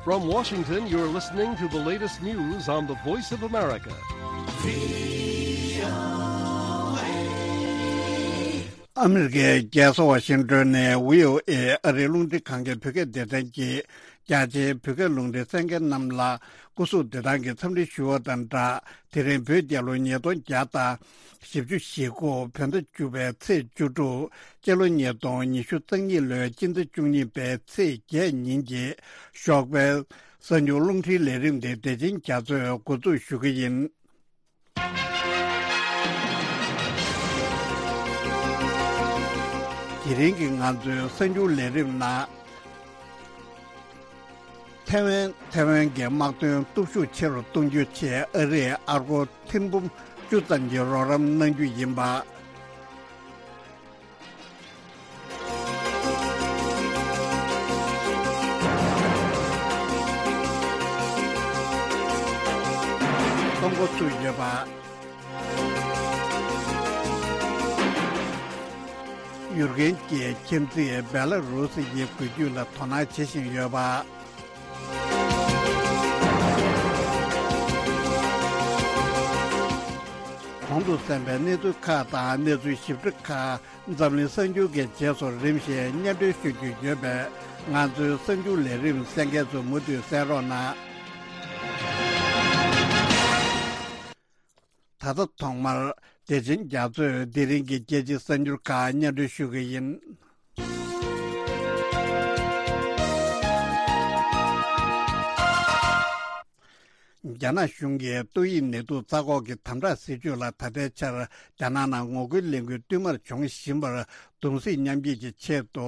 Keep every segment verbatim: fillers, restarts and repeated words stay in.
From Washington, you're listening to the latest news on the Voice of America. ཨ་མི་རི་ཀའི་རྒྱལ་ས་ཝ་ཤིང་ཏོན་ནས་བྷི་ཨོ་ཨེ་ཨ་རིའི་རླུང་འཕྲིན་ཁང་གི་བོད་སྐད་སྡེ་ཚན་གྱིས་རྒྱ་ཆེའི་བོད་སྐད་རླུང་འཕྲིན་གསན་མཁན་རྣམས་ལ་སྐུ་གཟུགས་བདེ་ཐང་གི་འཚམས་འདྲི་ཞུ་བ་དང་སྦྲགས། དེ་རིང་བོད་རྒྱལ་ལོ་ཉིས་སྟོང་བརྒྱ་དང་བཞི་བཅུ་ཞེ་དགུ་བོད་ཟླ་བཅུ་པའི་ཚེས་བཅུ་དྲུག་སྤྱི་ལོ་ཉིས་སྟོང་ཉི་ཤུ་རྩ་གཉིས་ལོའི་སྤྱི་ཟླ་བཅུ་གཉིས་པའི་ཚེས་བརྒྱད་ཉིན་གྱི་ཞོགས་པའི་གསར་འགྱུར་རླུང་འཕྲིན་ལས་རིམ་དེ་བདེ་ཆེན་རྒྱ་མཚོས་འགོ་འཛུགས་ཞུ་གི་ཡིན། དེ་རིང་གི་ང་ཚོའི་གསར་འགྱུར་ལས་རིམ་ནང་། ཐའེ་ཝན། ཐའེ་ཝན་གྱི་དམག་དོན་སྟོབས་ཤུགས་ཆེ་རུ་གཏོང་རྒྱུའི་ཆེད་ཨ་རིས་ཨར་སྒོར་ཐེར་འབུམ་བཅུ་ཙམ་གྱི་རོགས་རམ་གནང་རྒྱུ་ཡིན་པ། གཏོང་འགོ་ཚུགས་ཡོད་པ། ཡུ་རེན་གྱི་ཁྱིམ་མཚེས་སྦེ་ལ་རུ་སི་ཡི་འགུལ་སྐྱོད་ལ་དོ་སྣང་བྱེད་བཞིན་ཡོད་པ། གོང་དུ་གསན་པའི་གནས་ཚུལ་ཁག་དང་གནས་ཚུལ་ཞིབ་ཕྲ་ཁག་འཛམ་གླིང་གསར་འགྱུར་གྱི་རྗེས་སུ་རིམ་བཞིན་སྙན་སྒྲོན་ཞུ་རྒྱུ་ཡོད་པས། ང་ཚོའི་གསར་འགྱུར་ལས་རིམ་གསན་མཁན་ཚོ་མུ་མཐུད་གསན་རོགས་གནང་། ད་ལྟ་ཐོག་མར་བདེ་ཆེན་རྒྱ་མཚོས་དེ་རིང་གི་རྒྱལ་སྤྱིའི་གསར་འགྱུར་ཁག་སྙན་སྒྲོན་ཞུ་གི་ཡིན། རྒྱ་ནག་གཞུང་གིས་ཏོག་དབྱིབས་ནད་དུག་རྩ་འགོག་གི་དམ་དྲག་སྲིད་ཇུས་ལ་ད་ལྟའི་ཆར་རྒྱ་ནག་ནང་ངོ་རྒོལ་ལས་འགུལ་བསྟུད་མར་འབྱུང་བཞིན་པར་གདུང་སེམས་མཉམ་སྐྱེད་ཀྱི་ཆེད་དུ།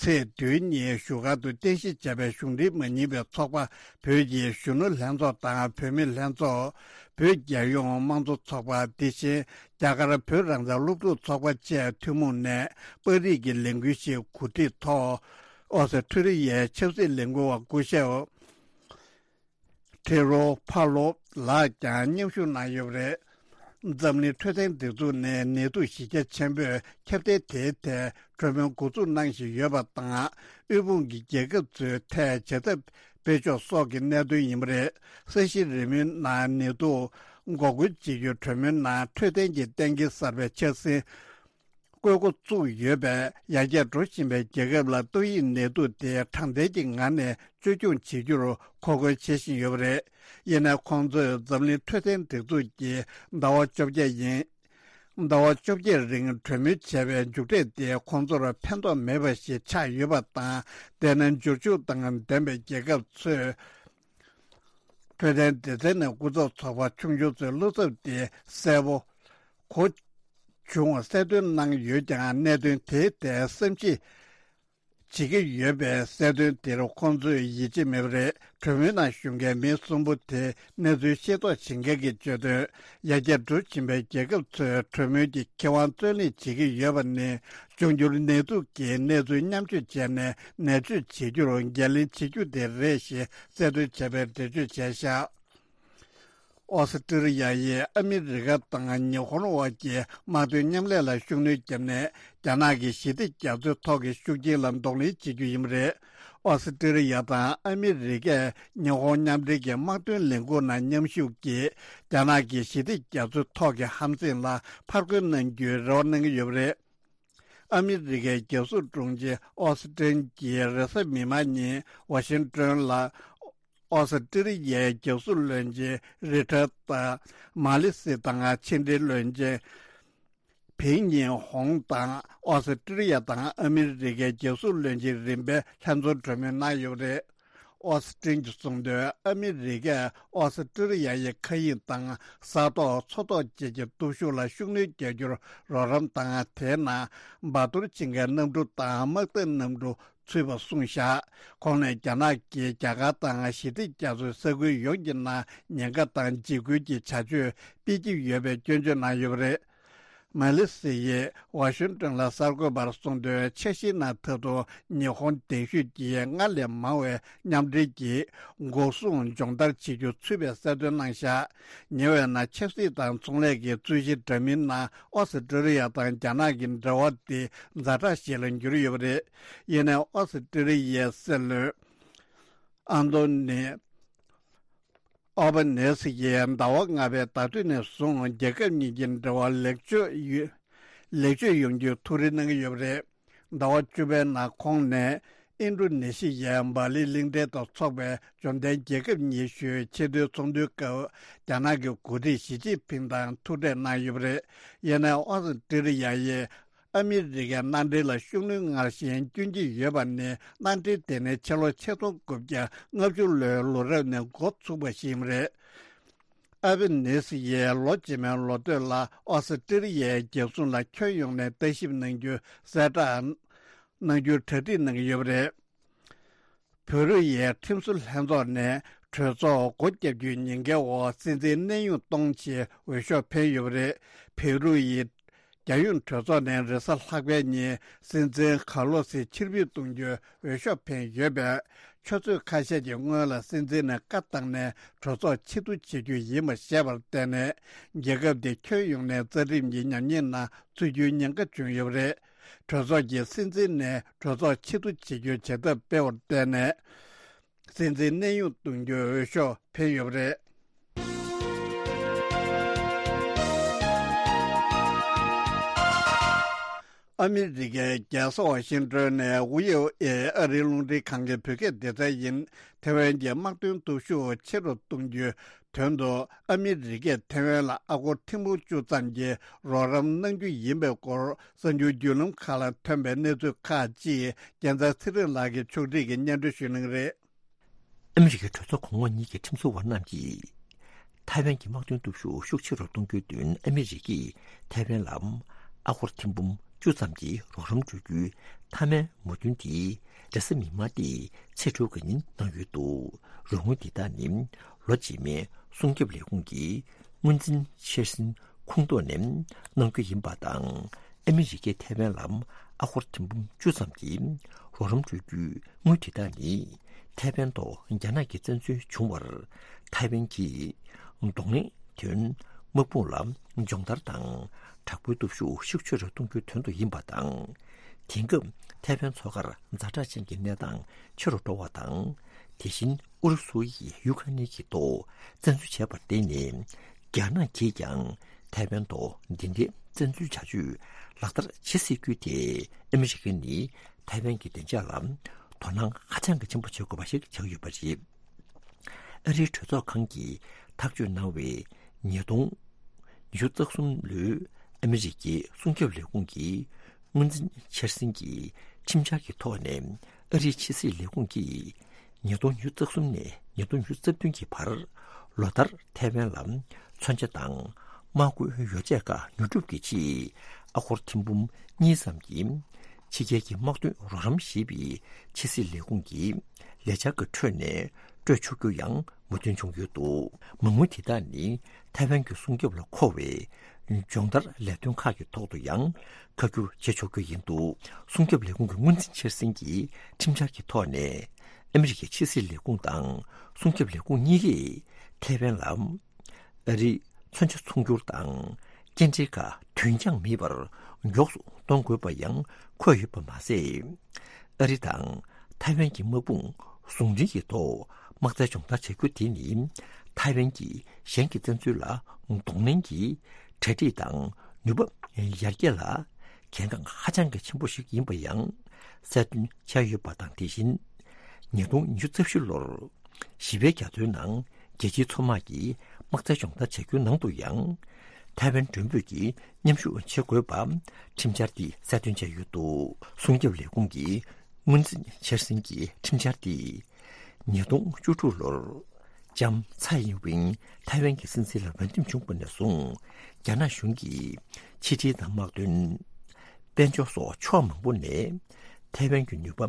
ཚེས་བདུན་ཉིན་བཞུགས་སྒར་དུ་རྟེན་གཞི་བྱས་པའི་གཞུང་འབྲེལ་མ་ཡིན་པའི་ཚོགས་པ། བོད་ཀྱི་གཞོན་ནུ་ལྷན་ཚོགས་དང་བུད་མེད་ལྷན་ཚོགས། བོད་རྒྱལ་ཡོངས་དམངས་གཙོ་ཚོགས་པ། དེ་བཞིན་རྒྱ་གར་བོད་རང་བཙན་སློབ་ཕྲུག་ཚོགས་པ་བཅས་ཐུན་མོང་ནས་པར་རིས་ཀྱི་ལས་འགུལ་ཞིག་གོ་སྒྲིག་ཐོག་ཨོ་སི་ཁྲུ་ལི་ཡའི་ཆབ་སྲིད་ལས་འགུལ་བ་སྐུ་ཞབས་ཁྲེ་རོ་ཕ་ལོ་ལགས་ཀྱང་མཉམ་ཞུགས་གནང་ཡོད་པ་རེད། འཛམ་གླིང་འཕྲོད་བསྟེན་སྒྲིག་འཛུགས་ནས་ནད་དུག་གཞི་རྒྱ་ཆེན་པོས་ཁྱབ་གདལ་དེའི་ཐད་གྲོས་མོལ་འགོ་འཛུགས་གནང་བཞིན་ཡོད་པ་དང་། དབུལ་ཕོངས་ཀྱི་རྒྱལ་ཁབ་ཚོའི་ཐད་བྱ་ཐབས་སྤེལ་ཕྱོགས་སོགས་ཀྱི་གནད་དོན་ཡིན་པ་རེད། ས་གཞི་རི་མོའི་ནང་ནད་དུག་འགོག་རྒོལ་བྱེད་རྒྱུའི་གྲོས་མོལ་ནང་འཕྲོད་བསྟེན་གྱི་གཏན་འཁེལ་གསར་པའི་འཆར་ཟིན་བཀོད་འགོ་བཙུགས་ཡོད་པས། ཡར་རྒྱས་འགྲོ་བཞིན་པའི་རྒྱལ་ཁབ་ལ་ཏོག་དབྱིབས་ནད་དུག་དེ་དྲང་བདེན་གྱི་ངང་ནས་བཅོས་སྐྱོང་བྱེད་རྒྱུར་འགོག་རྒོལ་བྱེད་བཞིན་ཡོད་པ་རེད། ཡིན་ནའི་ཁོང་ཚོས་འཛམ་གླིང་འཕྲོད་བསྟེན་སྒྲིག་འཛུགས་ཀྱིས་ཟླ་བ་བཅོ་བརྒྱད་ཡིན། ཟླ་བ་བཅོ་བརྒྱད་རིང་གྲོས་མོལ་བྱས་པའི་མཇུག་འབྲས་དེ་ཁོང་ཚོར་ཕན་ཐོགས་མེད་པ་ཞིག་ཆགས་ཡོད་པ་དང་། དེས་ན་འབྱོར་ཕྱུག་དང་ལྡན་པའི་རྒྱལ་ཁབ་ཚོས་འཕྲོད་བསྟེན་སྡེ་ཚན་ནས་སྐུ་ཚབ་ཚོགས་པ་ཆུང་ཆུང་ཚོའི་བློ་འཚབ་དེ་གསལ་པོ་གོ་བྱུང་བ་གསལ་སྟོན་གནང་ཡོད་ཀྱང་། གནད་དོན་དེའི་ཐད་བསམ་གཞིག་བྱེད་ཀྱི་ཡོད་པའི་གསལ་སྟོན་དེར་ཁོང་ཚོས་ཡིད་ཆེས་མེད་པ་རེད། གྲོས་མོལ་ནང་ཞུགས་མཁན་མི་གསུམ་པོ་དེ་གནས་ཚུལ་ཤེས་རྟོགས་བྱེད་མཁན་གྱིས་བརྗོད་དོན། ཡར་རྒྱས་འགྲོ་བཞིན་པའི་རྒྱལ་ཁབ་ཚོས་གྲོས་མོལ་གྱི་ཁེ་དབང་རྩོད་ལེན་བྱེད་ཀྱི་ཡོད་པ་ནི། འབྱུང་འགྱུར་ནད་དུག་གི་གནས་ཚུལ་མཉམ་སྤྱོད་བྱས་ནས་ནད་བཅོས་བྱེད་རྒྱུར་འགན་ལེན་བྱེད་རྒྱུ་དེ་རེད་ཞེས་གསལ་སྟོན་བྱས་པའི་འགྲེལ་བརྗོད་བྱས་བཞག་ཨོ་སི་ཀྲི་ལི་ཡ་ཡིས་ཨ་མི་རི་ཀ་དང་ཉི་ཧོང་བར་གྱི་དམག་དོན་མཉམ་ལས་ལ་ཤུགས་སྣོན་བརྒྱབ་ནས། རྒྱ་ནག་གི་ཞི་བདེ་རྒྱ་མཚོའི་ཐོག་གི་ཤུགས་རྐྱེན་ལ་གདོང་ལེན་བྱེད་རྒྱུ་ཡིན་པ་རེད། ཨོ་སི་ཀྲི་ལི་ཡ་དང་ཨ་མི་རི་ཀས་ཉི་ཧོང་མཉམ་འབྲེལ་གྱི་དམག་དོན་ལས་འགུལ་ནང་མཉམ་ཞུགས་ཀྱིས། རྒྱ་ནག་གི་ཞི་བདེ་རྒྱ་མཚོའི་ཐོག་གི་ཧམ་སེམས་ལ་ཕར་རྒོལ་གནང་རྒྱུའི་རེ་བ་གནང་གི་ཡོད་པ་རེད། ཨ་མི་རི་ཀའི་རྒྱལ་སྲུང་དྲུང་ཆེ་ཨོ་སི་ཏིན་གྱིས་རེས་གཟའ་མིག་དམར་ཉིན་ཝ་ཤིང་ཏོན་ལ། ཨོ་སི་ཀྲི་ལི་ཡའི་རྒྱལ་སྲུང་བློན་ཆེན་རི་ཁྲར་དང་མ་ལི་སི་དང་ཕྱི་འབྲེལ་བློན་ཆེན་ཕིང་ཉིན་ཧོང་དང་ཨོ་སི་ཀྲི་ལི་ཡ་དང་ཨ་མི་རི་ཀའི་རྒྱལ་སྲུང་བློན་ཆེན་རིམ་པས་ལྷན་འཛོམས་གྲོས་མོལ་གནང་ཡོད་པ་རེད། ཨོ་སི་ཀྲིན་གྱིས་གསུངས་དོན། ཨ་མི་རི་ཀས་ཨོ་སི་ཀྲི་ལི་ཡ་ཡི་མཁའ་དབྱིངས་དང་ས་ཐོག་མཚོ་ཐོག་བཅས་ཀྱི་སྟོབས་ཤུགས་ལ་ཤུགས་སྣོན་རྒྱག་རྒྱུར་རོགས་རམ་དང་། དེའི་ནང་འབའ་གཏོར་བྱེད་མཁན་གནམ་གྲུ་དང་དམག་འཐབ་གནམ་གྲུ་ཚུད་པ་གསུངས་བཞག་ཁོང་ནས་རྒྱ་ནག་གིས་རྒྱ་གར་དང་ཞི་བདེ་རྒྱ་མཚོའི་ས་ཁུལ་ཡོངས་ཀྱི་ནང་ཉེན་ཁ་དང་འཇིགས་སྐུལ་གྱི་བྱ་སྤྱོད་སྤེལ་གྱི་ཡོད་པའི་སྐྱོན་བརྗོད་གནང་ཡོད་པ་རེད། མ་ལི་སི་ཡིས་ཝ་ཤིང་ཏོན་ལ་གསར་འགོད་པར་གསུངས་དོན། འཆར་གཞིའི་ནང་ད་དུང་ཉི་ཧོང་གདན་ཞུས་ཀྱིས་སྔར་ལས་མང་བའི་མཉམ་འབྲེལ་གྱི་འགོག་སྲུང་སྦྱོང་བརྡར་བྱེད་རྒྱུ་ཚུད་པའི་གསལ་སྟོན་གནང་བཞག་ཉེ་བའི་ནང་ཆབ་སྲིད་དང་ཚོང་ལས་ཀྱི་རྩོད་གཞི་འདྲ་མིན་ནང་ཨོ་སི་ཀྲི་ལི་ཡ་དང་རྒྱ་ནག་གི་འབྲེལ་བ་དེ་ཛ་དྲག་ཞིག་ལ་གྱུར་ཡོད་པ་རེད། ཡིན་ནའི་ཨོ་སི་ཀྲི་ལི་ཡའི་སྲིད་བློན། ཨན་ཏོ་ནི་ཨོ་བྷ་ནེ་སི་ཡིས་ཟླ་བ་ལྔ་པའི་ཟླ་སྟོད་ནས་བཟུང་རྒྱལ་ཁབ་གཉིས་ཀྱི་འབྲེལ་བ་ལེགས་བཅོས་ཡོ་ལེགས་བཅོས་ཡོང་རྒྱུའི་ཐུགས་རེ་གནང་གི་ཡོད་པ་རེད། ཟླ་བ་བཅུ་པའི་ནང་ཁོང་ནས་ཨིན་ཌོ་ནེ་ཤི་ཡའི་སྦ་ལི་གླིང་ཕྲན་དུ་འཚོགས་པའི་འབྱོར་ལྡན་རྒྱལ་ཁབ་ཉི་ཤུའི་ཆེས་མཐོའི་ཚོགས་འདུའི་སྐབས་རྒྱ་ནག་གི་འགོ་ཁྲིད་ཞི་ཅིན་ཕིང་དང་ཐུག་འཕྲད་གནང་ཡོད་པ་རེད། ཡིན་ནའི་ཨོ་སི་ཀྲི་ལི་ཡ་ཡིས་ཨ་མི་རི་ཀའི་མནའ་འབྲེལ་ལ་ཤུགས་སྣོན་སྔར་བཞིན་བསྐྱོན་གྱི་ཡོད་པ་ནི། མནའ་འབྲེལ་དེ་ནི་ཕྱི་ལོ་ཆིག་སྟོང་དགུ་བརྒྱ་ལྔ་བཅུ་ལོའི་ལོ་རབས་ནས་འགོ་ཚུགས་པ་ཞིག་ཡིན་པ་རེད། ཨལ་བྷ་ནི་སི་ཡིས་ལོ་རྗེས་མའི་ལོ་སྟོད་ལ་ཨོ་སི་ཀྲི་ལི་ཡའི་རྒྱལ་སྲུང་ལ་ཁྱོན་ཡོངས་ནས་ལྟ་ཞིབ་གནང་རྒྱུའི་གསལ་བསྒྲགས་གནང་རྒྱུའི་གྲ་སྒྲིག་གནང་གི་ཡོད་པ་རེད། བོད་རིགས་ཡའི་ཁྲིམས་བཟོ་ལྷན་ཚོགས་ནས་གྲོས་ཚོགས་སྒོ་བརྒྱབ་རྒྱུའི་ཉེན་ཁའི་འོག་སྲིད་འཛིན་གནས་དབྱུང་གཏོང་ཆེད་འོས་ཤོག་འཕེན་ཡོད་པ་རེད། བོད་རིགས་ཡའི་རྒྱལ་ཡོངས་གྲོས་ཚོགས་ནས་རེས་གཟའ་ལྷག་པའི་ཉིན་སྲིད་འཛིན་ཁར་ལོ་སི་ཕྱིར་འབུད་གཏོང་རྒྱུའི་འོས་ཤོག་འཕེན་ཡོད་པས། ཆུ་ཚོད་ཁ་ཤས་ཀྱི་སྔོན་ལ་སྲིད་འཛིན་ནས་བཀའ་བཏང་ནས་གྲོས་ཚོགས་ཕྱིར་བསྡུ་བྱེད་རྒྱུ་ཡིན་པ་ཤེས་པར་བརྟེན་ནས། རྒྱལ་ཁབ་དེ་ཁྱོན་ཡོངས་ནས་རྩ་ཁྲིམས་ཀྱི་ཉམས་ཉེས་ནང་ཚུད་རྒྱུའི་ཉེན་ཁ་བྱུང་ཡོད་པ་རེད། གྲོས་ཚོགས་ཀྱིས་སྲིད་འཛིན་ནས་གྲོས་ཚོགས་ཕྱིར་བསྡུ་བྱེད་རྒྱུའི་བྱེད་ཐབས་སྤེལ་བར་བརྟེན་ནས། སྲིད་འཛིན་གནས་དབྱུང་གཏོང་རྒྱུའི་འོས་ཤོག་འཕེན་ཡོད་པ་རེད། ཨ་མི་རི་ཀའི་རྒྱལ་ས་ཝ་ཤིང་ཏོན་ནས་ཝི་ཨོ་ཨེ་ཨ་རིའི་རླུང་འཕྲིན་ཁང་གི་བོད་སྐད་སྡེ་ཚན་ཡིན། ཐེ་ཝན་གྱི་དམག་དོན་སྟོབས་ཤུགས་ཆེ་རུ་གཏོང་རྒྱུའི་དོན་དུ་ཨ་མི་རི་ཀས་ཐེ་ཝན་ལ་ཨ་སྒོར་ཐེར་འབུམ་བཅུ་ཙམ་གྱི་རོགས་རམ་གནང་རྒྱུ་ཡིན་པའི་སྐོར་གསར་འགྱུར་བརྒྱུད་ལམ་ཁག་ལ་ཐོན་པའི་གནས་ཚུལ་ཁག་ཅིག་རྒྱལ་མཚན་ཚེ་རིང་ལགས་ཀྱིས་ཕྱོགས་སྒྲིག་གིས་སྙན་སྒྲོན་ཞུ་གནང་གི་རེད། ཨ་མི་རི་ཀའི་གྲོས་ཚོགས་གོང་འོག་གཉིས་ཀྱི་ཁྲིམས་བཟོ་བ་རྣམས་ཀྱིས། ཐའེ་ཝན་གྱི་དམག་དོན་སྟོབས་ཤུགས་ཤུགས་ཆེ་རུ་གཏོང་རྒྱུའི་དོན་ཨ་མི་རི་ཀས་ཐའེ་ཝན་ལ་ཨ་སྒོར་ཐེར་འབུམ་བཅུ་ཙམ་གྱི་རོགས་རམ་སྤྲོད་རྒྱུའི་མཐའ་མའི་མོས་མཐུན་དེ་རེས་གཟའ་མིག་དམར་སྟེ་ཚེས་དྲུག་གི་ཉིན་གནང་ཡོད་འདུག་རོགས་དངུལ་འདི་དག་ནི་ལོ་རྗེས་མའི་སྲུང་སྐྱོབ་ལས་ཁུངས་ཀྱི་དངུལ་འཛིན་འཆར་ཟིན་ཁོངས་གཏོགས་ནས་གནང་རྒྱུ་ཡིན་པ་དང་། ཨ་མི་རི་ཀས་ཐའེ་ཝན་ལ་ཨ་སྒོར་ཐེར་འབུམ་བཅུ་ཙམ་གྱི་རོགས་རམ་སྤྲོད་རྒྱུའི་དངུལ་དེ་དག་ནི་ཐའེ་ཝན་ཐོག་རྒྱ་ནག་གི་བཙན་འཛུལ་བྱུང་བར་ཐའེ་ཝན་གྱིས་གདོང་ལེན་དོན་དམག་དཔུང་ལ་སྦྱོང་བརྡར་དང་དྲག་པོའི་སྟོབས་ཤུགས་ཤུགས་ཆེ་རུ་གཏོང་རྒྱུའི་དོན་དུ་ཡིན་པ་དང་། དེང་སྐབས་ཐའེ་ཝན་མཚོ་ཁར་ཛ་དྲག་ཅན་གྱི་གནས་སྟངས་ཆེ་རུ་འགྲོ་བ་དང་། དེ་བཞིན་ཨུ་རུ་སུ་ཡིས་ཡུ་ཁ་ནི་གི་ཐོག་བཙན་འཛུལ་བྱས་པར་བརྟེན་ནས། རྒྱ་ནག་གིས་ཀྱང་ཐའེ་ཝན་ཐོག་འདི་འདྲའི་བཙན་འཛུལ་བྱ་སྤྱོད་ལག་བསྟར་བྱེད་སྲིད་རྒྱུ་དེ་ཨ་མི་རི་ཀ་ནི་ཐའེ་ཝན་གྱི་བདེ་འཇགས་ལ་དོ་སྣང་ཧ་ཅང་གི་ཆེན་པོ་བྱེད་དགོས་པ་ཞིག་ཆགས་ཡོད་པ་རེད། ཨ་རིའི་གྲོས་ཚོགས་ཁང་གིས་ཐག་གཅོད་གནང་བའི་ཉིས་སྟོང་ཉི་ཤུ་རྩ་གསུམ་ལོའི་ཨ་མི་རི་ཀའི་སྲུང་སྐྱོབ་ལས་ཁུངས་ཀྱི་དངུལ་འཛིན་འཆར་ཟིན་གྱི་ཁྲིམས་འཆར་གྱི་ཐོག་ནས་ཨ་རིའི་ཕྱི་སྲིད་ལས་ཁུངས་ཀྱིས། ཉིས་སྟོང་ཉི་ཤུ་རྩ་གསུམ་ནས་ཉིས་སྟོང་ཉི་ཤུ་རྩ་བདུན་གྱི་བར་ལོ་ལྟར་ཐའེ་ཝན་ལ་མཚོན་ཆ་དང་དམག་བཀོལ་ཡོ་བྱད་ཁག་ཉོ་སྒྲུབ་ཀྱི་ཆེད་ཨ་སྒོར་ཐེར་འབུམ་གཉིས་ཙམ་གྱི་ཕྱི་རྒྱལ་གྱི་དམག་དོན་རོགས་རམ་ཞེས་པའི་ཕྱི་སྲིད་ལས་ཁུངས་ཀྱི་ལས་འཆར་གྱི་ཁྲོད་ནས་སྤྲོད་ཆོག་རྒྱུ་ཡང་མོས་མཐུན་བྱུང་ཡོད་འདུག་མ་དངུལ་དེ་དག་ནི་ཐའེ་ཝན་གྱི་སྲུང་སྐྱོབ་ལ་མཁོ་བའི་སྦྱོང་བརྡར་ལས་དོན་ཁག་གི་ཐོག་ཏུ་ཡང་ཁ་བསྒྱུར་བྱེད་ཆོག་རྒྱུ་ཡིན་འདུག་སྲུང་སྐྱོབ་ལས་ཁུངས་ཀྱི་དངུལ་འཛིན་འཆར་ཟིན་གྱི་ཁྲིམས་འཆར་གྱི་ཐོག་ནས། ཨ་མི་རི་ཀའི་ཕྱི་སྲིད་ལས་ཁུངས་དང་སྲུང་སྐྱོབ་ལས་ཁུངས་གཉིས་ཀས་ཐའེ་ཝན་ལ་ཨ་རིའི་མཚོན་ཆ་ཚོང་སྒྱུར་དང་སྐྱེལ་འདྲེན་ཁག་དུས་འགྱངས་མེད་པར་མགྱོགས་སུ་གཏོང་དགོས་པ་ཡང་འཁོད་ཡོད་པ་མ་ཟད། ཨ་རི་དང་ཐའེ་ཝན་གྱི་དམག་དཔུང་ཟུང་འབྲེལ་གྱི་ཐོག་དམག་རྩལ་སྦྱོང་བརྡར་བྱ་རྒྱུ་དེ་ནི་ཐའེ་ཝན་གྱིས་གཞན་གྱི་བཙན་འཛུལ་ལ་གདོང་ལེན་གྱི་གྲ་སྒྲིག་དང་ནུས་པ་ཡར་རྒྱས་ལ་གལ་འགངས་ཧ་ཅང་གི་ཆེན་པོ་ཞིག་ཡིན་པ་ཡང་གསལ་སྟོན་བྱས་ཡོད་པ་དང་། དེ་བཞིན་ཉིས་སྟོང་ཉི་ཤུ་རྩ་བཞི་ལོར་ཞི་བའི་རྒྱ་མཚོའི་ནང་རྒྱལ་སྤྱིའི་མཚོ་དམག་གིས་དམག་རྩལ་སྦྱོང་བརྡར་བྱ་རྒྱུའི་ནང་དུ་ཡང་ཐའེ་ཝན་མགྲོན་འབོད་ཀྱིས་མཉམ་ཞུགས་བྱེད་དགོས་པ་ཁྲིམས་འཆར་འདིས་གསལ་སྟོན་བྱས་ཡོད་འདུག་སྲུང་སྐྱོབ་ལས་ཁུངས་ཀྱི་དངུལ་འཛིན་འཆར་ཟིན་གྱི་ཁྲིམས་འཆར་འདིས། ཉིས་སྟོང་བཅུ་དྲུག་ལོར་ལྕམ་ཚའེ་ཡིན་ཝིན་ཐའེ་ཝན་གྱི་སྲིད་འཛིན་ལ་འོས་འདེམས་བྱུང་བ་ནས་བཟུང་རྒྱ་ནག་གཞུང་གིས་ཕྱི་འབྲེལ་དང་དམག་དོན། དཔལ་འབྱོར་སོགས་ཕྱོགས་མང་པོ་ནས་ཐའེ་ཝན་གྱི་ནུས་པ་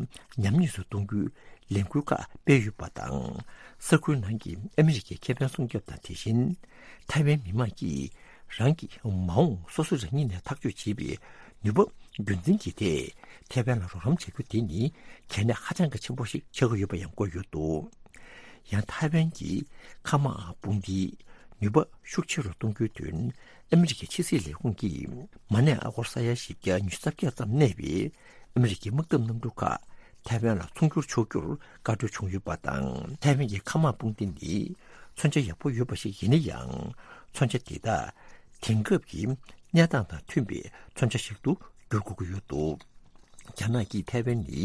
ཉམས་ཉེས་སུ་གཏོང་རྒྱུའི་ལས་འགུལ་ཁག་སྤེལ་ཡོད་པ་དང་། ས་ཁུལ་ནང་གི་ཨ་མི་རི་ཀའི་ཁེ་ཕན་སྲུང་སྐྱོབ་དང་། དེ་བཞིན་ཐའེ་ཝན་མི་དམངས་ཀྱིས་རང་གི་མ་འོངས་སོ་སོ་རང་ཉིད་ནས་ཐག་གཅོད་བྱེད་པའི་ནུས་པ་རྒྱུན་འཛིན་གྱི་ཐད་ཐའེ་ཝན་ལ་རོགས་རམ་བྱ་རྒྱུ་དེ་ནི་གལ་གནད་ཧ་ཅང་གི་ཆེན་པོ་ཞིག་ཆགས་ཀྱི་ཡོད་པ་ཡང་བཀོད་ཡོད་འདུག་ཡང་ཐའེ་ཝན་གྱི་མཁའ་དམག་དཔུང་སྡེའི་ནུས་པ་ཤུགས་ཆེ་རུ་གཏོང་རྒྱུའི་དོན་ཨ་མི་རི་ཀའི་ཕྱི་སྲིད་ལས་ཁུངས་ཀྱིས་མ་གནས་ཨ་སྒོར་ས་ཡ་བཞི་བརྒྱ་ཉི་ཤུ་རྩ་བརྒྱད་ཙམ་གནས་པའི་ཨ་མི་རི་ཀའི་དམག་འཐབ་གནམ་གྲུ་ཁག་ ཐའེ་ཝན་ལ་ཚོང་སྒྱུར་ཆོག་རྒྱུར་བཀའ་འཁྲོལ་བྱུང་ཡོད་པ་དང་། ཐའེ་ཝན་གྱི་མཁའ་དམག་དཔུང་སྡེ་ནི་མཚོན་ཆ་ཡག་པོ་ཡོད་པ་ཞིག་ཡིན་ན་ཡང་། མཚོན་ཆ་དེ་དག་དེང་སྐབས་ཀྱི་གནས་སྟངས་དང་མཐུན་པའི་མཚོན་ཆ་ཞིག་ཏུ་འགྱུར་དགོས་ཀྱི་ཡོད་འདུག་རྒྱ་ནག་གིས་ཐའེ་ཝན་ནི་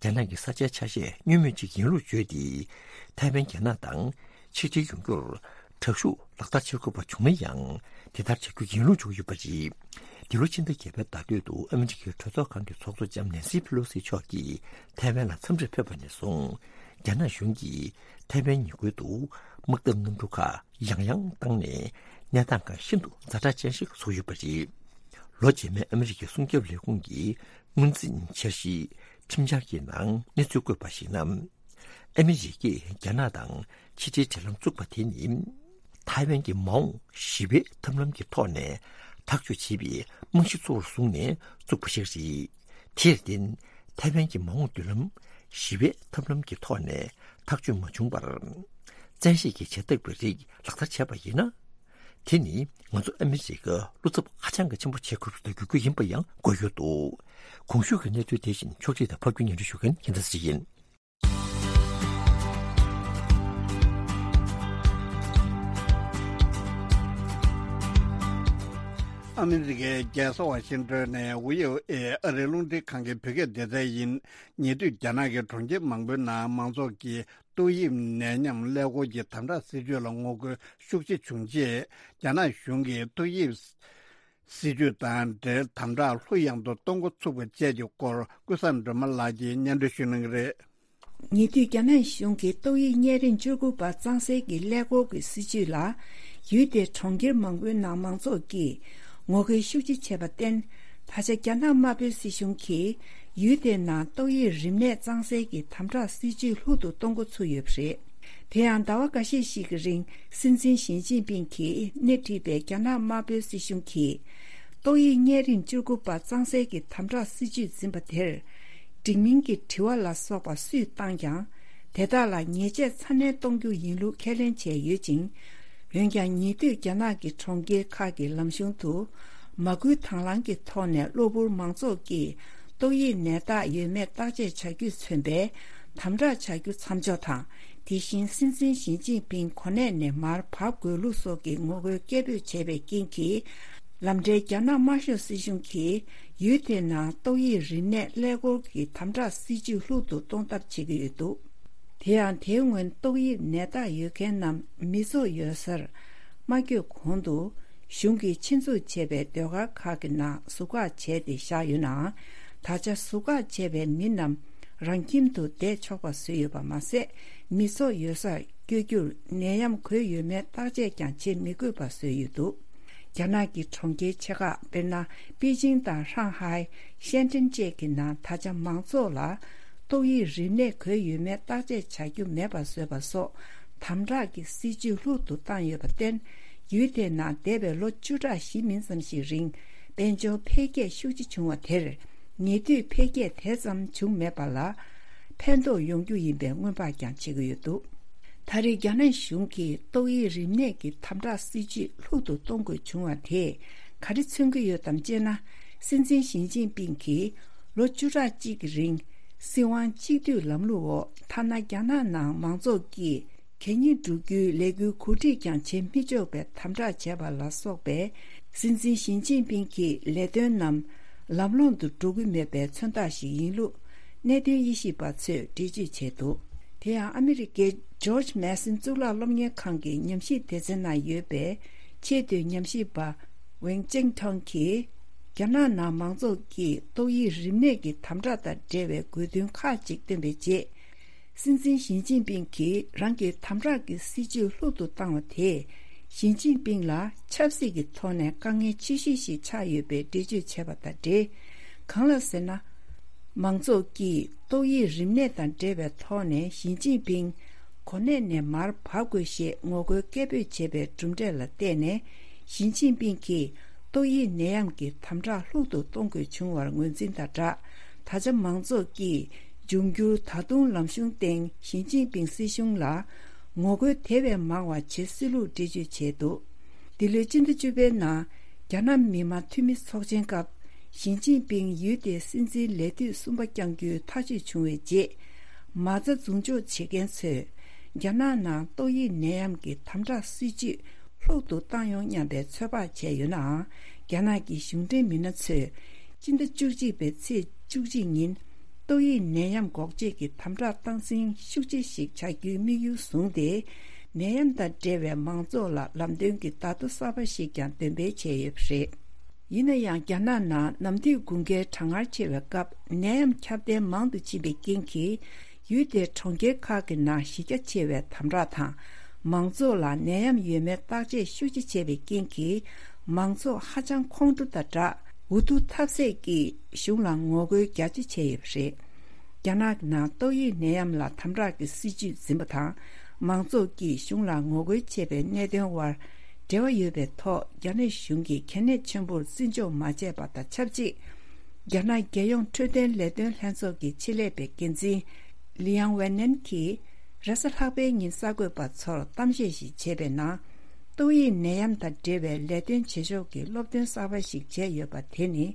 རྒྱ་ནག་གི་ས་ཆའི་ཆ་ཤས་བསྙོན་མེད་ཅིག་ཡིན་ལུགས་བརྗོད་དེ། ཐའེ་ཝན་རྒྱ་ནག་དང་ཆིག་སྒྲིལ་ཡོང་རྒྱུར་དྲག་ཤུགས་ལག་བསྟར་བྱེད་དགོས་པ་བྱུང་ན་ཡང་། དེ་ལྟར་བྱ་རྒྱུ་ཡིན་ལུགས་བརྗོད་ཀྱི་ཡོད་པ་རེད། འདི་ལོ་ཕྱི་ཟླ་བརྒྱད་པའི་ཟླ་སྟོད་དུ་ཨ་མི་རི་ཀའི་གྲོས་ཚོགས་ཁང་གི་ཚོགས་གཙོ་ལྕམ་ནེན་སི་པེ་ལོ་སི་མཆོག་གིས་ཐའེ་ཝན་ལ་འཚམས་འདྲིར་ཕེབས་པ་ནས་བཟུང་། རྒྱ་ནག་གཞུང་གིས་ཐའེ་ཝན་ཉེ་ཁུལ་དུ་དམག་འཐབ་གནམ་གྲུ་ཁག་ཡང་ཡང་བཏང་ནས། གནས་སྟངས་ཁག་ཤིན་ཏུ་ཛ་དྲག་ཅན་ཞིག་བཟོས་ཡོད་པ་རེད། ལོ་རྗེས་མའི་ཨ་མི་རི་ཀའི་སྲུང་སྐྱོབ་ལས་ཁུངས་ཀྱི་སྔོན་རྩིས་འཆར་གཞིའི་ཁྲིམས་འཆར་གྱི་ནང་གནས་ཚུལ་བཀོད་པར་གཞིགས་ན། ཨ་མི་རི་ཀས་རྒྱ་ནག་དང་ཕྱི་འབྲེལ་འབྲེལ་ལམ་བཙུགས་པ་དེ་ནི། ཐའེ་ཝན་གྱི་མ་འོངས་ཞི་བའི་ཐབས་ལམ་གྱི་ཐོག་ནས་ཐག་གཅོད་བྱེད་པའི་རྨང་གཞི་གཙོ་བོར་བཟུང་ནས་བཙུགས་པ་ཞིག་རེད། དེར་བརྟེན། ཐའེ་ཝན་གྱི་མ་འོངས་མདུན་ལམ་ཞི་བའི་ཐབས་ལམ་གྱི་ཐོག་ནས་ཐག་གཅོད་མ་བྱུང་བར། བཙན་ཤེད་ཀྱིས་བྱེད་ཐབས་ཀྱི་རིགས་ལག་བསྟར་བྱས་པ་ཡིན་ན། དེ་ནི་ང་ཚོ་ཨ་མི་རི་ཀར་བློ་འཚབ་ཧ་ཅང་གི་ཆེན་པོ་བྱེད་དགོས་པ་ཞིག་ཏུ་འགྱུར་རྒྱུ་ཡིན་པ་ཡང་འགོད་ཡོད་འདུག་གོང་ཞུས་ཀྱི་གནས་ཚུལ་དེ་བཞིན་ཕྱོགས་སྒྲིག་དང་ཕབ་སྒྱུར་སྙན་སྒྲོན་ཞུ་མཁན་ཡིན་ད་སྲིད་ཡིན། ཨ་མི་རི་ཀའི་རྒྱལ་ས་ཝ་ཤིང་ཏོན་ནས་ཝི་ཨོ་ཨེ་ཨ་རིའི་རླུང་འཕྲིན་ཁང་གི་བོད་སྐད་སྡེ་ཚན་ཡིན། ཉེ་དུས་རྒྱ་ནག་གི་གྲོང་ཁྱེར་མང་པོའི་ནང་མང་ཚོགས་ཀྱིས་ཏོག་དབྱིབས་ནད་ཡམས་ཀླད་ཀོར་གྱི་དམ་དྲག་སྲིད་ཇུས་ལ་ངོ་རྒོལ་ཤུགས་ཆེ་བྱུང་རྗེས། རྒྱ་ནག་གཞུང་གིས་ཏོག་དབྱིབས་སྲིད་ཇུས་དང་འབྲེལ་དམ་དྲག་ལྷུག་ཡངས་དུ་གཏོང་འགོ་ཚུགས་པ་བཅས་ཀྱི་སྐོར་ཀུན་བཟང་སྒྲོལ་མ་ལགས་ཀྱིས་སྙན་སྒྲོན་ཞུ་གནང་གི་རེད། ཉེ་དུས་རྒྱ་ནག་གཞུང་གིས་ཏོག་དབྱིབས་གཉན་རིམས་བཅུ་དགུ་པ་གཙང་སེལ་གྱི་ཀླད་ཀོར་གྱི་སྲིད་ཇུས་ལ། ཡུལ་དེའི་གྲོང་ཁྱེར་མང་པོའི་ནང་མང་ཚོགས་ཀྱིས་ངོ་རྒོལ་ཤུགས་ཆེ་བྱས་པར་བརྟེན། ད་ཆ་རྒྱ་ནག་དམར་པོའི་སྲིད་གཞུང་གིས་ཡུལ་དེའི་ནང་ཏོག་དབྱིབས་རིམས་ནད་གཙང་སེལ་གྱི་དམ་དྲག་སྲིད་ཇུས་ལྷུག་ཏུ་གཏོང་འགོ་ཚུགས་ཡོད་པ་རེད། དེ་ཡང་ཟླ་བ་འགའ་ཤས་ཤིག་གི་རིང་སྲིད་འཛིན་ཞི་ཅིན་ཕིང་གིས་སྣེ་ཁྲིད་པའི་རྒྱ་ནག་དམར་པོའི་སྲིད་གཞུང་གིས། ཏོག་དབྱིབས་གཉན་རིམས་བཅུ་དགུ་པ་གཙང་སེལ་གྱི་དམ་དྲག་སྲིད་ཇུས་འཛིན་པ་དེར། འགྲིག་མིན་གྱི་དྲི་བ་ལ་སོགས་པ་སུས་བཏང་ཀྱང་། དེ་དག་ལ་ཉེས་ཆད་ཚ་ནན་གཏོང་རྒྱུ་ཡིན་ལུགས་ཁས་ལེན་བྱས་ཡོད་ཅིང་། འོན་ཀྱང་ཉེ་དུས་རྒྱ་ནག་གི་གྲོང་ཁྱེར་ཁག་གི་ལམ་གཞུང་དུ། མ་སྐུལ་དང་བླངས་ཀྱི་ཐོག་ནས་གློ་བུར་མང་ཚོགས་ཀྱིས་ཏོག་དབྱིབས་ནད་རྟགས་ཡོད་མེད་བརྟག་དཔྱད་བྱ་རྒྱུས་མཚོན་པའི་དམ་དྲག་བྱ་རྒྱུ་མཚམས་འཇོག་དང་། དེ་བཞིན་སྲིད་འཛིན་ཞི་ཅིན་ཕིང་གོ་གནས་ནས་མར་བབས་དགོས་ལུགས་སོགས་ཀྱི་ངོ་རྒོལ་སྐད་འབོད་བྱས་པའི་རྐྱེན་གྱིས། ལམ་འབྲས་རྒྱ་ནག་དམར་ཤོག་སྲིད་གཞུང་གིས་ཡུལ་དེའི་ནང་ཏོག་དབྱིབས་རིམས་ནད་ཀླད་ཀོར་གྱི་དམ་དྲག་སྲིད་ཇུས་ལྷུག་ཏུ་གཏོང་ཐབས་བྱེད་ཀྱི་ཡོད་འདུག་དེ་ཡང་དེའི་སྔོན་ཏོག་དབྱིབས་ནད་རྟགས་ཡོད་མཁན་རྣམས་མི་ཚོགས་ཡོད་སར་མ་བསྐྱོད་གོང་དུ། གཞུང་གིས་ཆེད་འཛུགས་བྱས་པའི་སྡོད་སྒར་ཁག་གི་ནང་ཟུར་བཀག་བྱས་ཏེ་བཞག་ཡོད་ནའང་། ད་ཆ་ཟུར་བཀག་བྱས་པའི་མི་རྣམས་རང་ཁྱིམ་དུ་བསྡད་ཆོག་པ་བཟོས་ཡོད་པ་མ་ཟད། མི་ཚོགས་ཡོད་སར་བསྐྱོད་རྒྱུར་ནད་ཡམས་འགོས་ཡོད་མེད་བརྟག་དཔྱད་ཀྱང་བྱེད་མི་དགོས་པ་བཟོས་ཡོད་འདུག་རྒྱ་ནག་གི་གྲོང་ཁྱེར་ཆེ་ཁག་དཔེར་ན། པེ་ཅིང་དང་ཧྲང་ཧའེ། ཤན་ཀྲེན་བཅས་ཀྱི་ནང་ད་ཆ་མང་ཚོགས་ལ་ཏོག་དབྱིབས་རིམས་ནད་འགོས་ཡོད་མེད་བརྟག་དཔྱད་བྱ་རྒྱུ་མེད་པ་བཟོས་པ་སོགས་དམ་དྲག་གི་སྲིད་ཇུས་ལྷུག་ཏུ་བཏང་ཡོད་པར་བརྟེན། ཡུལ་དེའི་ནང་འདས་པའི་ལོ་བཅུ་ཕྲག་བཞི་མིན་ཙམ་ཞིག་རིང་དཔལ་འབྱོར་འཕེལ་རྒྱས་ཤུགས་ཆེ་བྱུང་བ་དེར། ཉེ་དུས་འཕེལ་རྒྱས་དེ་ཙམ་བྱུང་མེད་པ་ལ་ཕན་ཐོགས་ཡོང་རྒྱུ་ཡིན་པའི་སྔོན་དཔག་ཀྱང་བྱེད་ཀྱི་ཡོད་འདུག་ད་རེས་རྒྱ་ནག་གཞུང་གིས་ཏོག་དབྱིབས་རིམས་ནད་ཀྱི་དམ་དྲག་སྲིད་ཇུས་ལྷུག་ཏུ་གཏོང་དགོས་བྱུང་བ་དེས་ག་རེ་མཚོན་གྱི་ཡོད་དམ་ཅེ་ན། སྲིད་འཛིན་ཞི་ཅིན་ཕིང་གིས་ལོ་བཅུ་ཕྲག་གཅིག་གི་རིང་སྲིད་དབང་གཅིག་སྡུད་ལམ་ལུགས་འོག་ཐ་ན་རྒྱ་ནག་ནང་མང་ཚོགས་ཀྱིས་གད་སྙིགས་འབྲུ་རྒྱུའི་ལས་འགུལ་གོ་སྒྲིག་ཀྱང་བྱེད་མི་ཆོག་པའི་དམ་དྲག་བྱས་པ་ལ་སོགས་པའི་སྲིད་འཛིན་ཞི་ཅིན་ཕིང་གི་ལས་དོན་རྣམས་ལམ་ལྷོང་དུ་འགྲོ་གི་མེད་པའི་མཚོན་རྟགས་ཤིག་ཡིན་ལུགས་གནད་དོན་དབྱེ་ཞིབ་པ་ཚོས་འགྲེལ་བརྗོད་བྱས་འདུག་དེ་ཡང་ཨ་མི་རི་ཀའི་ཇོརྗ་མེ་སན་གཙུག་ལག་སློབ་གཉེར་ཁང་གི་ཉམས་ཞིབ་སྡེ་ཚན་ནང་ཡོད་པའི་ཆེས་མཐོའི་ཉམས་ཞིབ་པ་ཝེང་ཅིང་ཐོང་གིས། རྒྱ་ནག་ནང་མང་ཚོགས་ཀྱིས་ཏོག་དབྱིབས་རིམས་ནད་ཀྱི་དམ་དྲག་དང་འབྲེལ་བའི་དགོས་འདུན་ཁག་ཅིག་བཏོན་པའི་རྗེས། སྲིད་འཛིན་ཞི་ཅིན་ཕིང་གིས་རང་གི་དམ་དྲག་གི་སྲིད་ཇུས་ལྷུག་ཏུ་བཏང་བ་དེས། ཞི་ཅིན་ཕིང་ལ་ཆབ་སྲིད་ཀྱི་ཐོག་ནས་དཀའ་ངལ་ཆེ་ཤོས་ཤིག་ཆགས་ཡོད་པའི་འགྲེལ་བརྗོད་བྱས་པ་དང་འབྲེལ། གང་ལགས་ཟེར་ན། མང་ཚོགས་ཀྱིས་ཏོག་དབྱིབས་རིམས་ནད་དང་འབྲེལ་བའི་ཐོག་ནས་ཞི་ཅིན་ཕིང་གོ་གནས་ནས་མར་བབས་དགོས་ཞེས་ངོ་རྒོལ་སྐད་འབོད་བྱས་པའི་གྲུབ་འབྲས་ལ་བལྟས་ནས། ཞི་ཅིན་ཕིང་གིས་ཏོག་དབྱིབས་ནད་ཡམས་ཀྱི་དམ་དྲག་ལྷུག་ཏུ་གཏོང་དགོས་བྱུང་བར་ངོས་འཛིན་དང་སྦྲགས། ད་ཆ་མང་ཚོགས་ཀྱིས་འབྱུང་འགྱུར་ད་དུང་ལམ་གཞུང་སྟེང་ཞི་ཅིན་ཕིང་སྲིད་གཞུང་ལ་ངོ་རྒོལ་དེ་བས་མང་བ་བྱེད་སྲིད་ལུགས་འགྲེལ་བརྗོད་བྱས་འདུག་འདི་ལོའི་སྤྱི་ཟླ་བཅུ་པའི་ནང་རྒྱ་ནག་མི་དམངས་འཐུས་མི་ཚོགས་ཆེན་སྐབས་ ཞི་ཅིན་ཕིང་ཡུལ་དེའི་སྲིད་འཛིན་ལས་དུས་གསུམ་པ་བསྐྱང་རྒྱུའི་ཐག་གཅོད་བྱུང་བའི་རྗེས། མ་རྩ་རྫུན་འཇོག་བྱེད་མཁན་ཚོས། རྒྱ་ནག་ནང་ཏོག་དབྱིབས་ནད་ཡམས་ཀྱི་དམ་དྲག་སྲིད་ཇུས་ལྷུག་ཏུ་བཏང་ཡོང་སྙམ་པའི་ཚོད་དཔག་བྱས་ཡོད་ནའང་། རྒྱ་ནག་གི་གཞུང་འབྲེལ་མི་སྣ་ཚོས། སྤྱི་ཟླ་བཅུ་གཅིག་པའི་ཚེས་བཅུ་གཅིག་ཉིན། ཏོག་དབྱིབས་ནད་ཡམས་འགོག་བཅོས་ཀྱི་དམ་དྲག་སྟངས་འཛིན་ཤུགས་ཆེ་ཞིག་བྱ་རྒྱུའི་དམིགས་ཡུལ་བཟུང་སྟེ། ནད་ཡམས་དང་འབྲེལ་བའི་མང་ཚོགས་ལ་ལམ་སྟོན་གྱི་བརྡ་ཐོ་གསར་པ་ཞིག་ཀྱང་འདོན་སྤེལ་བྱས་ཡོད་པ་རེད། ཡིན་ན་ཡང་། རྒྱ་ནག་ནང་ནམ་དུས་དགུན་ཁའི་གྲང་ངར་ཆེ་བའི་སྐབས། ནད་ཡམས་ཁྱབ་གདལ་མང་དུ་ཕྱིན་པའི་རྐྱེན་གྱིས། ཡུལ་དེའི་གྲོང་ཁྱེར་ཁག་གི་ནང་གཞི་རྒྱ་ཆེ་བའི་དམ་དྲག་དང་། མང་ཚོགས་ལ་ནད་ཡམས་ཡོད་མེད་བརྟག་དཔྱད་ཤུགས་ཆེ་བྱས་པའི་རྐྱེན་གྱིས། མང་ཚོགས་ཧ་ཅང་ཁོང་ཁྲོ་དང་སྦྲགས། འུ་ཐུག་ཐབས་ཟད་ཀྱིས་གཞུང་ལ་ངོ་རྒོལ་རྒྱ་ཆེ་བྱས་ཡོད་པ་རེད། རྒྱ་ནག་ནང་ཏོག་དབྱིབས་ནད་ཡམས་ལ་དམ་དྲག་གི་སྲིད་ཇུས་འཛིན་པ་དང་། མང་ཚོགས་ཀྱིས་གཞུང་ལ་ངོ་རྒོལ་བྱེད་པའི་གནད་དོན་དབར། འབྲེལ་བ་ཡོད་པའི་ཐོག་རྒྱ་ནག་གཞུང་གིས་གལ་གནད་ཆེན་པོར་བརྩི་འཇོག་མ་བྱས་པ་དང་ཆབས་ཅིག་རྒྱ་ནག་རྒྱལ་ཡོངས་འཕྲོད་བསྟེན་ལས་དོན་ལྷན་ཚོགས་ཀྱི་ཆེད་ལས་པའི་འགན་འཛིན། ལི་ཡང་ཝེ་ནན་གྱིས། རེས་གཟའ་ལྷག་པའི་ཉིན་གསར་འགོད་པ་ཚོར་གཏམ་བཤད་ཞིག་བྱས་པའི་ནང་། ཏོག་དབྱིབས་ནད་ཡམས་དང་འབྲེལ་བའི་ལས་དོན་བྱེད་ཕྱོགས་ཀྱི་སློབ་སྟོན་གསར་པ་ཞིག་བྱས་ཡོད་པ་དེ་ནི།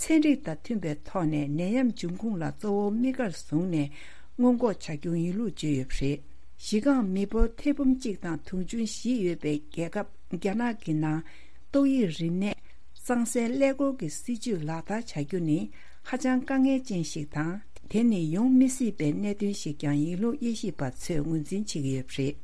ཚན་རིག་དང་མཐུན་པའི་ཐོག་ནས་ནད་ཡམས་འབྱུང་ཁུངས་ལ་གཙོ་བོ་དམིགས་བཀར་བཟུང་ནས་སྔོན་འགོག་བྱ་རྒྱུ་ཡིན་ལུགས་བརྗོད་ཡོད་པ་རེད། གཞི་རྐང་མི་འབོར་ཐེར་འབུམ་གཅིག་དང་དུང་ཕྱུར་བཞི་ཡོད་པའི་རྒྱལ་ཁབ་རྒྱ་ནག་གི་ནང་། ཏོག་དབྱིབས་རིམས་ནད་གཙང་སེལ་ཀླད་ཀོར་གྱི་སྲིད་ཇུས་ལག་བསྟར་བྱ་རྒྱུ་ནི་ཧ་ཅང་དཀའ་ངལ་ཅན་ཞིག་དང་། དེ་ནི་ཡོང་མི་སྲིད་པའི་གནད་དོན་ཞིག་ཀྱང་ཡིན་ལུགས་དབྱེ་ཞིབ་པ་ཚོས་ངོས་འཛིན་བྱེད་ཀྱི་ཡོད་པ་རེད།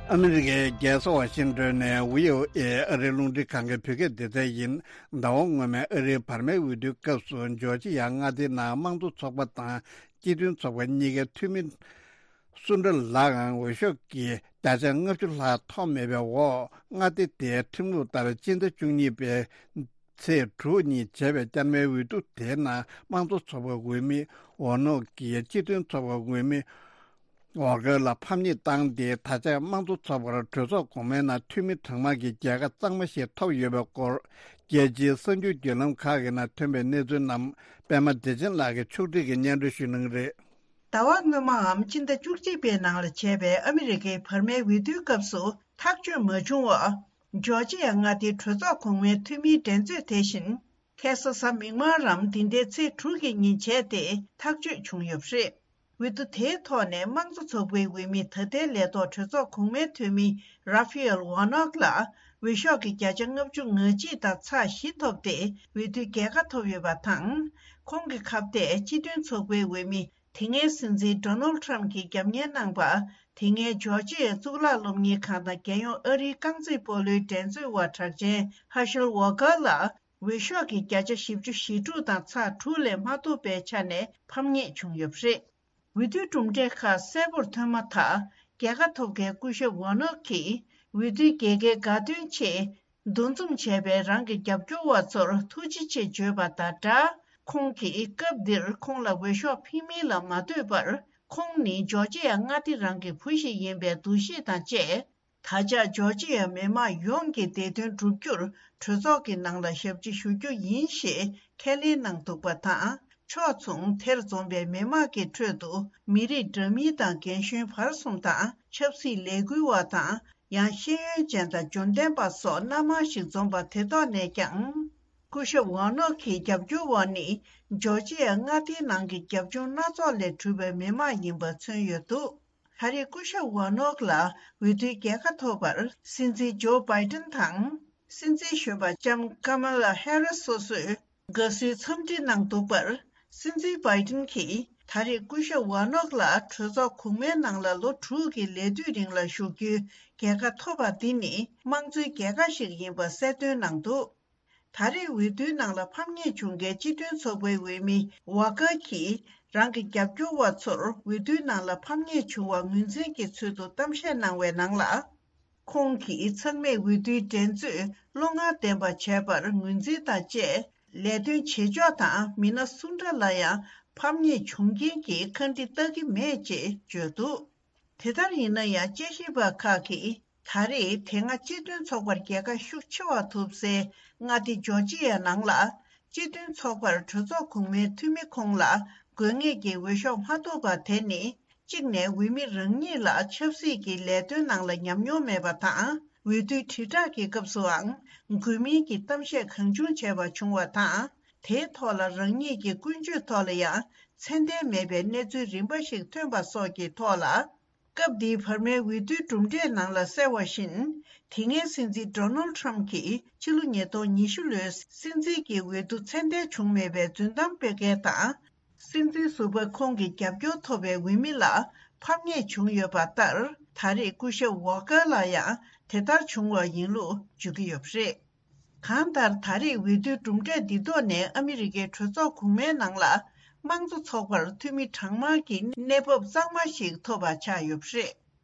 ཨ་མི་རི་ཀའི་རྒྱལ་ས་ཝ་ཤིང་ཏོན་ནས་བྷི་ཨོ་ཨེ་ཨ་རིའི་རླུང་འཕྲིན་ཁང་གི་བོད་སྐད་སྡེ་ཚན་ཡིན། ཟླ་བ་སྔོན་མའི་ཨ་རིའི་བར་མའི་འོས་བསྡུའི་སྐབས་སུ་ཇོར་ཇི་ཡ་མངའ་སྡེའི་ནང་དམངས་གཙོ་ཚོགས་པ་དང་སྤྱི་མཐུན་ཚོགས་པ་གཉིས་ཀའི་འཐུས་མི་སུ་འདྲ་ལའང་འོས་ཤོག་གི་བརྒྱ་ཆ་ལྔ་བཅུ་ལྷག་ཐོབ་མེད་པའི་འོག་མངའ་སྡེ་དེའི་ཁྲིམས་ལུགས་ལྟར་སྤྱི་ཟླ་བཅུ་གཉིས་པའི་ཚེས་དྲུག་ཉིན་བྱས་པའི་བསྐྱར་མའི་འོས་བསྡུ་དེའི་ནང་དམངས་གཙོ་ཚོགས་པའི་འོས་མི་ཝོ་ནོག་གིས་སྤྱི་མཐུན་ཚོགས་པའི་འོས་མི་ཝོ་ཀར་ལ་ཕམ་ཉེས་བཏང་སྟེ། ད་ཆ་དམངས་གཙོ་ཚོགས་པར་གྲོས་ཚོགས་གོང་མའི་ནང་འཐུས་མི་གྲངས་མང་གི་རྒྱལ་ཁ་གཙང་མ་ཞིག་ཐོབ་ཡོད་པའི་སྐོར། རྒྱལ་སྤྱིའི་གསར་འགྱུར་བརྒྱུད་ལམ་ཁག་གི་ནང་ཐོན་པའི་གནས་ཚུལ་རྣམས་པད་མ་བདེ་ཆེན་ལགས་ཀྱིས་ཕྱོགས་སྒྲིག་གིས་སྙན་སྒྲོན་ཞུ་གནང་གི་རེད། ཟླ་བ་སྔོན་མའམ་སྤྱི་ཟླ་བཅུ་གཅིག་པའི་ནང་ལ་བྱས་པའི་ཨ་མི་རི་ཀའི་བར་མའི་འོས་བསྡུའི་སྐབས་སུ་ཐག་གཅོད་མ་བྱུང་བར། ཇོར་ཇི་ཡ་མངའ་སྡེའི་གྲོས་ཚོགས་གོང་མའི་འཐུས་མིའི་འགྲན་རྩོད་དེ་བཞིན། ཁ་སང་གཟའ་མིག་དམར་རམ་འདི་ཟླའི་ཚེས་དྲུག་གི་ཉིན་བྱས་ཏེ་ཐག་གཅོད་བྱུང་ཡོད་པ་རེད། འོས་བསྡུ་དེའི་ཐོག་ནས་དམངས་གཙོ་ཚོགས་པའི་འོས་མི་ད་ལྟའི་ལས་ཐོག་གྲོས་ཚོགས་གོང་མའི་འཐུས་མི་ར་ཕི་ཨེལ་ཝོ་ནོག་ལ་འོས་ཤོག་གི་བརྒྱ་ཆ་ལྔ་བཅུ་ང་གཅིག་དང་ཚེག་བཞི་ཐོབ་སྟེ་འོས་བསྡུའི་རྒྱལ་ཁ་ཐོབ་ཡོད་པ་དང་། ཁོང་གི་ཁ་གཏད་སྤྱི་མཐུན་ཚོགས་པའི་འོས་མི་དེ་སྔའི་སྲིད་འཛིན་ཌོ་ནལ་ཊམ་གྱིས་རྒྱབ་གཉེར་གནང་པ། དེ་སྔའི་ཇོར་ཇི་ཡའི་གཙུག་ལག་སློབ་གཉེར་ཁང་དང་རྒྱལ་ཡོངས་ཨ་རིའི་རྐང་རྩེད་སྤོ་ལོའི་འགྲན་རྩོད་པ་གྲགས་ཅན་ཧ་ཤེལ་ཝོ་ཀར་ལ་འོས་ཤོག་གི་བརྒྱ་ཆ་བཞི་བཅུ་ཞེ་དྲུག་དང་ཚེག་དྲུག་ལས་མ་ཐོབ་པའི་ཆ་ནས་ཕམ་ཉེས་བྱུང་ཡོད་པ་རེད། འོས་བསྡུའི་གྲུབ་འབྲས་ཁག་གསལ་པོར་ཐོན་མ་ཐག་རྒྱལ་ཁ་ཐོབ་མཁན་སྐུ་ཞབས་ཝོ་ནོག་གིས་འོས་བསྡུའི་རྒྱལ་ཁའི་དགའ་སྟོན་ཆེད། འདུ་འཛོམས་བྱས་པའི་རང་གི་རྒྱབ་སྐྱོར་བ་ཚོར་ཐུགས་རྗེ་ཆེ་བརྗོད་པ་དང་སྦྲགས། ཁོང་གིས་སྐབས་འདིར་ཁོང་ལ་འོས་ཤོག་འཕེན་མིན་ལ་མ་ལྟོས་པར། ཁོང་ནི་ཇོར་ཇི་ཡ་མངའ་སྡེ་རང་གི་བུ་ཞིག་ཡིན་པའི་འདུ་ཤེས་དང་བཅས། ད་ཆ་ཇོར་ཇི་ཡ་མི་དམངས་ཡོངས་ཀྱི་བདེ་དོན་བསྒྲུབ་རྒྱུར་གྲོས་ཚོགས་ཀྱི་ནང་ལ་ཞབས་ཕྱི་ཞུ་རྒྱུ་ཡིན་ཞེས་ཁས་ལེན་གནང་འདུག་པ་དང་། ཕྱོགས་མཚུངས་དེར་འཛོམས་པའི་མི་དམངས་ཀྱི་ཁྲོད་དུ་མི་རིགས་འདྲ་མིན་དང་རྒན་གཞོན་བར་གསུམ་དང་། ཆབ་སྲིད་ལས་འགུལ་བ་དང་། ཡང་ཤེས་ཡོན་ཅན་དང་འབྱོར་ལྡན་པ་སོགས་སྣ་མང་ཞིག་འཛོམས་པ་དེ་ཐོག་ནས་ཀྱང་། སྐུ་ཞབས་ཝོ་ནོག་གི་རྒྱབ་སྐྱོར་བ་ནི་ཇོར་ཇི་ཡ་མངའ་སྡེའི་ནང་གི་རྒྱབ་ལྗོངས་སྣ་ཚོགས་ལས་གྲུབ་པའི་མི་དམངས་ཡིན་པ་མཚོན་ཡོད་འདུག་ད་རེས་སྐུ་ཞབས་ཝོ་ནོག་ལ་འོས་བསྡུའི་རྒྱལ་ཁ་ཐོབ་པར་སྲིད་འཛིན་ཇོ་བྷའི་ཏན་དང་། སྲིད་འཛིན་གཞོན་པ་ལྕམ་ཀ་མ་ལ་ཧེ་རི་སི་སོ་སོས་དགའ་བསུའི་འཚམས་འདྲི་གནང་འདུག་པར། སྲིད་འཛིན་བྷའི་ཏན་གྱིས་ད་རེས་སྐུ་ཞབས་ཝོ་ནོག་ལ་གྲོས་ཚོགས་གོང་མའི་ནང་ལ་ལོ་དྲུག་གི་ལས་དུས་རིང་ལ་བཞུགས་རྒྱུའི་རྒྱལ་ཁ་ཐོབ་པ་འདི་ནི་དམངས་གཙོའི་རྒྱལ་ཁ་ཞིག་ཡིན་པ་གསལ་སྟོན་གནང་འདུག་ད་རེས་འོས་བསྡུའི་ནང་ལ་ཕམ་ཉེས་བྱུང་མཁན་སྤྱི་མཐུན་ཚོགས་པའི་འོས་མི་ཝ་ཀར་གྱིས་རང་གི་རྒྱབ་སྐྱོར་བ་ཚོར་འོས་བསྡུའི་ནང་ལ་ཕམ་ཉེས་བྱུང་བ་ངོས་འཛིན་གྱི་ཚུལ་དུ་གཏམ་བཤད་གནང་བའི་ནང་ལ། ཁོང་གིས་ཚང་མས་འོས་བསྡུའི་འགྲན་རྩོད་བློ་ངར་ལྡན་པ་བྱས་པར་ངོས་འཛིན་དང་བཅས། ལས་དོན་བྱེད་ཕྱོགས་དང་མི་སྣ་སུ་འདྲ་ལ་ཡང་ཕམ་ཉེས་བྱུང་རྐྱེན་གྱིས་ཁ་འདྲི་ལྟ་གི་མེད་ཅེས་བརྗོད་འདུག་དེ་ལྟར་ཡིན་ན་ཡང་དཔྱད་ཞིབ་པ་ཁག་གིས་ད་རེས་དེ་སྔ་སྤྱི་མཐུན་ཚོགས་པར་རྒྱལ་ཁ་ཤུགས་ཆེ་བ་ཐོབ་སའི་མངའ་སྡེ་ཇོར་ཇི་ཡ་ནང་ལ་སྤྱི་མཐུན་ཚོགས་པར་གྲོས་ཚོགས་གོང་མའི་འཐུས་མི་ཁོང་ལ་དགོས་ངེས་ཀྱི་འོས་ཤོག་མ་ཐོབ་པ་དེ་ནི་ གཅིག་ནས་འོས་མི་རང་ཉིད་ལ་ཆབ་སྲིད་ཀྱི་ལས་དོན་ནང་ལ་ཉམས་མྱོང་མེད་པ་དང་། འོས་བསྡུའི་དྲིལ་བསྒྲགས་ཀྱི་སྐབས་སུའང་འགོད་མིན་གྱི་གཏམ་བཤད་གང་བྱུང་བྱས་པ་བྱུང་བ་དང་། དེའི་ཐོག་ལ་རང་ཉིད་ཀྱི་ཀུན་སྤྱོད་ཐོག་ལ་ཡང་ཚད་ལྡན་མེད་པའི་གནས་ཚུལ་རིམ་པ་ཞིག་ཐོན་པ་སོགས་ཀྱི་ཐོག་ལ། སྐབས་འདིའི་བར་མའི་འོས་བསྡུའི་གྲུབ་འབྲས་ནང་ལ་གསལ་བ་བཞིན། དེ་སྔའི་སྲིད་འཛིན་ཌོ་ནལ་ཊམ་གྱིས་ཕྱི་ལོ་ཉིས་སྟོང་ཉི་ཤུ་ལོའི་སྲིད་འཛིན་གྱི་འོས་བསྡུ་ཚད་ལྡན་བྱུང་མེད་པའི་རྫུན་གཏམ་སྤེལ་མཁན་དང་། སྲིད་འཛིན་ཟུར་པ་ཁོང་གི་རྒྱབ་སྐྱོར་ཐོབ་པའི་འོས་མི་ལ་ཕམ་ཉེས་བྱུང་ཡོད་པ་ལྟར། ད་རེས་སྐུ་ཞབས་ཝོ་ཀར་ལ་ཡང་དེ་ལྟར་བྱུང་བ་ཡིན་ལུགས་བརྗོད་ཀྱི་ཡོད་པ་རེད། གང་ལྟར། ད་རེས་འོས་བསྡུའི་གྲུབ་འབྲས་འདི་ཐོག་ནས་ཨ་མི་རི་ཀའི་གྲོས་ཚོགས་གོང་མའི་ནང་ལ་དམངས་གཙོ་ཚོགས་པར་འཐུས་མི་གྲངས་མང་གི་གནས་བབ་གཙང་མ་ཞིག་ཐོབ་པ་ཆགས་ཡོད་པ་རེད།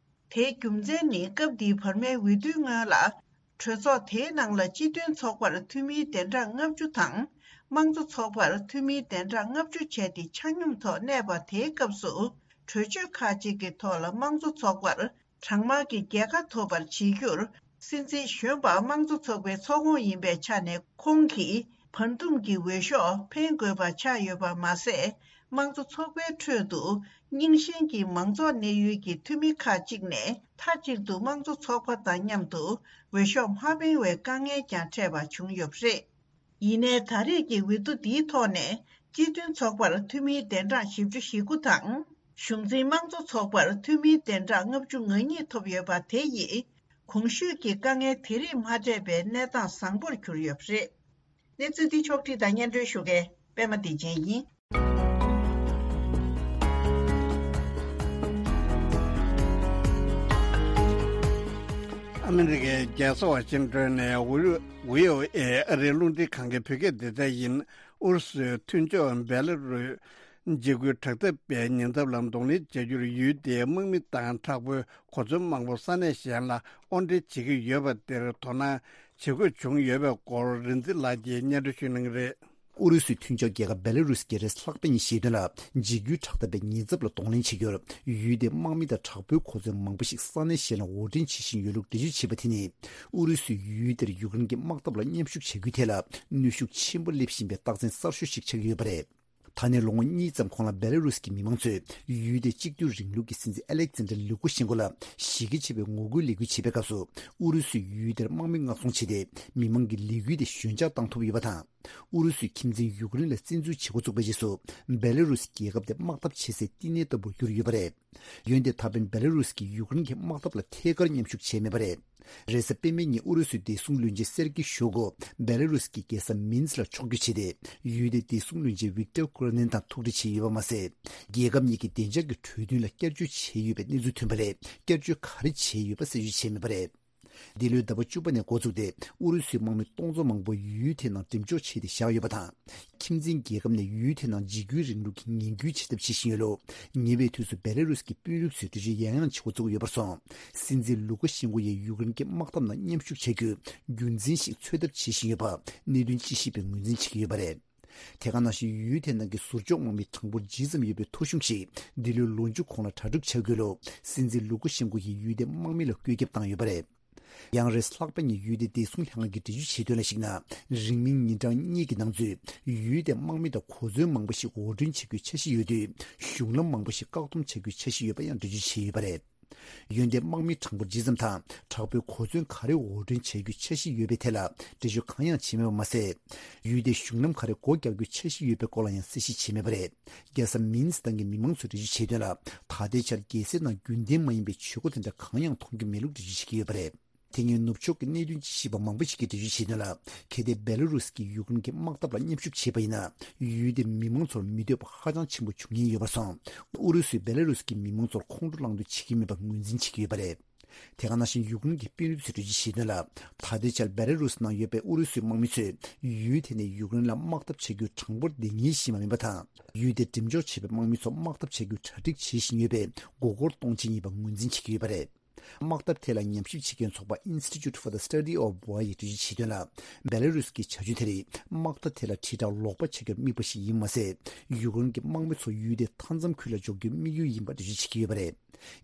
དེའི་རྒྱུ་མཚན་ནི། སྐབས་འདིའི་བར་མའི་འོས་བསྡུའི་སྔོན་ལ། གྲོས་ཚོགས་དེའི་ནང་ལ་སྤྱི་མཐུན་ཚོགས་པར་འཐུས་མིའི་གདན་གྲངས་ལྔ་བཅུ་དང་། དམངས་གཙོ་ཚོགས་པར་འཐུས་མིའི་གདན་གྲངས་ལྔ་བཅུ་བྱས་ཏེ་ཆ་སྙོམས་ཐོག་གནས་པ་དེའི་སྐབས་སུ། གྲོས་ཆོད་ཁག་ཅིག་གི་ཐོག་ལ་དམངས་གཙོ་ཚོགས་པར་གྲངས་མང་གི་རྒྱལ་ཁ་ཐོབ་པར་བྱེད་རྒྱུར། སྲིད་འཛིན་གཞོན་པ་དམངས་གཙོ་ཚོགས་པའི་ཚོགས་ཁོངས་ཡིན་པའི་ཆ་ནས། ཁོང་གིས་བར་འདུམ་གྱི་འོས་ཤོག་འཕེན་དགོས་པ་ཆགས་ཡོད་པ་མ་ཟད། དམངས་གཙོ་ཚོགས་པའི་ཁྲོད་དུ་རྙིང་ཞེན་གྱི་མང་ཚོགས་གནས་ཡུལ་གྱི་འཐུས་མི་ཁག་ཅིག་ནས། མཐའ་གཅིག་ཏུ་དམངས་གཙོ་ཚོགས་པ་དང་མཉམ་དུ་འོས་ཤོག་མ་འཕེན་བའི་དཀའ་ངལ་ཀྱང་འཕྲད་པ་བྱུང་ཡོད་པ་རེད། ཡིན་ནའི། ད་རེས་ཀྱི་འོས་བསྡུ་འདིའི་ཐོག་ནས། སྤྱི་མཐུན་ཚོགས་པར་འཐུས་མིའི་གདན་གྲངས་བཞི་བཅུ་ཞེ་དགུ་དང་། གཞུང་འཛིན་དམངས་གཙོ་ཚོགས་པར་འཐུས་མིའི་གདན་གྲངས་ལྔ་བཅུ་ང་གཉིས་ཐོབ་ཡོད་པ་དེ་ཡིས། གོང་ཞུས་ཀྱི་དཀའ་ངལ་དེ་རིགས་མ་འཕྲད་པའི་གནས་སྟངས་བཟང་པོར་གྱུར་ཡོད་པ་རེད། གནས་ཚུལ་འདི་ཕྱོགས་བསྒྲིགས་དང་སྙན་སྒྲོན་ཞུ་མཁན་པད་མ་བདེ་ཆེན་ཡིན། ཨ་མི་རི་ཀའི་རྒྱལ་ས་ཝ་ཤིང་ཏོན་ནས་ཝི་ཨོ་ཨེ་ཨ་རིའི་རླུང་འཕྲིན་ཁང་གི་བོད་སྐད་སྡེ་ཚན་ཡིན། ཨུ་རུ་སུའི་མཐུན་ཕྱོགས་བེ་ལ་རུས་འཇིགས་སྐུལ་དྲག་འཐབ་པའི་ཉེན་ཚབས་ལ་གདོང་ལེན་བྱ་རྒྱུར་ཡུལ་དེའི་དམག་མི་དང་དྲག་པོའི་གོ་མཚོན་མང་པོ་ས་གནས་གཞན་ལ་དབོར་འདྲེན་བྱེད་ཀྱི་ཡོད་པ་དེར་དོ་སྣང་བྱེད་དགོས་བྱུང་ཡོད་པའི་སྐོར་རིན་འཛིན་ལགས་ཀྱིས་སྙན་སྒྲོན་ཞུ་གནང་གི་རེད། ཨུ་རུ་སུའི་མཐུན་ཕྱོགས་རྒྱལ་ཁབ་བེ་ལ་རུས་ཀྱིས་རེས་ལྷག་པ་ཉིན་བཤད་དོན་ལ། འཇིགས་སྐུལ་དྲག་འཐབ་པའི་ཉེན་ཚབས་ལ་གདོང་ལེན་བྱེད་རྒྱུར་ཡུལ་དེའི་དམག་མི་དང་དྲག་པོའི་གོ་མཚོན་མང་པོ་ཞིག་ས་གནས་གཞན་ལ་དབོར་འདྲེན་བྱེད་བཞིན་ཡོད་ལུགས་འགྲེལ་བརྗོད་བྱས་པ་དེ་ནི། ཨུ་རུ་སུས་ཡུལ་དེར་ཡུཀ་རེན་གྱི་དམག་འཐབ་ལ་མཉམ་ཞུགས་བྱ་རྒྱུའི་ཐད་ལ་གནོན་ཤུགས་ཆེན་པོ་སླེབས་བཞིན་པའི་རྟགས་མཚན་གསར་ཤོས་ཤིག་ཆགས་ཀྱི་ཡོད་པ་རེད། ད་ནས་ལོ་ངོ་གཉིས་ཙམ་གོང་ལ་བེ་ལ་རུས་ཀྱི་མི་མང་ཚོས་ཡུལ་དེ་གཅིག་སྡུད་རིང་ལུགས་ཀྱི་སྲིད་འཛིན་ཨ་ལེག་ཛན་ཌར་ལུ་ཀ་ཤན་ཀོ་ལ་གཞི་རྒྱ་ཆེ་བའི་ངོ་རྒོལ་ལས་འགུལ་བྱེད་པའི་སྐབས་སུ། ཨུ་རུ་སུས་ཡུལ་དེར་དམག་མི་མངགས་ཚོང་བྱས་ཏེ། མི་མང་གི་ལས་འགུལ་དེ་ཞོད་འཇགས་བཏང་ཐུབ་ཡོད་པ་དང་། ཨུ་རུ་སུས་ཁྱིམ་མཚེས་ཡུཀ་རེན་ལ་བཙན་འཛུལ་བྱེད་འགོ་བཙུགས་པའི་རྗེས་སུ། བེ་ལ་རུས་རྒྱལ་ཁབ་དེ་དམག་འཐབ་བྱེད་སའི་བསྟི་གནས་ལྟ་བུར་གྱུར་ཡོད་པ་རེད། འོན་ཏེ་ད་ཕན་བེ་ལ་རུས་ཀྱིས་ཡུཀ་རེན་གྱི་དམག་འཐབ་ལ་ཐད་ཀར་མཉམ་ཞུགས་བྱས་མེད་པ་རེད། རེས་གཟའ་པད་མའི་ཉིན་ཨུ་རུ་སུའི་བདེ་སྲུང་བློན་ཆེན་སེར་ཀི་ཤོ་གོ་བེ་ལ་རུས་ཀྱི་རྒྱལ་ས་མིན་སི་ལ་ཕྱོགས་བསྐྱོད་བྱས་ཏེ། ཡུལ་དེའི་བདེ་སྲུང་བློན་ཆེན་ཝིག་ཏོར་ཀུ་ར་ནན་དང་ཐུག་འཕྲད་བྱས་ཡོད་པ་མ་ཟད། རྒྱལ་ཁབ་གཉིས་ཀྱི་བདེ་འཇགས་ཀྱི་གྲོས་མཐུན་ལ་བསྐྱར་བཅོས་བྱས་ཡོད་པའི་གནས་ཚུལ་ཐོན་པ་ལས། བསྐྱར་བཅོས་ག་རེ་བྱས་ཡོད་པ་གསལ་བརྗོད་བྱས་མེད་པ་རེད། འདི་ལོའི་ཟླ་བ་བཅུ་པ་ནས་འགོ་བཙུགས་ཏེ། ཨུ་རུ་སུའི་དམག་མི་སྟོང་ཚོ་མང་པོ་ཡུལ་དེའི་ནང་འགྲེམས་འཇོག་བྱས་ཏེ་བཞག་ཡོད་པ་དང་། ཁྱིམ་མཚེས་རྒྱལ་ཁབ་ནས་ཡུལ་དེའི་ནང་འཇིགས་སྐུལ་རིང་ལུགས་ཀྱི་ངན་སྐུལ་བྱེད་ཐབས་བྱེད་བཞིན་ཡོད་ལུགས། ཉེ་བའི་དུས་སུ་བེ་ལ་རུས་ཀྱི་དཔོན་རིགས་ཚོས་འགྲེལ་བརྗོད་ཡང་ཡང་བྱེད་འགོ་བཙུགས་ཡོད་པར་སོང་། སྲིད་འཛིན་ལུ་ཀ་ཤན་ཀོ་ཡིས་ཡུཀ་རེན་གྱི་དམག་འཐབ་ནང་མཉམ་ཞུགས་བྱ་རྒྱུའི་རྒྱུན་འཛིན་ཞིག་འཚོལ་ཐབས་བྱེད་བཞིན་ཡོད་པ། གནད་དོན་དཔྱད་ཞིབ་པས་ངོས་འཛིན་བྱེད་ཀྱི་ཡོད་པ་རེད། དེ་ག་ནང་བཞིན་ཡུལ་དེ་ནང་གི་ཟུར་འཇོག་དམག་མི་གྲངས་འབོར་ཇི་ཙམ་ཡོད་པའི་ཐོ་གཞུང་ཞིག་འདི་ལོའི་ལོ་མཇུག་གོང་ལ་གྲ་སྒྲིག་བྱ་དགོས་ལུགས། སྲིད་འཛིན་ལུ་ཀ་ཤན་ཀོ་ཡིས་ཡུལ་དེའི་དམག་མི་ལ་བཀོད་ཁྱབ་བཏང་ཡོད་པ་རེད། ཡང་། རེས་ལྷག་པ་ཉིན་ཡུལ་དེའི་བདེ་སྲུང་ལྷན་ཁང་གིས་འགྲེལ་བརྗོད་བྱས་དོན་ལ་གཞིགས་ན། རིང་མིན་ཉིན་གྲངས་གཉིས་ཀྱི་ནང་ཚུད་ཡུལ་དེའི་དམག་མི་དང་གོ་མཚོན་མང་པོ་ཞིག་དབོར་འདྲེན་བྱ་རྒྱུའི་འཆར་གཞི་ཡོད་དུས། གཞུང་ལམ་མང་པོ་ཞིག་བཀག་སྡོམ་བྱ་རྒྱུའི་འཆར་གཞི་ཡོད་པ་ཡང་འགྲེལ་བརྗོད་བྱས་ཡོད་པ་རེད། འོན་ཏེ། དམག་མི་གྲངས་འབོར་ཇི་ཙམ་དང་། དྲག་པོའི་གོ་མཚོན་ག་རེ་དབོར་འདྲེན་བྱ་རྒྱུའི་འཆར་གཞི་ཡོད་པའི་ཐད་ལ། འགྲེལ་བརྗོད་གང་ཡང་བྱས་མེད་པ་མ་ཟད། ཡུལ་དེའི་གཞུང་ལམ་ག་རེ་སྒོ་རྒྱག་རྒྱུའི་འཆར་གཞི་ཡོད་པའི་སྐོར་ལ་ཡང་གསལ་བཤད་བྱས་མེད་པ་རེད། རྒྱལ་ས་མིན་སི་དང་གི་མི་མང་ཚོས་འགྲེལ་བརྗོད་བྱས་དོན་ལ། ད་ལྟའི་ཆར་རྒྱལ་སའི་ནང་རྒྱུན་ལྡན་མ་ཡིན་པའི་བྱེད་སྒོ་དེ་འདྲ་གང་ཡང་མཐོང་རྒྱུ་མེད་ལུགས་འགྲེལ་བརྗོད་བྱེད་ཀྱི་ཡོད་པ་རེད། དེ་སྔའི་ནུབ་ཕྱོགས་ཀྱི་གནད་དོན་དཔྱད་ཞིབ་པ་མང་པོ་ཞིག་གིས་འགྲེལ་བརྗོད་བྱས་དོན་ལ། གལ་ཏེ་བེ་ལ་རུས་ཀྱིས་ཡུཀ་རེན་གྱི་དམག་འཐབ་ལ་མཉམ་ཞུགས་བྱས་པ་ཡིན་ན། ཡུལ་དེའི་མི་མང་ཚོར་མི་འདོད་པ་ཧ་ཅང་ཆེན་པོ་འབྱུང་ཉེན་ཡོད་པར་སོང་། ཨུ་རུ་སུས་བེ་ལ་རུས་ཀྱི་མི་མང་ཚོར་ཁོང་ཁྲོ་སློང་འདོད་བྱེད་ཀྱི་མེད་པ་ངོས་འཛིན་བྱེད་ཀྱི་ཡོད་པ་རེད། དེ་ག་ནང་བཞིན་ཡུཀ་རེན་གྱི་དཔོན་རིགས་ཚོས་འགྲེལ་བརྗོད་བྱས་དོན་ལ། ད་ལྟའི་ཆར་བེ་ལ་རུས་ནང་ཡོད་པའི་ཨུ་རུ་སུའི་དམག་མི་ཚོས་ཡུལ་དེ་ནས་ཡུཀ་རེན་ལ་དམག་འཐབ་བྱ་རྒྱུའི་གྲངས་འབོར་དེ་ངེས་ཤེས་མ་མིན་པ་དང་། ཡུལ་དེར་འགྲེམས་འཇོག་བྱས་པའི་དམག་མི་ཚོ་དམག་འཐབ་བྱ་རྒྱུའི་གྲ་སྒྲིག་བྱེད་བཞིན་ཡོད་པས་མགོ་སྐོར་གཏོང་ཆེད་ཡིན་པ་ངོས་འཛིན་བྱེད་ཀྱི་ཡོད་པ་རེད། དམག་འཐབ་ཐད་ལ་ཉམས་ཞིབ་བྱེད་མཁན་ཚོགས་པ་Institute for the Study of War ཡིས་འགྲེལ་བརྗོད་བྱས་དོན་ལ། བེ་ལ་རུས་ཀྱི་བྱ་སྤྱོད་དེ་རིགས་དམག་འཐབ་ཐད་ལ་དྲིལ་བསྒྲགས་ལོག་པ་བྱ་རྒྱུར་དམིགས་པ་ཞིག་ཡིན་མ་ཟད། ཡུཀ་རེན་གྱི་དམག་མི་ཚོ་ཡུལ་དེའི་མཐའ་མཚམས་ཁུལ་ལ་འཇོག་རྒྱུའི་དམིགས་ཡུལ་ཡིན་པ་འགྲེལ་བརྗོད་བྱེད་ཀྱི་ཡོད་པ་རེད།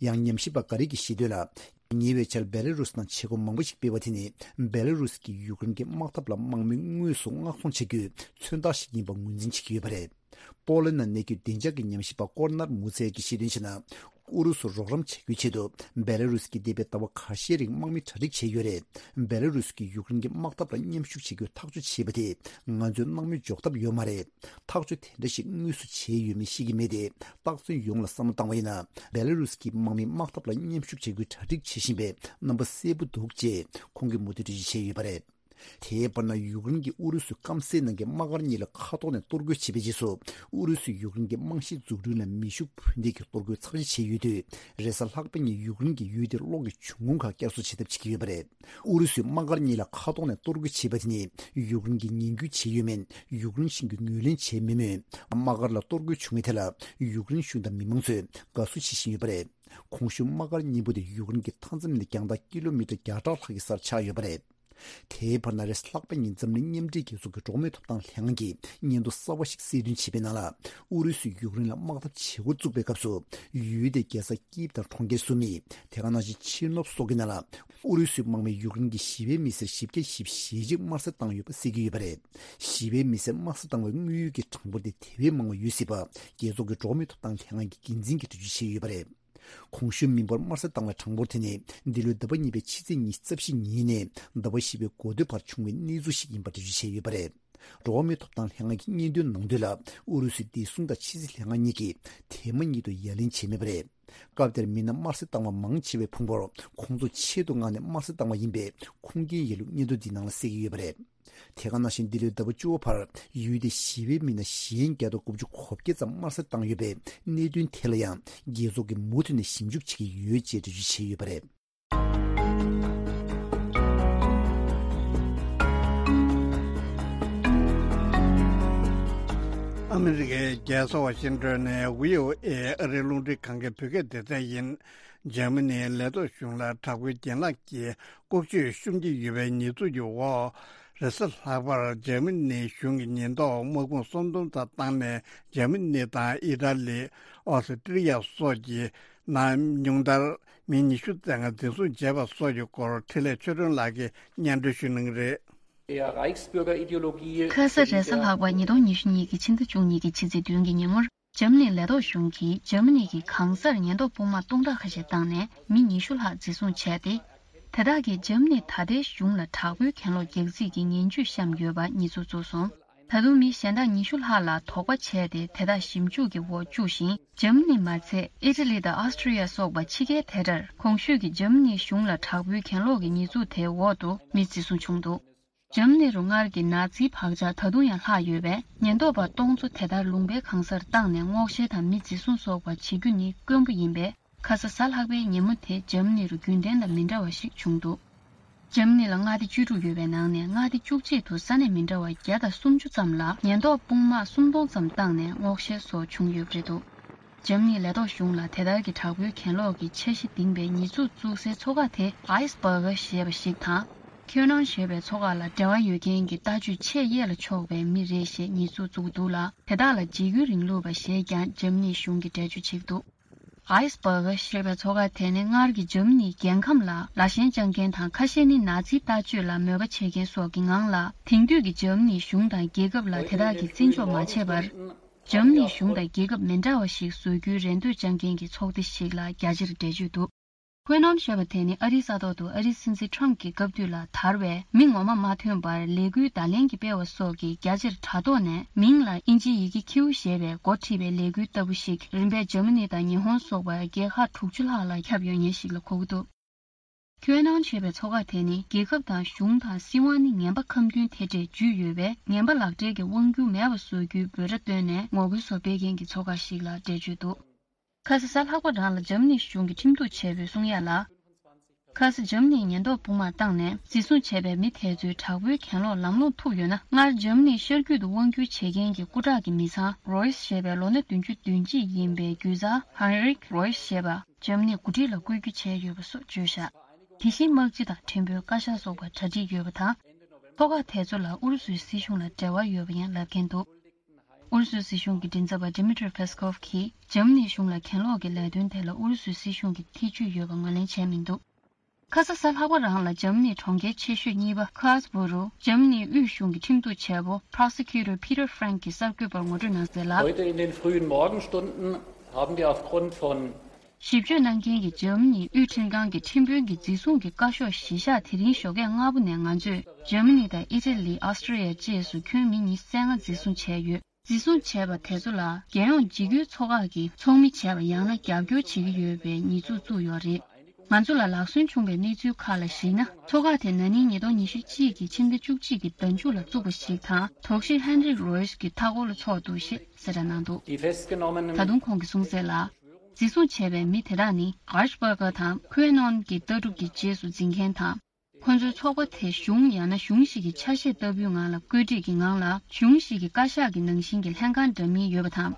ཡང་། ཉམས་ཞིབ་པ་འགའ་རེ་གིས་བཤད་དོན་ལ། ཉེ་བའི་ཆར་བེ་ལ་རུས་ནང་བྱེད་སྒོ་མང་པོ་ཞིག་སྤེལ་བ་དེ་ནི། བེ་ལ་རུས་ཀྱིས་ཡུཀ་རེན་གྱི་དམག་འཐབ་ལ་དམག་མི་དངོས་སུ་མངགས་ཚོང་བྱ་རྒྱུའི་མཚོན་རྟགས་ཤིག་ཡིན་པ་ངོས་འཛིན་བྱེད་ཀྱི་ཡོད་པ་རེད། པོ་ལན་ནང་གནས་འཁོད་བདེ་འཇགས་ཀྱི་ཉམས་ཞིབ་པ་ཀོར་ནར་མུ་ཚེ་ཡ་གིས་བཤད་དོན་བྱས་ན། ཨུ་རུ་སུར་རོགས་རམ་བྱ་རྒྱུའི་ཆེད་དུ་བེ་ལ་རུས་ཀྱིས་འདས་པའི་ཟླ་བ་ཁ་ཤས་རིང་དམག་མི་གྲ་སྒྲིག་བྱས་ཡོད་རེད། བེ་ལ་རུས་ཀྱིས་ཡུཀ་རེན་གྱི་དམག་འཐབ་ལ་མཉམ་ཞུགས་བྱེད་རྒྱུའི་ཐག་གཅོད་བྱས་པ་དེས་ང་ཚོའི་དམག་མི་འཇོག་ཐབས་ཡོད་མ་རེད། ཐག་གཅོད་དེ་འདྲ་ཞིག་དངོས་སུ་བྱས་ཡོད་མེད་ཤེས་ཀྱི་མེད་དེ། རྟགས་མཚན་ཡོངས་ལ་བསམ་བློ་བཏང་བ་ཡིན་ན། བེ་ལ་རུས་ཀྱི་དམག་མི་དམག་འཐབ་ལ་མཉམ་ཞུགས་བྱེད་རྒྱུའི་གྲ་སྒྲིག་བྱེད་བཞིན་པའི་རྣམ་པ་གསལ་པོ་འདུག་ཅེས་ཁོང་གིས་མུ་མཐུད་འགྲེལ་བརྗོད་བྱས་ཡོད་པ་རེད། དེའི་བར་ན་ཡུཀ་རེན་གྱི་ཨུ་རུ་སུའི་སྐམ་སའི་ནང་གི་དམག་སྒར་གཉིས་ལ་མཁའ་ཐོག་ནས་གཏོར་རྒོལ་བྱས་པའི་རྗེས་སུ། ཨུ་རུ་སུས་ཡུཀ་རེན་གྱི་རྨང་གཞིའི་འཛུགས་སྐྲུན་ལ་མེ་ཤུགས་འཕུར་མདེལ་གྱིས་གཏོར་རྒོལ་ཚབས་ཆེ་བྱས་ཡོད་དུས། རེས་གཟའ་ལྷག་པ་ཉིན་ཡུཀ་རེན་གྱི་ཡུལ་དེར་གློག་གི་འབྱུང་ཁུངས་ཁག་བསྐྱར་གསོ་བྱེད་ཐབས་བྱེད་ཀྱི་ཡོད་པ་རེད། ཨུ་རུ་སུའི་དམག་སྒར་གཉིས་ལ་མཁའ་ཐོག་ནས་གཏོར་རྒོལ་བྱས་པ་དེ་ནི་ཡུཀ་རེན་གྱིས་ངན་སྐུལ་བྱས་ཡོད་མེད་ཡུཀ་རེན་གཞུང་གིས་ངོས་ལེན་བྱས་མེད་མོད། དམག་སྒར་ལ་གཏོར་རྒོལ་བྱུང་བའི་ཐད་ལ་ཡུཀ་རེན་གཞུང་དང་མི་མང་ཚོས་དགའ་བསུ་བྱེད་བཞིན་ཡོད་པ་རེད། གོང་ཞུས་དམག་སྒར་གཉིས་པོ་དེ་ཡུཀ་རེན་གྱི་མཐའ་མཚམས་ནས་རྒྱང་ཐག་ཀི་ལོ་མི་ཊར་བརྒྱ་ཕྲག་ལྷག་གི་སར་ཆགས་ཡོད་པ་རེད། དེའི་བར་ན་རེས་ལྷག་པ་ཉིན་འཛམ་གླིང་མཉམ་འབྲེལ་རྒྱལ་ཚོགས་ཀྱི་འགྲོ་བ་མིའི་ཐོབ་ཐང་ལྷན་ཁང་གིས་སྙན་ཐོ་གསར་བ་ཞིག་གསལ་སྟོན་བྱས་པའི་ནང་ལ། ཨུ་རུ་སུས་ཡུཀ་རེན་ལ་དམག་འཐབ་བྱེད་འགོ་བཙུགས་པའི་སྐབས་སུ། ཡུལ་དེའི་རྒྱལ་ས་ཀིབ་དང་གྲོང་ཁྱེར་སུ་མི། དེ་ག་ནང་བཞིན་ཆེ་ནོབ་སོགས་ཀྱི་ནང་ལ། ཨུ་རུ་སུའི་དམག་མིས་ཡུཀ་རེན་གྱི་ཞི་བའི་མི་སེར་བཞི་བརྒྱ་བཞི་བཅུ་ཞེ་གཅིག་དམར་གསོད་བཏང་ཡོད་པ་གསལ་གྱི་ཡོད་པ་རེད། ཞི་བའི་མི་སེར་དམར་གསོད་བཏང་བའི་དངོས་ཡོད་ཀྱི་གྲངས་འབོར་དེ་དེ་བས་མང་བ་ཡོད་སྲིད་པ། རྒྱལ་ཚོགས་ཀྱི་འགྲོ་བ་མིའི་ཐོབ་ཐང་ལྷན་ཁང་གི་འགན་འཛིན་གྱིས་འགྲེལ་བརྗོད་བྱས་ཡོད་པ་རེད། གོང་ཞུས་མི་འབོར་དམར་གསོད་བཏང་བའི་གྲངས་འབོར་དེ་ནི་འདི་ལོའི་ཟླ་བ་གཉིས་པའི་ཕྱི་ཚེས་ཉི་ཤུ་རྩ་བཞི་ཉིན་ནས་ཟླ་བ་བཞི་པའི་འགོ་སྟོད་བར་བྱུང་བའི་གནས་ཚུལ་ཞིག་ཡིན་པ་འགྲེལ་བརྗོད་བྱས་ཡོད་པ་རེད། འགྲོ་བ་མིའི་ཐོབ་ཐང་ལྷན་ཁང་གི་སྙན་ཐོའི་ནང་དོན་ལ། ཨུ་རུ་སུའི་བདེ་སྲུང་དང་ཕྱི་སྲིད་ལྷན་ཁང་གཉིས་ཀྱིས་དེ་མ་ཉིད་དུ་ཡ་ལན་བྱས་མེད་པ་རེད། སྐབས་དེར་མི་སྣ་དམར་གསོད་བཏང་བ་མང་ཆེ་བའི་ཕུང་པོར་ཁོང་ཚོ་ཆེད་དུ་མངགས་ནས་དམར་གསོད་བཏང་བ་ཡིན་པའི་ཁུངས་སྐྱེལ་ཡས་ལུགས་སྙན་ཐོ་འདིའི་ནང་ལ་གསལ་གྱི་ཡོད་པ་རེད། དེ་ག་ནང་བཞིན་འདི་ལོའི་ཟླ་བ་བཅུ་པ་བར་ཡུལ་དེའི་ཞི་བའི་མི་སྣ་གཞན་བརྒྱ་དང་དགུ་བཅུ་གོ་བརྒྱད་ཙམ་དམར་གསོད་བཏང་ཡོད་པའི་གནད་དོན་ཐད་ལ་ཡང་རྒྱལ་ཚོགས་ཀྱིས་མུ་མཐུད་ནས་ཞིབ་འཇུག་བྱེད་ཀྱི་ཡོད་ཅེས་འགྲེལ་བརྗོད་བྱས་ཡོད་པ་རེད། ཨ་མི་རི་ཀའི་རྒྱལ་ས་ཝ་ཤིང་ཏོན་ནས་བྷི་ཨོ་ཨེ་ཨ་རིའི་རླུང་འཕྲིན་ཁང་གི་བོད་སྐད་སྡེ་ཚན་ཡིན། འཇར་མ་ནིའི་ལས་ཐོག་གཞུང་ལ་དྲག་པོའི་རྒྱན་ལག་གིས་ལྐོག་ཇུས་ཤུགས་ཆེ་ཡོད་པའི་ཉེས་འཛུགས་ཀྱི་འོག་རེས་གཟའ་ལྷག་པར་འཇར་མ་ནིའི་གཞུང་གི་ཉེན་རྟོག་དམག་དཔུང་སུམ་སྟོང་ཙམ་བཏང་ནས་འཇར་མ་ནི་དང་ཨི་ཊ་ལི། ཨོ་སི་ཀྲི་ཡ་སོགས་ཀྱི་ནང་ཉུང་མཐར་མི་ཉི་ཤུ་ཙམ་འཛིན་བཟུང་བྱས་པ་སོགས་ཀྱི་སྐོར་འཕྲིན་ལས་ཆོས་སྒྲོན་ལགས་ཀྱིས་སྙན་སྒྲོན་ཞུ་གནང་གི་རེད། ཁ་ས་རེས་གཟའ་ལྷག་པ་ཉིས་སྟོང་ཉི་ཤུ་གཉིས་ཀྱི་ཕྱི་ཟླ་བཅུ་གཉིས་ཀྱི་ཕྱི་ཚེས་བདུན་གྱི་ཉིན་མོར། འཇར་མ་ནིའི་ལས་ཐོག་གཞུང་གིས་འཇར་མ་ནི་གི་གང་སར་ཉེན་རྟོག་དཔུང་དམག་སྟོང་ཕྲག་ཁ་ཤས་བཏང་ནས་མི་ཉི་ཤུ་ལྷག་འཛིན་བཟུང་བྱས་ཏེ། དེ་དག་གིས་འཇར་མ་ནིའི་ད་ལྟའི་གཞུང་ལ་དྲག་པོའི་གྱེན་ལོག་རྒྱག་རྩིས་ཀྱི་ངན་ཇུས་བཤམས་ཡོད་པ་ཉེས་འཛུགས་བཙུགས་སོང་། ད་དུང་མི་གཞན་དག་ཉི་ཤུ་ལྷག་ལ་དོགས་པ་བྱས་ཏེ་དེ་དག་ཞིབ་འཇུག་གི་འོག་བཅུག་ཞིང་། འཇར་མ་ནི་མ་ཚད་ཨི་ཊ་ལི་དང་ཨོ་སི་ཀྲི་ཡ་སོགས་པ་ཕྱི་རྒྱལ་དེ་འདྲར་གོང་ཞུས་ཀྱི་འཇར་མ་ནིའི་གཞུང་ལ་དྲག་པོའི་གྱེན་ལོག་གི་ཉེས་འཛུགས་དེའི་འོག་ཏུ་མི་འཛིན་བཟུང་བྱུང་འདུག་འཇར་མ་ནི་རུ་སྔར་གྱི་ནཱ་ཛིའི་བག་ཆགས་ད་དུང་ཡང་ལྷག་ཡོད་པས། ཉེན་རྟོག་པ་སྟོང་ཚོ་དེ་ལྟར་ལུང་པའི་གང་སར་བཏང་ནས་སྔོག་བཤེར་དང་མི་འཛིན་བཟུང་སོགས་པ་བྱེད་རྒྱུ་ནི་དཀོན་པོ་ཡིན་པས། ཁ་ས་གཟའ་ལྷག་པའི་ཉིན་མོ་དེ་འཇར་མ་ནི་རུ་རྒྱུན་ལྡན་དང་མི་འདྲ་བ་ཞིག་བྱུང་འདུག་འཇར་མ་ནི་ལ་མངའ་སྡེ་བཅུ་དྲུག་ཡོད་པའི་ནང་ནས་མངའ་སྡེ་བཅུ་གཅིག་ཏུ་ས་གནས་མི་འདྲ་བ་བརྒྱ་དང་སུམ་ཅུ་ཙམ་ལ་ཉེན་རྟོག་དཔུང་དམག་སུམ་སྟོང་ཙམ་བཏང་ནས་སྔོག་བཤེར་སོགས་བྱུང་ཡོད་པ་རེད་འདུག་འཇར་མ་ནིའི་ལས་ཐོག་གཞུང་ལ་དེ་ལྟར་གྱི་དྲག་པོའི་གྱེན་ལོག་གི་འཆར་གཞི་འདིང་བའི་ཉེས་འཛུགས་བཙུགས་སའི་མཚོ་ཁ་དེ་ཨའི་སི་བྷར་གྷ་ཞེས་པ་ཞིག་དང་། ཁྱོད་ནང་ཞེས་པའི་མཚོ་ཁ་ལ་འབྲེལ་བ་ཡོད་མཁན་གྱི་ལྟ་སྤྱོད་ཆེས་གཡས་ལ་ཕྱོགས་པའི་མི་རེད་ཞེས་ཉེས་འཛུགས་བཙུགས་འདུག་ལ། དེ་དག་ལ་འཇིགས་སྐུལ་རིང་ལུགས་པ་ཞེས་ཀྱང་འཇར་མ་ནིའི་གཞུང་གིས་འགྲེལ་བརྗོད་བྱེད་ཀྱི་འདུག་ཨའི་སི་བྷར་གྷ་ཞེས་པའི་མཚོ་ཁ་དེ་ནི་སྔར་གྱི་འཇར་མ་ནིའི་རྒྱལ་ཁམས་ལ་ལ་ཞེན་བཅངས་མཁན་དང་ཁ་ཤས་ནི་ནཱ་ཛིའི་ལྟ་སྤྱོད་ལ་མོས་པ་བྱེད་མཁན་སོགས་ཀྱི་ངང་ལ། དེང་དུས་ཀྱི་འཇར་མ་ནིའི་གཞུང་དང་རྒྱལ་ཁབ་ལ་དེ་དག་གིས་བརྩི་འཇོག་མ་བྱས་པར། འཇར་མ་ནིའི་གཞུང་དང་རྒྱལ་ཁབ་མི་འདྲ་བ་ཞིག་བཟོ་རྒྱུའི་རེ་འདོད་བཅངས་མཁན་གྱི་ཚོགས་སྡེ་ཞིག་ལ་རྒྱ་ཆེར་འགྲེལ་བརྗོད་འདུག་ཧོ་ནམ་ཞེས་པ་དེ་ནི་ཨ་རིའི་ས་ཐོག་ཏུ་ཨ་རིའི་སྲིད་འཛིན་ཁྲམ་གྱི་སྐབས་དུས་ལ་དར་བའི་མི་ངོ་མ་མ་ཐོན་པར་ལས་འགུལ་བརྡ་ལན་གྱི་སྤེལ་བ་སོགས་ཀྱིས་རྒྱ་ཆེར་དྲ་ཐོག་ནས་མིང་ལ་ཨིན་ཇིའི་ཡི་གེ་ཁྱེའུ་ཞེས་པའི་འགོ་ཁྲིད་པའི་ལས་འགུལ་ལྟ་བུ་ཞིག་རིམ་པས་འཇར་མ་ནི་དང་ཉི་ཧོང་སོགས་པ་རྒྱལ་ཁག་དྲུག་ཅུ་ལྷག་ལ་ཁྱབ་ཡོད་མཁན་ཞིག་ལ་གོ་གི་འདུག་ཁྱོད་ནང་ཞེས་པའི་མཚོ་ཁ་དེ་ནི་རྒྱལ་ཁབ་དང་གཞུང་དང་སྲིད་དབང་ནི་ངན་པ་ཁམས་མཐུན་དེ་འདྲས་འཇུས་ཡོད་པས། ངན་པ་ལག་སྦྲེལ་གྱི་དབང་སྒྱུར་མེད་པ་བཟོ་རྒྱུའི་འབོད་སྒྲ་བཏོན་ནས་ངོ་རྒོལ་བཟོ་སྤེལ་མཁན་གྱི་མཚོ་ཁ་ཞིག་ལ་འགྲེལ་བརྗོད་འདུག་ཁ་ས་གཟའ་ལྷག་པ་རང་ལ་འཇར་མ་ནི་གཞུང་གི་ཁྲིམས་གཏུག་བྱས་པའི་གསུང་ཡ་ལ། ཁ་ས་འཇར་མ་ནིའི་ཉེན་རྟོག་དཔུང་དམག་བཏང་ནས་འཛིན་བཟུང་བྱས་པའི་མི་དེ་ཚོའི་དྲག་པོའི་གྱེན་ལོག་ལམ་ལྷོང་ཐུག་ཡོད་ན། སྔར་འཇར་མ་ནིའི་ཤར་རྒྱུད་དུ་དབང་སྒྱུར་བྱེད་མཁན་གྱི་སྐུ་དྲག་གི་མི་ཚང་རོ་ཡིས་ཞེས་པའི་ལོ་ན་བདུན་ཅུ་དོན་གཅིག་ཡིན་པའི་རྒྱུད་བཟའ་ཧན་རིག་རོ་ཡིས་ཞེས་པ་འཇར་མ་ནིའི་འགོ་ཁྲིད་ལ་བསྐོ་རྒྱུ་བྱས་ཡོད་པ་སོགས་བརྗོད་བཞག་དེ་བཞིན་དམག་སྤྱི་དང་ཕྲན་བུའི་བཀའ་ཤག་སོགས་པ་གྲ་སྒྲིག་ཡོད་པ་དང་། ཐོག་ཁག་དེ་ཚོ་ལ་ཨུ་རུ་སུའི་སྲིད་གཞུང་ལ་འབྲེལ་བ་ཡོད་པ་ཡང་ལབ་མཁན་འདུག་ཨུ་རུ་སུའི་སྲིད་གཞུང་གི་མགྲིན་ཚབ་པ་Dmitry Peskov གིས་འཇར་མ་ནིའི་གཞུང་ལ་གྱེན་ལོག་གི་ལས་དོན་དེ་ལ་ཨུ་རུ་སུའི་སྲིད་གཞུང་གི་ཐེ་ཇུས་ཡོད་པ་ངོས་ལེན་བྱས་མི་འདུག་ཁ་ས་གཟའ་ལྷག་པ་རང་ལ་འཇར་མ་ནིའི་གྲོང་ཁྱེར་ཆེ་ཤོས་གཉིས་པ་ཁཱ་སི་བྷུ་རུ་འཇར་མ་ནིའི་དབུས་གཞུང་གི་ཁྲིམས་གཏུག་བྱེད་པོ་Prosecutor Peter Frank གིས་གསར་འགོད་པར་ངོ་སྤྲོད་གནང་གསལ་ལ། Heute in den frühen Morgenstunden haben wir aufgrund von ཞིབ་དཔྱོད་གནང་མཁན་གྱི་འཇར་མ་ནིའི་དབུས་ཁྲིམས་ཁང་གི་ཁྲིམས་དཔོན་གྱིས་འཛིན་བཟུང་གི་བཀའ་ཤོག་གཞི་བཞག་དེ་རིང་ཞོགས་ཀས་སྔ་པོ་ནས་ང་ཚོས་འཇར་མ་ནི་དང་ཨི་ཊ་ལི། ཨོ་སི་ཀྲི་ཡ་བཅས་སུ་ཁྱོན་མི་ཉི་ཤུ་རྩ་ལྔ་འཛིན་བཟུང་བྱས་ཡོད། འཛིན་བཟུང་བྱས་པ་དེ་ཚོ་ལ་རྒྱལ་ཡོངས་འཇིགས་སྐུལ་ཚོགས་ཁག་གིས་ཚོགས་མི་བྱས་པ་ཡང་ན་རྒྱབ་སྐྱོར་བྱེད་ཀྱི་ཡོད་པའི་ཉེས་འཛུགས་བཙུགས་ཡོད་རེད། ང་ཚོ་ལ་ལག་སོན་བྱུང་བའི་གནས་ཚུལ་ཁག་ལ་གཞིགས་ན། ཚོགས་ཁག་དེ་ན་ནིང་ཉིས་སྟོང་ཉི་ཤུ་གཅིག་གི་ཕྱི་ཟླ་བཅུ་གཅིག་གི་ཟླ་མཇུག་ལ་བཙུགས་པ་ཞིག་དང་། དོགས་གཞི་ཧན་རིག་རོ་ཡིས་ཀྱི་མཐའ་འཁོར་ལ་ཚོགས་འདུག་ཞེས་གསལ་བསྒྲགས་གནང་འདུག Die festgenommenen ད་དུང་ཁོང་གིས་གསུངས་གསལ་ལ། འཛིན་བཟུང་བྱས་པའི་མི་དེ་དག་ནི་གྷར་ཤ་པར་གྷ་དང་ཁུའེ་ནོན་གྱི་ལྟ་གྲུབ་ཀྱི་རྗེས་སུ་འཛིན་མཁན་དང་། ཁོ་ཚོའི་ཚོགས་པ་དེ་གཞུང་ཡང་ན་གཞུང་ཞིག་གི་ཆ་ཤས་ལྟ་བུའི་ངང་ལ་བཀོད་སྒྲིག་གི་ངང་ལ། གཞུང་ཞིག་གི་བཀའ་ཤག་གི་ནང་བཞིན་གྱི་ལྷན་ཁང་འདྲ་མིན་ཡོད་པ་དང་།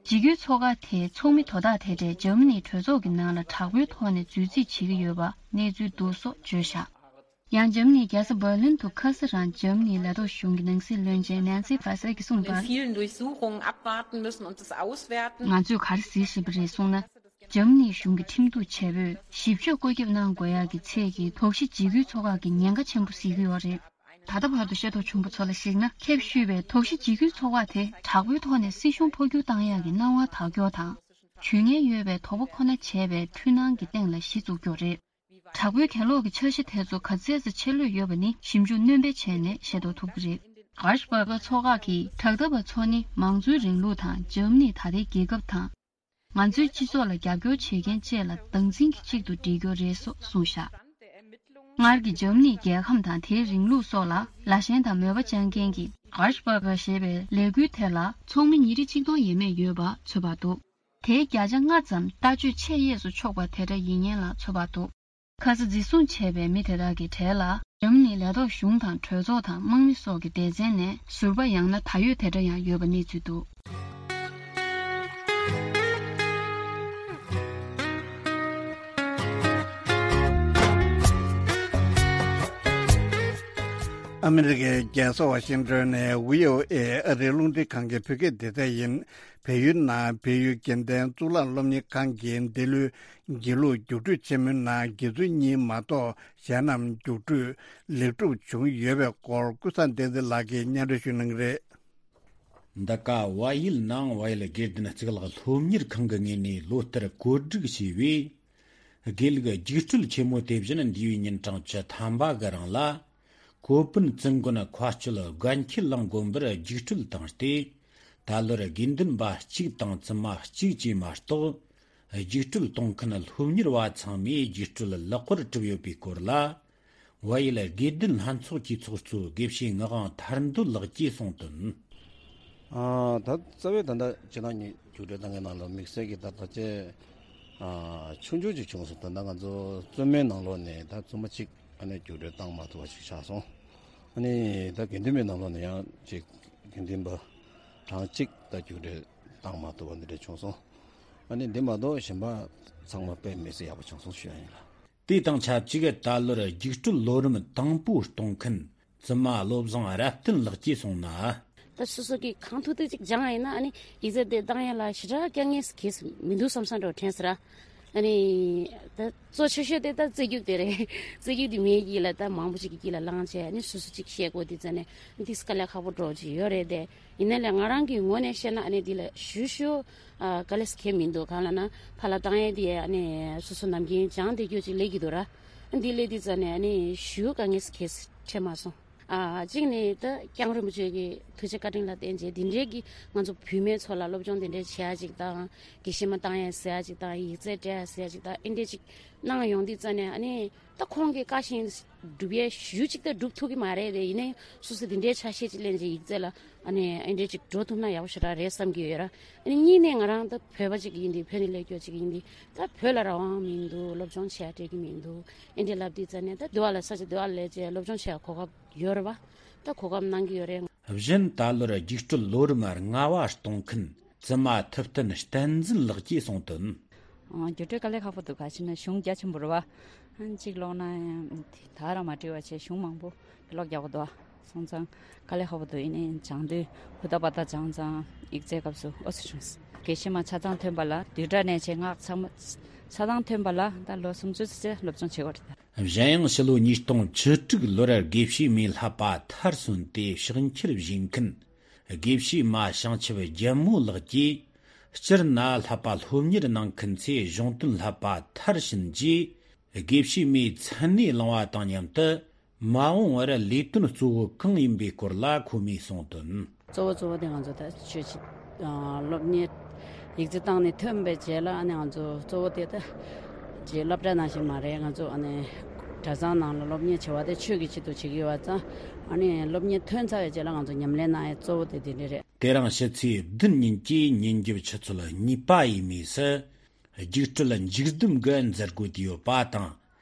འཇིགས་སྐུལ་ཚོགས་ཁག་དེའི་ཚོགས་མི་དོ་བདག་དེ་འདྲས་འཇར་མ་ནིའི་གྲོས་ཚོགས་ཀྱི་ནང་ལ་དྲག་པོའི་ཐོག་ནས་འཛུལ་རྩིས་བྱེད་ཀྱི་ཡོད་པ་གནས་ཚུལ་འདུག་སོགས་བརྗོད་བཞག་ཡང་འཇར་མ་ནིའི་རྒྱལ་ས་འབར་ལིན་དུ་ཁ་སང་རང་འཇར་མ་ནིའི་ལས་ཐོག་གཞུང་གི་ནང་སྲིད་བློན་ཆེན་ནན་སི་ཕ་སེ་གིས་གསུངས་པར། Vielen Durchsuchungen abwarten müssen und es auswerten. ང་ཚོས་ག་རེ་གཟིགས་བཞིན་པ་རེད་གསུངས་ན། འཇར་མ་ནིའི་གཞུང་གི་ཁྲིམས་གཏུག་བྱེད་པོས་ཞིབ་དཔྱོད་བཀོད་ཁྱབ་གནང་དགོས་ཡག་གི་ཚད་ཀྱིས་དོགས་གཞི་འཇིགས་སྐུལ་ཚོགས་ཁག་གི་ཉེན་ཁ་ཆེན་པོ་གཟིགས་ཀྱི་ཡོད་རེད། ད་ལྟ་བར་དུ་ཤེས་རྟོགས་བྱུང་བ་ཚོ་ལ་གཞིགས་ན། ཁྱབ་ཞུས་པའི་དོགས་གཞི་འཇིགས་སྐུལ་ཚོགས་ཁག་དེ་དྲག་པོའི་ཐོག་ནས་སྲིད་གཞུང་འཕོ་འགྱུར་བཏང་ཡག་གི་སྣང་བ་དག་སྐྱོར་དང་། ཇུས་ངན་ཡོད་པའི་དོགས་པ་ཁོ་ན་བྱས་པའི་འཁྲུལ་སྣང་གི་སྟེང་ལ་གཞི་བཙུགས་ཀྱི་ཡོད་རེད། དྲག་པོའི་གྱེན་ལོག་གི་འཆར་གཞི་དེ་ཚོ་ག་ཚད་ཙམ་ཆེ་ལོས་ཡོད་པ་ནི་ཞིབ་འཇུག་སྣོན་སྤེལ་བྱས་ནས་ཤེས་རྟོགས་ཐུབ་ཀྱི་རེད། གྷར་ཤ་པར་གྷ་ཚོགས་ཁག་གིས་དྲག་འཐབ་པ་ཚོ་ནི་མང་གཙོའི་རིང་ལུགས་དང་འཇར་མ་ནི་ད་ལྟའི་རྒྱལ་ཁབ་དང་། ང་ཚོའི་སྤྱི་ཚོགས་ལ་རྒྱབ་སྐྱོར་བྱེད་མཁན་བཅས་ལ་སྡང་འཛིན་གྱིས་གཅིག་ཏུ་སྒྲིལ་རྒྱུ་རེད་སོགས་གསུངས་བཞག་སྔར་གྱི་འཇར་མ་ནིའི་རྒྱལ་ཁམས་དང་དེའི་རིང་ལུགས་སོགས་ལ་ལ་ཞེན་དང་མོས་པ་བཅངས་མཁན་གྱི་གྷར་ཤ་པར་གྷ་ཞེས་པའི་ལས་འགུལ་དེ་ལ་ཚོགས་མི་ཉིས་ཁྲི་ཆིག་སྟོང་ཡས་མས་ཡོད་པ་ཚོད་དཔག་འདུག་དེའི་བརྒྱ་ཆ་ལྔ་ཙམ་ལྟ་སྤྱོད་ཆེས་གཡས་སུ་ཕྱོགས་པ་དེ་འདྲ་ཡིན་མཁན་ལ་ཚོད་དཔག་འདུག་ཁ་སང་འཛིན་བཟུང་བྱས་པའི་མི་དེ་དག་གི་གྲས་ལ་འཇར་མ་ནིའི་ལས་ཐོག་གཞུང་དང་གྲོས་ཚོགས་དང་དམག་མི་སོགས་ཀྱི་སྡེ་ཚན་ནས་ཟུར་པ་ཡང་ན་ད་ཡོད་དེ་འདྲ་ཡང་ཡོད་པ་གནས་ཚུལ་འདུག་ཨ་མི་རི་ཀའི་རྒྱལ་ས་ཝ་ཤིང་ཏོན་ནས་ཝི་ཨོ་ཨེ་ཨ་རིའི་རླུང་འཕྲིན་ཁང་གི་བོད་སྐད་སྡེ་ཚན་ཡིན། བལ་ཡུལ་ནང་བལ་ཡུལ་དགེ་ལྡན་གཙུག་ལག་སློབ་གཉེར་ཁང་གིས་འདི་ལོའི་དགེ་ལུགས་རྒྱུགས་སྤྲོད་ཆེན་མོའི་ནང་དགེ་ཚུལ་གཉིས་མ་གཏོགས་གཞན་རྣམས་རྒྱུགས་སྤྲོད་ལེགས་གྲུབ་བྱུང་ཡོད་པའི་སྐོར་ཀུན་བཟང་བསྟན་འཛིན་ལགས་ཀྱིས་སྙན་སྒྲོན་ཞུ་གནང་གི་རེད། འདི་ག་ཝ་ཡུལ་ནང་ཝ་ཡུལ་དགེ་ལྡན་གཙུག་ལག་སློབ་གཉེར་ཁང་གི་ངོས་ནས་ལོ་ལྟར་བཀོད་སྒྲིག་བྱས་པའི་དགེ་ལུགས་རྒྱུགས་སྤྲོད་ཆེན་མོ་དེ་བཞིན་འདས་པའི་ཉིན་གྲངས་བཅུ་ཐམ་པ་གི་རིང་ལ། ཀོ་པན་ཙུན་དགོན་མཁའ་སྤྱོད་དགའ་འཁྱིལ་གླིང་དགོན་པར་རྒྱུགས་སྤྲོད་བཏང་སྟེ། ད་ལོར་དགེ་འདུན་པ་གཅིག་དང་བཙུན་མ་གཅིག་བཅས་མ་གཏོགས། རྒྱུགས་སྤྲོད་གཏོང་མཁན་སློབ་གཉེར་བ་ཚང་མས་རྒྱུགས་སྤྲོད་ལེགས་པར་གྲུབ་ཡོད་པའི་སྐོར་ལ། ཝ་ཡུལ་དགེ་ལྡན་ལྷན་ཚོགས་ཀྱི་ཚོགས་གཙོ་དགེ་བཤེས་ངག་དབང་ཐར་འདོད་ལགས་ཀྱིས་གསུངས་དོན། ཨ། ད་རྩ་བའི་ད་ལྟ་སྤྱིར་བཏང་གི་རྒྱུགས་སྤྲོད་བཏང་མཁན་ནང་ལ་དམིགས་བསལ་གྱི་ད་ལྟ་ཅེ། ཨ། ཆུང་ཆུང་ཅིག་བྱུང་སོང་། ད་ལྟ་ང་ཚོ་བཙུན་མའི་ནང་ལོགས་ནས་ད་བཙུན་མ་གཅིག་ཨ་ནི་རྒྱུགས་སྤྲོད་བཏང་མ་ཐུབ་པ་ཞིག་ཆགས་སོང་། ཨ་ནི་ད་དགེ་འདུན་པའི་ནང་ལོགས་ནས་ཡང་ཅིག་དགེ་འདུན་པ་གྲངས་གཅིག་ད་རྒྱུགས་སྤྲོད་བཏང་མ་ཐུབ་པ་འདི་འདྲ་བྱུང་སོང་། ཨ་ནི་འདི་མ་གཏོགས་གཞན་པ་ཚང་མ་དཔེ་མི་སྲིད་ཡག་པོ་བྱུང་སོང་ཞུ་ཡ་ཡིན་ལ། དེ་དང་ཆབས་ཅིག་ད་ལོར་རྒྱུགས་སྤྲོད་ལོ་རིམ་དང་པོ་གཏོང་མཁན་བཙུན་མ་བློ་བཟང་རབ་བརྟན་ལགས་ཀྱིས་གསུངས་ན། ད་སོ་སོ་གིས་གང་ཐུབ་ཐུབ་ཅིག་སྦྱངས་ཡིན་ན་ཨ་ནི་ཡིག་ཚད་དེ་བཏང་ཡ་ལ་ཞེ་དྲག་དཀའ་ངལ་གྱིས་མི་འདུག་བསམ་བསམ་འདྲ་བོ་དྲན་སོང་ར། ཨ་ནི་ད་གཙོ་ཆེ་ཤོས་དེ་ད་རྩེད་རྒྱུགས་དེ་རེད། རྩེད་རྒྱུགས་དེ་མིའི་དཀྱིལ་ལ་ད་མང་པོ་ཅིག་གི་དཀྱིལ་ལ་ལངས་བྱས་ཨ་ནི་སོ་སོ་ཅིག་ཤེས་དགོས་དུས་ཙ་ནས་འདི་དཀའ་ལས་ཁག་པོ་འདྲ་བོ་ཅིག་ཡོད་རེད་དེ། ཡིན་ནའི་ལས་ང་རང་གི་ངོས་ནས་བཤད་ན་ཨ་ནི་འདི་ལ་ཞུ་ཞུ། ཨ། དཀའ་ལས་ཁག་མི་འདུག་གང་ལབ་ན་ཕར་ལ་བཏང་ཡས་དེ་ཨ་ནི་སོ་སོ་ནམ་རྒྱུན་སྦྱངས་བསྡད་རྒྱུ་ཅིག་སླེབས་ཀྱི་འདུག་ར། འདི་སླེབས་དུས་ཙ་ནས་ཨ་ནི་ཞུ་དཀའ་ངལ་ཁག་འཕྲད་མ་སོང་། ཨ། གཅིག་ནི་ད་སྐྱབས་མགོན་རིན་པོ་ཆེ་གི་ཐུགས་རྗེ་བཀའ་དྲིན་ལ་བརྟེན་བྱས་འདི་འདྲའི་གི་ང་ཚོ་བུད་མེད་ཚོ་ལ་སློབ་སྦྱོང་འདི་འདྲའི་བྱེད་ཡ་ཅིག་དང་། དགེ་བཤེས་མ་བཏང་ཡས་ཟེར་ཡ་ཅིག་དང་། ཡིག་ཚད་སྤྲད་ཡ་ཟེར་ཡ་ཅིག་དང་། ཨེ་འདྲས་ཅིག་གནང་ཡོང་དུས་ཙ་ནས་ཨ་ནི། ད་ཁོང་གི་བཀའ་བཞིན་སྒྲུབ་ཡས་ཞུ་གཅིག་ད་སྒྲུབ་ཐུབ་ཀྱི་མ་རེད་དེ། ཡིན་ནའི་སོ་སོ་དེ་འདྲའི་ཆ་ཤས་ཅིག་ལེན་བྱས་ཡིག་ཚད་ལ་ཨ་ནི་ཨེ་འདྲས་ཅིག་འགྲོ་ཐུབ་ན་ཡག་པོ་ཞེ་དྲག་རེད་བསམ་གྱི་ཡོད་ར། ཨ་ནི་གཉིས་ནས་ང་རང་ད་བོད་པ་ཅིག་ཡིན་དུས་བོད་ནས་སླེབས་རྒྱུ་ཅིག་ཡིན་དུས་ད་བོད་ལ་རང་དབང་མི་འདུག་སློབ་སྦྱོང་བྱེད་ཡ་སྤྲད་ཀྱི་མི་འདུག་ཨེ་འདྲས་ལབ་དུས་ཙ་ནས་ད་འདི་བ་ལ་ས་ཆ་འདི་བ་ལ་སླེབས་བྱས་སློབ་སྦྱོང་བྱེད་ཡ་གོ་སྐབས་ཡོད་རེད་བ། ད་གོ་སྐབས་གནང་གི་ཡོད་རེད། གཞན་ད་ལོར་རྒྱུགས་སྤྲོད་ལོ་རིམ་ལྔ་པ་གཏོང་མཁན་བཙུན་མ་ཐུབ་བསྟན་བསྟན་འཛིན་ལགས་ཀྱིས་གསུངས་དོན། ཨང་། རྒྱུགས་སྤྲོད་དཀའ་ལས་ཁག་པོ་འདུག་ག་ཅི་ན་གཞུང་རྒྱ་ཆེན་པོ་རེད་བ། ཨང་། གཅིག་ཀློག་ན་ཡང་ད་རང་མ་བྲིས་པ་བྱས་གཞུང་མང་པོ་ཀློག་རྒྱག་པོ་འདུག་བ། སོང་ཙང་དཀའ་ལས་ཁག་པོ་འདུག་ཡིན་ནའི་སྦྱང་དུས་ཧུར་ཐག་པ་ཐག་སྦྱངས་ཙང་ཡིག་ཚད་སྐབས་སུ་ཨོ་ཙི་བྱུང་། དགེ་བཤེས་མ་ཆ་ཚང་ཐོན་པ་ལ་བསྡུས་གྲྭ་ནས་བྱས་སྔགས་ཚང་མ་ཆ་ཚང་ཐོན་པ་ལ་ད་ལོ་སུམ་ཅུ་ཙམ་སློབ་སྦྱོང་བྱེད་དགོས་རེད་ད། གཞན་ཡང་ཕྱི་ལོ་ཉིས་སྟོང་བཅུ་དྲུག་ལོར་དགེ་བཤེས་མེ་བསླབ་པ་མཐར་སོན་ཏེ་ཕྱག་འཁྱེར་བཞེས་མཁན་དགེ་བཤེས་མ་བྱང་ཆུབ་རྒྱལ་མོ་ལགས་ཀྱིས་ སྤྱིར་ན་བསླབ་པ་སློབ་གཉེར་གནང་མཁན་ཚོས་གཞུང་དོན་བསླབ་པ་མཐར་ཕྱིན་རྗེས། དགེ་བཤེས་མའི་མཚན་གནས་བླང་བ་དང་མཉམ་དུ། མ་འོངས་པར་ལས་དོན་གཙོ་བོ་གང་ཡིན་པའི་སྐོར་ལ་ཁོ་མོས་གསུངས་དོན། གཙོ་བོ་གཙོ་བོ་དེ་ང་ཚོ་ད་ཆོས་ཀྱི་སློབ་གཉེར་ཡིག་རྩིས་བཏང་ནས་ཐོན་པའི་རྗེས་ལ། ཨ་ནི་ང་ཚོ་གཙོ་བོ་དེ་ད་ཅིག་སློབ་གྲྭ་ནང་བཞིན་མ་རེད། ང་ཚོ་ཨ་ནི་གྲྭ་ཚང་ནང་ལ་སློབ་གཉེར་བྱེད་པ་དེ་ཆོས་ཀྱི་ཆེད་དུ་བྱེད་ཀྱི་ཡོད་པ་ཙང་། ཨ་ནི་སློབ་གཉེར་ཐོན་ཚར་བའི་རྗེས་ལ་ང་ཚོ་ཉམས་ལེན་གནང་ཡས་གཙོ་བོ་དེ་དེ་འདྲ་རེད། དེ་རིང་ཕྱི་ཚེས་བདུན་ཉིན་གྱི་ཉིན་རྒྱབ་ཆུ་ཚོད་གཉིས་པ་ཡས་མས་སུ། རྒྱུགས་སྤྲོད་འཇིགས་སྡུམ་གྱི་མཛད་སྒོ་དུས་ཡོད་པ་དང་།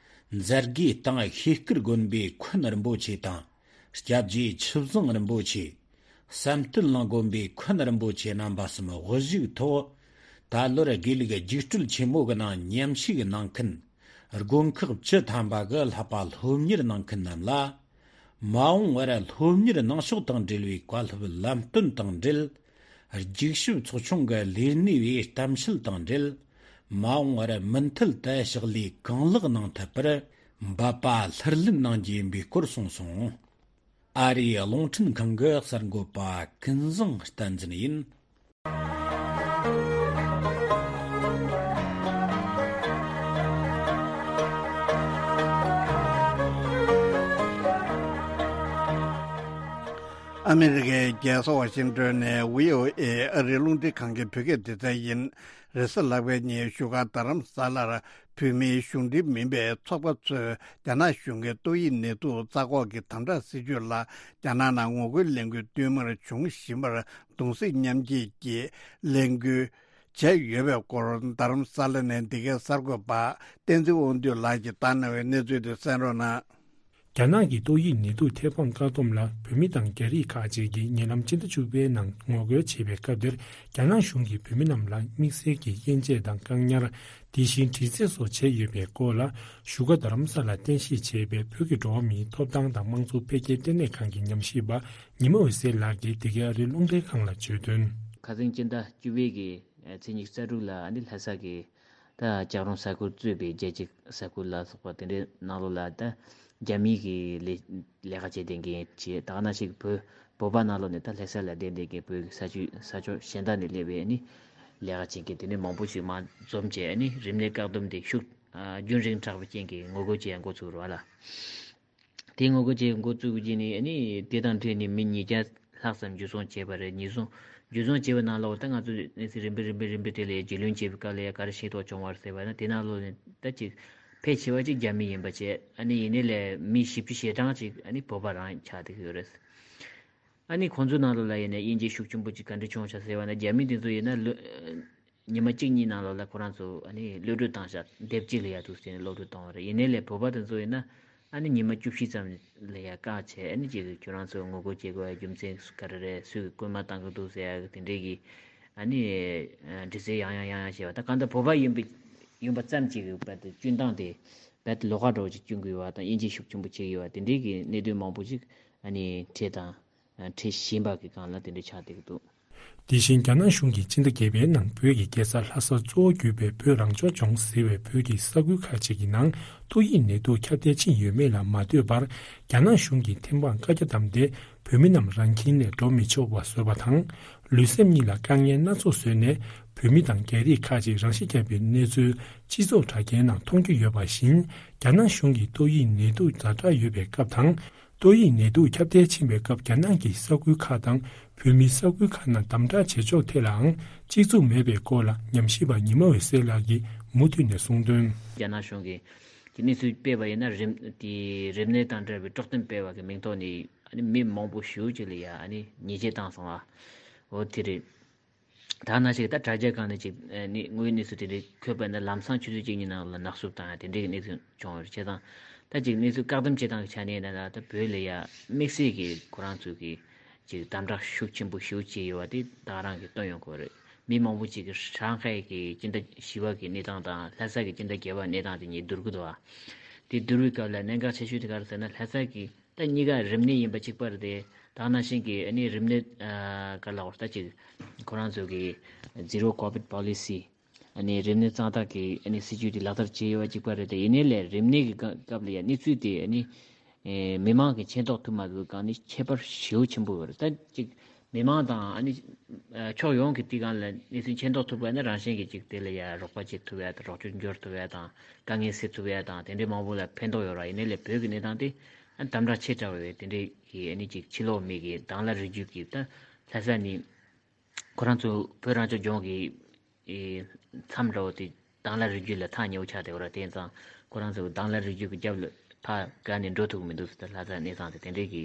མཛད་སྒོའི་སྟེང་ཤེས་དཀར་དགོན་པའི་འཁོན་རིན་པོ་ཆེ་དང་། སྐྱབས་རྗེ་ཆུ་བཟང་རིན་པོ་ཆེ། བསམ་གཏན་གླིང་དགོན་པའི་འཁོན་རིན་པོ་ཆེ་རྣམ་པ་གསུམ་དབུ་བཞུགས་ཐོག་ད་ལོར་དགེ་ལུགས་རྒྱུགས་སྤྲོད་ཆེན་མོ་གི་ནང་མཉམ་ཞུགས་གནང་མཁན། དགོན་ཁག་བཅུ་ཐམ་པ་གི་བསླབ་པ་སློབ་གཉེར་གནང་མཁན་རྣམས་ལ། མ་འོངས་པར་སློབ་གཉེར་གནང་ཕྱོགས་དང་འབྲེལ་བའི་བཀའ་སློབ་ལམ་སྟོན་དང་འབྲེལ། རྒྱུགས་ཞིབ་ཚོགས་ཆུང་གི་ལས་སྣེ་བས་གཏམ་བཤད་དང་འབྲེལ། མ་འོངས་པར་མུ་མཐུད་དུ་ཕྱག་ལས་གང་ལེགས་གནང་ཐུབ་པར་འབད་པ་ལྷུར་ལེན་གནང་རྒྱུ་ཡིན་པའི་སྐོར་གསུངས་སོང་། ཨ་རིའི་རླུང་འཕྲིན་ཁང་གི་གསར་འགོད་པ་ཀུན་བཟང་བསྟན་འཛིན་ཡིན། ཨ་མི་རི་ཀའི་རྒྱལ་ས་ཝ་ཤིང་ཏོན་ནས་བྷི་ཨོ་ཨེ་ཨ་རིའི་རླུང་འཕྲིན་ཁང་གི་བོད་སྐད་སྡེ་ཚན་ཡིན། རེས་གཟའ་ལྷག་པའི་ཉིན་བཞུགས་སྒར་རྡ་རམ་ས་ལར་བོད་མིའི་གཞུང་འབྲེལ་མིན་པའི་ཚོགས་པ་ཚོས་རྒྱ་ནག་གཞུང་གི་ཏོག་དབྱིབས་ནད་དུག་རྩ་འགོག་གི་དམ་དྲག་སྲིད་ཇུས་ལ་རྒྱ་ནག་ནང་ངོ་རྒོལ་ལས་འགུལ་བསྟུད་མར་འབྱུང་བཞིན་པར་གདུང་སེམས་མཉམ་སྐྱེད་ཀྱིས་ལས་འགུལ་བྱས་ཡོད་པའི་སྐོར། རྡ་རམ་ས་ལ་ནས་འདི་གའི་གསར་འགོད་པ་བསྟན་འཛིན་དབང་འདུས་ལགས་ཀྱིས་བཏང་གནང་བའི་གནས་ཚུལ་དེ་གསན་རོགས་གནང་། རྒྱ་ནག་གི་ཏོག་དབྱིབས་ནད་དུག་ཐེ་བང་བཀག་སྡོམ་ལ་བོད་མི་དང་རྒྱ་རིགས་ཁག་ཅིག་གིས་ཉེ་ལམ་སྤྱི་ཟླ་བཅུ་པའི་ནང་ངོ་རྒོལ་བྱས་པའི་སྐབས་དེར། རྒྱ་ནག་གཞུང་གིས་བོད་མི་རྣམས་ལ་དམིགས་བསལ་གྱི་དབྱེ་འབྱེད་དང་བཀག་ཉར། དེ་བཞིན་དྲི་རྩད་སོགས་བྱས་ཡོད་པའི་སྐོར་ལ། བཞུགས་སྒར་རྡ་རམ་ས་ལར་རྟེན་གཞི་བྱས་པའི་བོད་ཀྱི་འགྲོ་བ་མིའི་ཐོབ་ཐང་དང་དམངས་གཙོ་འཕེལ་རྒྱས་ལྟེ་གནས་ཁང་གི་ཉམས་ཞིབ་པ་ཉི་མ་འོད་ཟེར་ལགས་ཀྱིས་འདི་གའི་ཨ་རིའི་རླུང་འཕྲིན་ཁང་ལ་བརྗོད་དོན། ཁ་སང་སྤྱི་ཟླ་བཅུ་པའི་གི་ཚེས་ཉི་ཤུ་རྩ་དྲུག་ལ་ཨ་ནི་ལྷ་ས་གི་ད་ལྕགས་རོང་ས་ཁུལ་གཙོས་པའི་རྒྱལ་སྤྱི་ས་ཁུལ་ལ་སོགས་པ་དེ་འདྲའི་ནང་ལོགས་ལ་ད་རྒྱ་མིའི་གི་ལས་ལས་ཀ་བྱེད་བསྡད་མཁན་བྱས། ད་ག་ནང་བཞིན་བོད་བོད་པ་ནང་ལོགས་ནས་ད་ལྷ་ས་ལ་བསྡད་བསྡད་མཁན་བོད་ཀྱི་ས་ཆུ་ས་ཕྱོགས་གཞན་དག་ནས་སླེབས་པའི་ཨ་ནི་ལས་ཀ་བྱེད་མཁན་དེ་འདྲའི་མང་པོ་ཞིག་མར་འཛོམས་བྱས། ཨ་ནི་རིམས་ནད་བཀག་སྡོམ་དེ་ཤུགས་ཨ་རྒྱུན་རིང་དྲགས་པའི་རྐྱེན་གྱིས་ངོ་རྒོལ་བྱེད་ཡ་འགོ་ཚུགས་རེད་བ་ལ། དེ་ངོ་རྒོལ་བྱེད་འགོ་བཙུགས་རྗེས་ནས་ཨ་ནི་དེ་དང་འཕྲད་ནས་མི་ཉིས་བརྒྱ་ལྷག་ཙམ་འཇུ་བཟུང་བྱས་པ་རེད། ཉེས་བཟུང་འཇུ་བཟུང་བྱས་པའི་ནང་ལོགས་ད་ང་ཚོས་གནས་ཚུལ་རིམ་པས་རིམ་པས་རིམ་པས་དེ་ལ་རྒྱུས་ལོན་བྱས་པའི་སྐབས་ལ་ཡ་ག་རེ་ཤེས་རྟོགས་བྱུང་བ་རེད་ཟེར་བ་ན། དེ་ནང་ལོགས་ནས་ད་ཅིག་ཕལ་ཆེ་བ་ཅིག་རྒྱ་མི་ཡིན་པ་བྱས། ཨ་ནི་ཡིན་ནའི་ལས་མི་བཞི་བཅུ་ཞེ་གྲངས་ཅིག་ཨ་ནི་བོད་པ་རང་ཆགས་བསྡད་ཀྱི་ཡོད་རེད། ཨ་ནི་ཁོང་ཚོའི་ནང་ལོགས་ལ་ཡིན་ན་དབྱེ་འབྱེད་ཤུགས་ཆེན་པོ་ཅིག་ག་འདྲ་བྱུང་བ་ཆ་ཟེར་བ་ན། རྒྱ་མི་དེ་ཚོ་ཡིན་ན་ལོ་ཉི་མ་གཅིག་གཉིས་ནང་ལོགས་ལ་ཁོ་རང་ཚོ་ཨ་ནི་གློད་གྲོལ་བཏང་བཞག་སྡེབ་གཅིག་ལ་ཡ་འདུག་ཟེར་ནས་གློད་གྲོལ་བཏང་བ་རེད། ཡིན་ནའི་ལས་བོད་པ་དེ་ཚོ་ཡིན་ན་ཨ་ནི་ཉི་མ་བཅུ་བཞི་ཙམ་ལ་ཡ་བཀག་བྱས། ཨ་ནི་ཅིག་ཁྱོད་རང་ཚོ་ངོ་རྒོལ་བྱེད་དགོས་པའི་རྒྱུ་མཚན་ག་རེ་རེད། སུས་རྐུན་མ་བཏང་གི་འདུག་ཟེར་ཡ་དེ་འདྲའི་གི་ཨ་ནི་དྲི་རྩད་ཡང་ཡང་ཡང་ཡང་བྱས་པ། ད་གང་ལྟར་བོད་པ་ཡིན་པའི་ཡིན་པ་ཙམ་གྱིས་རྦད་དེ་སྐྱོན་སྟངས་དེ་རྦད་དེ་ལོགས་ཀ་འདྲ་བོ་ཅིག་སྐྱོན་གྱི་ཡོད་པ་དང་། དབྱེ་འབྱེད་ཤུགས་ཆེན་པོ་བྱེད་ཀྱི་ཡོད་པ་དེ་འདྲའི་གི་གནད་དོན་མང་པོ་ཅིག་ཨ་ནི་འཕྲད་དང་། འཁྲིད་བཞིན་པ་གི་སྒང་ལ་དེ་འདྲ་ཆགས་བསྡད་ཀྱི་འདུག་དེ་བཞིན་རྒྱ་ནག་གཞུང་གིས་སྤྱི་ཟླ་བརྒྱད་པའི་ནང་བོད་ཀྱི་རྒྱལ་ས་ལྷ་ས་གཙོ་བོ་གྱུར་པའི་བོད་རང་སྐྱོང་ལྗོངས་ཟེར་བའི་བོད་ཀྱི་ས་ཁུལ་ཁག་ཅིག་གི་ནང་ཏོག་དབྱིབས་ནད་དུག་ཁྱབ་གདལ་ཕྱིན་ཡོད་མེད་ལ་མ་ལྟོས་པར། རྒྱ་ནག་གཞུང་གིས་ཐེམ་སྤང་བཀའ་རྒྱ་བསྡམས་ཏེ། བོད་མི་རྣམས་རང་ཁྱིམ་ནས་འགྲོ་མི་ཆོག་པ་བཟོས་པ་དང་། ལུས་སེམས་གཉིས་ལ་དཀའ་ངལ་སྣ་ཚོགས་བཟོས་ནས། བོད་མི་དང་རྒྱ་རིགས་ཁག་ཅིག་རང་ཤི་བརྒྱབ་པའི་གནས་ཚུལ་སྤྱི་ཚོགས་དྲ་རྒྱའི་ནང་མཐོང་རྒྱུ་ཡོད་པ་བཞིན། རྒྱ་ནག་གཞུང་གིས་ཏོག་དབྱིབས་ནད་དུག་ཛ་དྲག་ཡོད་པའི་སྐབས་དང་། ཏོག་དབྱིབས་ནད་དུག་ཁྱབ་གདལ་ཕྱིན་པའི་སྐབས། རྒྱ་ནག་གི་ས་ཁུལ་ཁག་དང་བོད་མིའི་ས་ཁུལ་ཁག་ནང་དམ་དྲག་བྱེད་ཕྱོགས་ཐད་ལའང་གཅིག་མཚུངས་མེད་པའི་སྐོར་ལ་ཉམས་ཞིབ་པ་ཉི་མ་འོད་ཟེར་ལགས་ཀྱིས་མུ་མཐུད་ནས་གསུངས་དོན། རྒྱ་ནག་གཞུང་གིས་ཀྱི་གནས་ཚུལ་སྤེལ་བ་ཡིན་ན། རིམས་དེ་རིམས་ནད་དང་འབྲེལ་བའི་དཀྲོག་གཏམ་སྤེལ་བ་གི་མིང་ཐོག་ནས་ཨ་ནི་མི་མང་པོ་ཞེ་པོ་ཅིག་ལ་ཡ་ཨ་ནི་ཉེས་ཆད་བཏང་སོང་བ། འོ་དེ་རེད། ད་ནང་བཞིན་ད་དྲ་རྒྱ་སྒང་ནས་ཅིག་ཨ་ནི་དངོས་ཡོད་གནས་ཚུལ་དེ་འདྲའི་འཁོད་པ་ཡིན་ན། ལམ་སང་ཆུ་ཚོད་གཅིག་གཉིས་ནང་ལ་ནག་བསུབ་བཏང་ཡ་དེ་འདྲའི་གནས་ཚུལ་བྱུང་བ་རེད། བྱས་ཙང་ད་ཅིག་གནས་ཚུལ་བཀག་སྡོམ་བྱེད་སྟངས་ཀྱི་ཆ་ནས་ཡིན་ན། ད་བོད་ལ་ཡ་དམིགས་བསལ་གྱི་ཁོ་རང་ཚོས་ཀྱི་ཅིག་དམ་དྲག་ཤུགས་ཆེན་པོ་ཞེ་པོ་བྱས་ཡོད་པ་དེ་ད་ག་རང་གིས་སྟོན་ཡོང་གི་ཡོད་རེད། མི་མང་པོ་ཅིག་གིས་ཧྲང་ཧའེ་གི་སྤྱི་ཟླ་བཞི་པ་གི་གནས་སྟངས་དང་ལྷ་ས་གི་སྤྱི་ཟླ་བརྒྱད་པ་གནས་སྟངས་དེ་གཉིས་བསྡུར་གི་འདུག་བ། དེ་བསྡུར་བའི་སྐབས་ལ་གནད་འགག་ཆེ་ཤོས་དེ་ག་རེ་ཟེར་ན། ལྷ་ས་གི་ད་གཉིས་ཀ་རིམས་ནད་ཡིན་པ་གཅིག་པ་རེད་དེ། ད་ནང་བཞིན་གྱི་ཨ་ནི་རིམས་ནད་ཨ་ག་ལ་བར་ད་ཅིག་ཁོ་རང་ཚོ་གི་Zero COVID Policy ཨ་ནི་རིམས་ནད་གཙང་དག་གི་ཨ་ནི་སྲིད་ཇུས་དེ་ལག་བསྟར་བྱས་ཡོད་པ་གཅིག་པ་རེད་དེ། ཡིན་ནའི་ལས་རིམས་ནད་ཀྱི་སྐབས་ལ་ཡ་གནས་ཚུལ་དེ་ཨ་ནི་ཨེ་མི་མང་གི་མཁྱེན་རྟོགས་ཐུབ་མ་ཐུབ་སྒང་ནས་ཁྱད་པར་ཞེ་པོ་ཆེན་པོ་ཡོད་རེད། ད་ཅིག་ མི་མང་དང་ཨ་ནི་ཕྱོགས་ཡོངས་ཀྱི་དེ་སྒང་ལ་གནས་ཚུལ་མཁྱེན་རྟོགས་ཐུབ་པ་ཡིན་ན། རང་བཞིན་གྱིས་ཅིག་དེ་ལ་ཡ་རོགས་པ་བྱེད་ཐུབ་ཡ་དང་། རོགས་སྐྱོར་འབྱོར་ཐུབ་ཡ་དང་། དཀའ་ངལ་སེལ་ཐུབ་ཡ་དང་། དེ་འདྲའི་མང་པོ་ལ་ཕན་ཐོགས་ཡོད་ར། ཡིན་ནའི་ལས་བོད་ཀྱི་གནས་སྟངས་དེ་ཨ་དམ་དྲག་ཆེ་དྲགས་པའི་དེ་འདྲའི་གི་ཨ་ནི་ཅིག་ཕྱི་ལོགས་མི་གི་དྭང་བླངས་རིགས་རྒྱུད་ཀྱི་ད་ལྷ་ས་ནི་ཁོ་རང་ཚོ་བོད་རང་སྐྱོང་ལྗོངས་ཀྱི་ཨེ་མཚམས་འདྲ་བོ་དེ་དྭང་བླངས་རིགས་རྒྱུད་ལ་ཐག་ཉེ་བོ་ཆགས་བསྡད་ཡོད་ར། དེ་ཡིན་ཙང་ཁོ་རང་ཚོ་དྭང་བླངས་རིགས་རྒྱུད་ཀྱི་རྒྱབ་ལ་ཕར་བཀག་ནས་འགྲོ་ཐུབ་ཀྱི་མི་འདུག་ཟེར། ད་ལྷ་ས་གནས་སྟངས་དེ་དེ་འདྲའི་གི་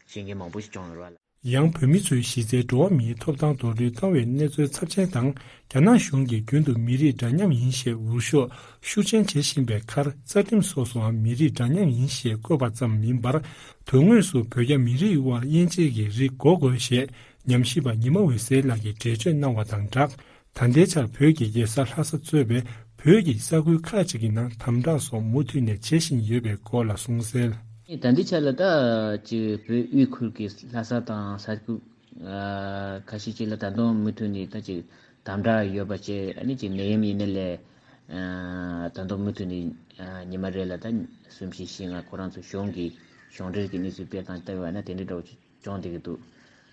ཤེས་མཁན་མང་པོ་ཞིག་བྱུང་ཡོད་ར། ཡང་བོད་མི་ཚོའི་གཞི་རྩའི་འགྲོ་བ་མིའི་ཐོབ་ཐང་རྡོག་རོལ་བཏང་བའི་གནས་ཚུལ་ཚབས་ཆེན་དང་། རྒྱ་ནག་གཞུང་གིས་རྒྱུན་དུ་མི་རིགས་འདྲ་མཉམ་ཡིན་ཞེས་འུར་ཤོག་ཤུགས་ཆེན་བྱེད་བཞིན་པའི་ཁར། རྩ་ཁྲིམས་སོ་སོའང་མི་རིགས་འདྲ་མཉམ་ཡིན་ཞེས་བཀོད་པ་ཙམ་མིན་པར། དོན་དངོས་སུ་བོད་རྒྱ་མི་རིགས་དབར་དབྱེ་འབྱེད་ཀྱི་རིགས་དགོས་དགོས་ཞེས་ཉམས་ཞིབ་པ་ཉི་མ་འོད་ཟེར་ལགས་ཀྱིས་འགྲེལ་བརྗོད་གནང་བ་དང་སྦྲགས། ད་ལྟའི་ཆར་བོད་ཀྱི་རྒྱལ་ས་ལྷ་ས་གཙོས་པའི་བོད་ཀྱི་ས་ཁུལ་ཁག་ཅིག་གི་ནང་དམ་དྲག་སོགས་མུ་མཐུད་ནས་བྱེད་བཞིན་ཡོད་པའི་སྐོར་ལ་གསུངས་གསལ། ད་ལྟའི་ཆར་ལ་ད་ཅིག་བོད་དབུས་ཁུལ་གྱི་ལྷ་ས་དང་ས་ཁུལ་ཨ་ཁ་ཤས་ཅིག་ལ་ད་དུང་མུ་མཐུད་ནས་ད་ཅིག་དམ་དྲག་ཡོད་པ་བཅས། ཨ་ནི་ཅིག་ནད་ཡམས་ཡིན་ནའི་ལས་ཨ་ད་དུང་མུ་མཐུད་ནས་ཨ་ཉི་མ་རེ་ལ་ད་གསུམ་བཞི་བཞི་ལྔ་ཁོ་རང་ཚོ་གཞུང་གི་གཞུང་འབྲེལ་གྱི་གནས་ཚུལ་སྤེལ་སྟངས་ལྟ་བ་ན་དེ་འདྲའི་འདྲ་བོ་ཅིག་བྱུང་བསྡད་ཀྱི་འདུག་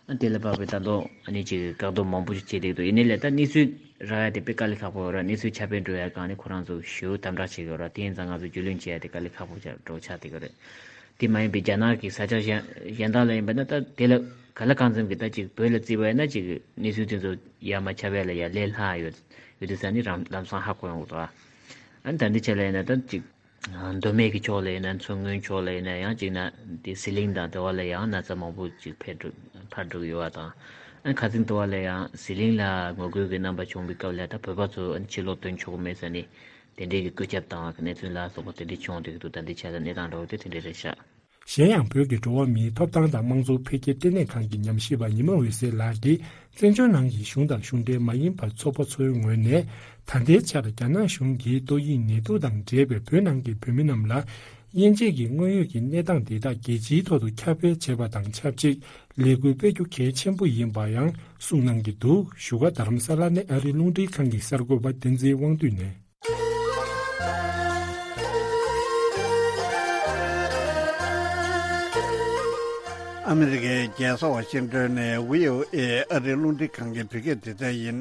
ཨ་དེ་ལ་དཔག་པའི་ད་དུང་ཨ་ནི་ཅིག་བཀག་སྡོམ་མང་པོ་ཞིག་བྱས་བསྡད་ཀྱི་འདུག་ཡིན་ནའི་ལས་ད་གནས་ཚུལ་རག་ཡ་དེ་དཔེ་དཀའ་ལས་ཁག་པོ་ཡོད་ར། གནས་ཚུལ་ཁྱབ་སྤེལ་འགྲོ་ཡ་སྒང་ནས་ཁོ་རང་ཚོ་ཞེ་པོ་དམ་དྲག་བྱེད་ཀྱི་ཡོད་ར། དེ་ཡིན་ཙང་ང་ཚོ་རྒྱུས་ལོན་བྱེད་ཡ་དེ་དཀའ་ལས་ཁག་པོ་ཆགས་འགྲོ་ཆགས་བསྡད་ཀྱི་རེད། དེ་མ་ཡིན་པའི་རྒྱ་ནག་གི་ས་ཆ་གཞན་གཞན་དག་ལ་ཡིན་པ་ན་ད་དེ་ལ་ག་ལ་གང་འཚམ་གྱི་ད་ཅིག་བོད་ལ་བརྩིས་པ་ཡིན་ན་ཅིག་གནས་ཚུལ་དེ་ཚོ་ཡར་མར་ཁྱབ་ཡ་ལ་ཡ་ལས་སླ་ཡོད་ཡོད་དུས་ཙང་ནི་རང་ལམ་སང་ཧ་གོ་ཡོང་གི་འདུག་ཨ་ནི་ད་འདི་ཆ་ལ་ཡིན་ན་ད་ཅིག་མདོ་སྨད་ཀྱི་ཕྱོགས་ལ་ཡིན་ན། མཚོ་སྔོན་ཕྱོགས་ལ་ཡིན་ན། ཡང་གཅིག་ན་དེ་ཟི་ལིང་དང་དེ་བ་ལ་ཡང་ན་ཚ་མང་པོ་ཅིག་འཕར་འགྲོ་འཕར་འགྲོ་གི་ཡོད་པ་དང་། ཨ་ཁ་སང་དེ་བ་ལ་ཡང་ཟི་ལིང་ལ་ངོ་རྒོལ་གྱི་རྣམ་པ་བྱུང་བའི་སྐབས་ལ་ད་བོད་པ་ཚོ་ཕྱིར་ལོག་ཐོན་ཆོག་གི་མེད་ཟེར་ནས་དེ་འདྲའི་གི་བཀོད་ཁྱབ་དང་གནས་ཚུལ་ལ་སོགས་པ་དེ་འདྲ་བྱུང་བསྡད་ཀྱི་འདུག་ད་འདི་ཆ་ལ་གནས་སྟངས་འདྲ་བོ་དེ་དེ་འདྲ་རེད་ཤག་གཞན་ཡང་བོད་ཀྱི་འགྲོ་བ་མིའི་ཐོབ་ཐང་དང་དམངས་གཙོ་འཕེལ་རྒྱས་ལྟེ་གནས་ཁང་གི་ཉམས་ཞིབ་པ་ཉི་མ་འོད་ཟེར་ལགས་ཀྱིས། བཙན་བྱོལ་ནང་གི་གཞུང་དང་གཞུང་འབྲེལ་མ་ཡིན་པ་ཚོགས་པ་ཚོའི་ངོས་ནས། ད་ལྟའི་ཆར་རྒྱ་ནག་གཞུང་གིས་ཏོག་དབྱིབས་ནད་དུག་དང་འབྲེལ་བའི་བོད་ནང་གི་བོད་མི་རྣམས་ལ་དབྱེ་འབྱེད་ཀྱི་དངོས་ཡོད་ཀྱི་གནས་སྟངས་འདི་དག་རྒྱལ་སྤྱིའི་ཐོག་ཏུ་ཁྱབ་སྤེལ་བྱས་པ་དང་ཆབས་ཅིག་ལས་འགུལ་སྤེལ་རྒྱུ་གལ་ཆེན་པོ་ཡིན་པ་ཡང་གསུངས་གནང་གི་འདུག་བཞུགས་སྒར་རྡ་རམ་ས་ལ་ནས་ཨ་རིའི་རླུང་འཕྲིན་ཁང་གི་གསར་འགོད་པ་བསྟན་འཛིན་དབང་འདུས་ནས། ཨ་མི་རི་ཀའི་རྒྱལ་ས་ཝ་ཤིང་ཏོན་ནས་བྷི་ཨོ་ཨེ་ཨ་རིའི་རླུང་འཕྲིན་ཁང་གི་བོད་སྐད་སྡེ་ཚན་ཡིན།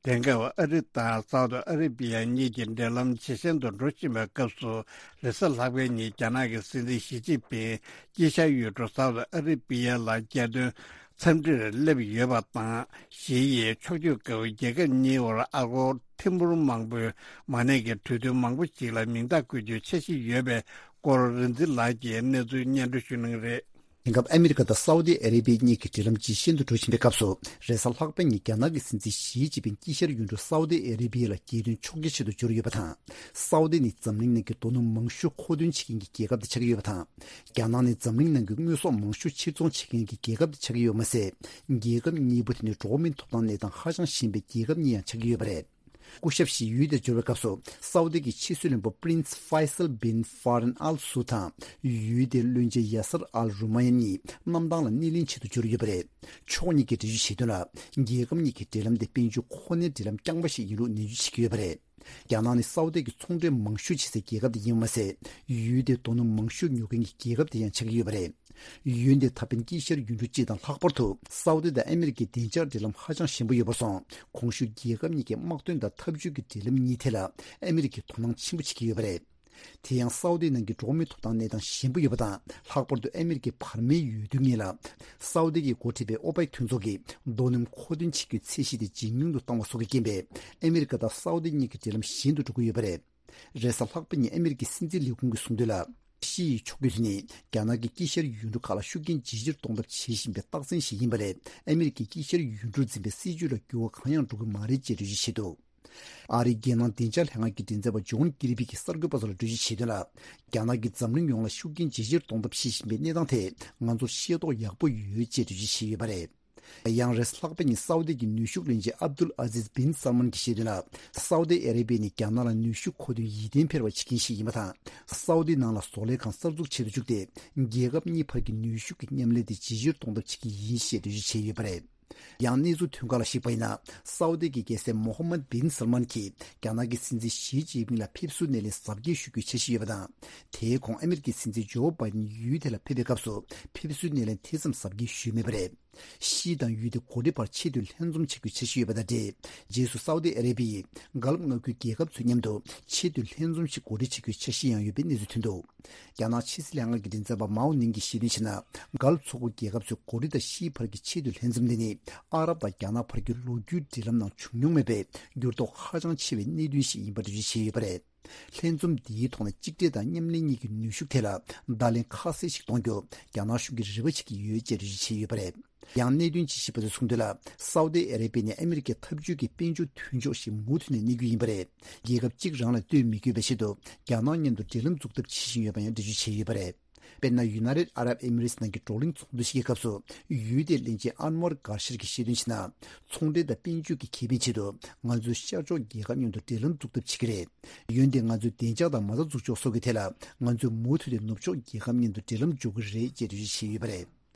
དེང་སྐབས་ཨ་རི་དང་སའུ་ཏི་ཨ་རི་བི་ཡ་གཉིས་ཀྱི་འབྲེལ་ལམ་ཇེ་ཞན་དུ་འགྲོ་བཞིན་པའི་སྐབས་སུ། རེས་གཟའ་ལྷག་པའི་ཉིན་རྒྱ་ནག་གི་སྲིད་འཛིན་ཞི་ཅིན་ཕིང་དཀྱིལ་ཤར་ཡུལ་གྲུ་སའུ་ཏི་ཨ་རི་བི་ཡ་ལ་རྒྱལ་དོན་འཚམས་འདྲིར་སླེབས་ཡོད་པ་དང་། ཞི་ཡིས་ཕྱོགས་བསྐྱོད་སྐབས་རྒྱལ་ཁབ་གཉིས་བར་ཨ་སྒོར་ཐེར་འབུམ་མང་པོའི་མ་གནས་ཀྱི་གྲོས་མཐུན་མང་པོ་ཞིག་ལ་མིང་རྟགས་བཀོད་རྒྱུའི་འཆར་གཞི་ཡོད་པའི་སྐོར་རིག་འཛིན་ལགས་ཀྱིས་གནས་ཚུལ་སྙན་སྒྲོན་ཞུ་གནང་གི་རེད། དེང་སྐབས་ཨ་མི་རི་ཀ་དང་སའུ་ཏི་ཨ་རེ་བི་གཉིས་ཀྱི་འབྲེལ་ལམ་ཇེ་ཞན་དུ་འགྲོ་བཞིན་པའི་སྐབས་སུ། རེས་གཟའ་ལྷག་པའི་ཉིན་རྒྱ་ནག་གི་སྲིད་འཛིན་ཞི་ཅིན་ཕིང་དཀྱིལ་ཤར་ཡུལ་གྲུ་སའུ་ཏི་ཨ་རེ་བི་ཡ་ལ་རྒྱལ་དོན་ཕྱོགས་ཀྱི་ཆེད་དུ་འབྱོར་ཡོད་པ་དང་། སའུ་ཏི་ནི་འཛམ་གླིང་ནང་གི་རྡོ་སྣུམ་མང་ཤོས་མཁོ་འདོན་བྱེད་མཁན་གྱི་རྒྱལ་ཁབ་དེ་ཆགས་ཀྱི་ཡོད་པ་དང་། རྒྱ་ནག་ནི་འཛམ་གླིང་ནང་གི་དངོས་ཟོག་མང་ཤོས་ཕྱིར་ཚོང་བྱེད་མཁན་གྱི་རྒྱལ་ཁབ་དེ་ཆགས་ཀྱི་ཡོད་མ་ཟད། རྒྱལ་ཁབ་གཉིས་པོ་དེ་ནི་འགྲོ་བ་མིའི་ཐོབ་ཐང་གནས་སྟངས་ཧ་ཅང་ཞན་པའི་རྒྱལ་ཁབ་གཉིས་ཡང་ཆགས་ཀྱི་ཡོད་པ་རེད། སྐུ་ཞབས་ཞི་ཡུལ་དེར་འབྱོར་བའི་སྐབས་སུ། སའུ་ཏི་གི་ཕྱི་སྲིད་བློན་པོ་Prince Faisal bin Farhan Al Saud དང་། ཡུལ་དེའི་བློན་ཆེན་Yasser Al Rumayyan གཉིས་གནམ་ཐང་ལ་སྣེ་ལེན་ཆེད་དུ་འབྱོར་ཡོད་པ་རེད། ཕྱོགས་གཉིས་ཀྱིས་འགྲེལ་བརྗོད་བྱས་དོན་ལ། རྒྱལ་ཁབ་གཉིས་ཀྱི་འབྲེལ་ལམ་དེ་དཔལ་འབྱོར་ཁོ་ནའི་འབྲེལ་ལམ་རྐྱང་པ་ཞིག་ཡིན་ལུགས་ནན་བརྗོད་བྱེད་ཀྱི་ཡོད་པ་རེད། རྒྱ་ནག་ནི་སའུ་ཏི་གི་ཚོང་འབྲེལ་མང་ཤོས་བྱེད་སའི་རྒྱལ་ཁབ་དེ་ཡིན་པ་མ་ཟད། ཡུལ་དེའི་རྡོ་སྣུམ་མང་ཤོས་ཉོ་མཁན་གྱི་རྒྱལ་ཁབ་དེ་ཡང་ཆགས་ཀྱི་ཡོད་པ་རེད། ཡུལ་འདི་ད་ཕན་དཀྱིལ་ཤར་ཡུལ་གྲུ་སྤྱི་དང་ལྷག་པར་དུ་སའུ་ཏི་དང་ཨ་མི་རི་ཀའི་བདེ་འཇགས་འབྲེལ་ལམ་ཧ་ཅང་ཞན་པོ་ཡོད་པར་སོང་། གོང་ཞུས་རྒྱལ་ཁབ་གཉིས་ཀྱི་དམག་དོན་དང་འཐབ་ཇུས་ཀྱི་འབྲེལ་ལམ་གཉིས་ཐད་ལ་ཨ་མི་རི་ཀས་དོ་སྣང་ཆེན་པོ་བྱེད་ཀྱི་ཡོད་པ་རེད། དེ་ཡང་སའུ་ཏིའི་ནང་གི་འགྲོ་བ་མིའི་ཐོབ་ཐང་གནས་སྟངས་ཞན་པོ་ཡོད་པ་དང་། ལྷག་པར་དུ་ཨ་མི་རི་ཀའི་བར་མའི་འོས་བསྡུ་སྔོན་ལ། སའུ་ཏི་གིས་འགོ་ཁྲིད་པའི་ཨོ་པེག་མཐུན་ཚོགས་ཀྱིས་རྡོ་སྣུམ་མཁོ་འདོན་བྱེད་རྒྱུའི་ཚད་གཞི་དེ་ཇེ་ཉུང་དུ་བཏང་བ་སོགས་ཀྱི་རྐྱེན་པས། ཨ་མི་རི་ཀ་དང་སའུ་ཏི་གཉིས་ཀྱི་འབྲེལ་ལམ་ཞན་དུ་འགྲོ་གི་ཡོད་པ་རེད། རེས་གཟའ་ལྷག་པ་ཉིན་ཨ་མི་རི་ཀའི་སྲིད་འཛིན་ལས་ཁུངས་ཀྱིས་གསུངས་དོན་ལ། ཞི་ཡི་ཕྱོགས་བསྐྱོད་དེ་ནི་རྒྱ་ནག་གིས་དཀྱིལ་ཤར་ཡུལ་གྲུ་ཁག་ལ་ཤུགས་རྐྱེན་ཇེ་ཆེར་གཏོང་ཐབས་བྱེད་བཞིན་པའི་རྟགས་མཚན་ཞིག་ཡིན་པ་ལས། ཨ་མི་རི་ཀས་དཀྱིལ་ཤར་ཡུལ་གྲུར་འཛིན་པའི་སྲིད་ཇུས་ལ་འགྱུར་བ་གང་ཡང་འགྲོ་གི་མ་རེད་ཅེས་འགྲེལ་བརྗོད་བྱས་འདུག་ཨ་རིའི་རྒྱལ་ནང་བདེ་འཇགས་ལྷན་ཁང་གི་མགྲིན་ཚབ་པ་ཇོན་ཀིར་པི་གིས་གསར་འགོད་པ་ཚོ་ལ་འགྲེལ་བརྗོད་བྱས་དོན་ལ། རྒྱ་ནག་གིས་འཛམ་གླིང་ཡོངས་ལ་ཤུགས་རྐྱེན་ཇེ་ཆེར་གཏོང་ཐབས་བྱེད་བཞིན་པའི་གནས་སྟངས་ཐད་ང་ཚོར་ཤེས་རྟོགས་ཡག་པོ་ཡོད་ཅེས་འགྲེལ་བརྗོད་བྱས་ཡོད་པ་རེད། ཡང་རེས་ལྷག་པ་ཉིན་སའུ་ཏི་གི་ནུས་ཤུགས་བློན་ཆེན་ཨབ་དུལ་ཨ་ཟིز་བིན་སལ་མན་གྱིས་བཤད་དོན་ལ། སའུ་ཏི་ཨ་རེ་བྷི་ཡ་ནི་རྒྱ་ནག་ལ་ནུས་ཤུགས་མཁོ་འདོན་ཡིད་བརྟན་འཕེར་བ་བྱེད་མཁན་ཞིག་ཡིན་པ་དང་། སའུ་ཏི་ནང་ལ་བཟོ་ལས་ཁང་གསར་འཛུགས་བྱེད་དུ་བཅུག་སྟེ། རྒྱལ་ཁབ་གཉིས་བར་གྱི་ནུས་ཤུགས་ཀྱི་མཉམ་ལས་དེ་ཇེ་ཆེར་གཏོང་ཐབས་བྱེད་ཀྱི་ཡིན་ཞེས་འགྲེལ་བརྗོད་བྱས་ཡོད་པ་རེད། ཡང་གནས་ཚུལ་ཐོན་ཁག་ལ་གཞིགས་པ་ཡིན་ན། སའུ་ཏི་གི་རྒྱལ་སྲས་མོ་ཧམ་མད་བིན་སལ་མན་གྱིས་རྒྱ་ནག་གི་སྲིད་འཛིན་ཞི་ཅིན་ཕིང་ལ་ཕེབས་བསུའི་སྣེ་ལེན་གཟབ་རྒྱས་ཞུ་རྒྱུའི་འཆར་གཞི་ཡོད་པ་དང་། དེའི་གོང་ཨ་མི་རི་ཀའི་སྲིད་འཛིན་ཇོ་བྷའི་ཌེན་ཡུལ་དེ་ལ་ཕེབས་པའི་སྐབས་སུ་ཕེབས་བསུའི་སྣེ་ལེན་དེ་ཙམ་གཟབ་རྒྱས་ཞུས་མེད་པ་རེད། ཤིས་དང་ཡུལ་དེ་གོ་ལྡི་བར་ཆེད་དུ་ལྷན་འཛོམས་བྱེད་རྒྱུའི་འཆར་གཞི་ཡོད་པ་དང་འབྲེལ། རྗེས་སུ་སའུ་ཏི་ཨ་རེ་བྷི་ཡས་ཀལཕ་མངའ་ཁུལ་རྒྱལ་ཁབ་ཚོའི་མཉམ་དུ་ཆེད་དུ་ལྷན་འཛོམས་ཤིག་གོ་སྒྲིག་བྱེད་རྒྱུའི་འཆར་གཞི་ཡང་ཡོད་པའི་གནས་ཚུལ་ཐོན་འདུག་རྒྱ་ནག་ཕྱི་སྲིད་ལྷན་ཁང་གི་མགྲིན་ཚབ་པ་མའོ་ནིང་གིས་བཤད་དོན་བྱས་ན། ཀལཕ་མཚོ་ཁུག་རྒྱལ་ཁབ་ཚོས་གོ་ལྡི་དང་ཤིས་བར་གྱི་ཆེད་དུ་ལྷན་འཛོམས་འདི་ནི་ཨ་རབ་དང་རྒྱ་ནག་བར་གྱི་ལོ་རྒྱུས་འབྲེལ་ལམ་ནང་བྱུང་མྱོང་མེད་པའི་འགྱུར་ལྡོག་ཧ་ཅང་ཆེ་བའི་གནད་དོན་ཞིག་ཡིན་པར་འགྲེལ་བརྗོད་བྱས་ཡོད་པ་རེད། ལྷན་འཛོམས་འདིའི་ཐོག་ནས་གཅིག་སྒྲིལ་དང་མཉམ་ལས་གཉིས་ཀྱི་ནུས་ཤུགས་ཐད་ལ་བརྡ་ལན་ཁ་གསལ་ཞིག་གཏོང་རྒྱུ་རྒྱ་ནག་གཞུང་གིས་རེ་བ་བྱེད་ཀྱི་ཡོད་ཅེས་འགྲེལ་བརྗོད་བྱས་ཡོད་པ་རེད། ཡང་གནད་དོན་ཅིག་ཞིག་པ་ཚོས་གསུངས་དོན་ལ། སའུ་ཏི་ཨ་རེ་པི་ནི་ཨ་མི་རི་ཀའི་འཐབ་ཇུས་ཀྱི་དཔལ་འབྱོར་མཐུན་ཕྱོགས་ཤིག་མུ་མཐུད་ནས་གནས་རྒྱུ་ཡིན་པ་རེད། རྒྱལ་ཁབ་གཅིག་རང་ལ་ལྟོས་མི་དགོས་པའི་ཆེད་དུ་རྒྱ་ནག་མཉམ་དུ་འབྲེལ་ལམ་འཛུགས་ཐབས་བྱེད་བཞིན་ཡོད་པ་ཡང་འགྲེལ་བརྗོད་བྱས་ཡོད་པ་རེད། དཔེར་ན། ཡུ་ནའི་ཊེཌ་ཨ་རབ་ཨེ་མི་རེ་ཊི་ནང་གི་བགྲོ་གླེང་ཚོགས་འདུ་ཞིག་གི་སྐབས་སུ། ཡུལ་དེའི་བློན་ཆེན་ཨན་ཝར་གྷར་ཤར་གྱིས་བཤད་དོན་བྱས་ན། ཚོང་འབྲེལ་དང་དཔལ་འབྱོར་གྱི་ཁེ་ཕན་ཆེད་དུ་ང་ཚོས་ཤར་ཕྱོགས་རྒྱལ་ཁབ་མཉམ་དུ་འབྲེལ་ལམ་འཛུགས་ཐབས་བྱེད་ཀྱི་རེད། འོན་ཏེ་ང་ཚོས་བདེ་འཇགས་དང་མ་རྩ་འཛུགས་ཕྱོགས་སོགས་ཀྱི་ཐད་ལ་ང་ཚོས་མུ་མཐུད་དེ་ནུབ་ཕྱོགས་རྒྱལ་ཁབ་མཉམ་དུ་འབྲེལ་ལམ་འཇོག་གི་རེད་ཅེས་འགྲེལ་བརྗོད་བྱས་ཡོད་པ་རེད།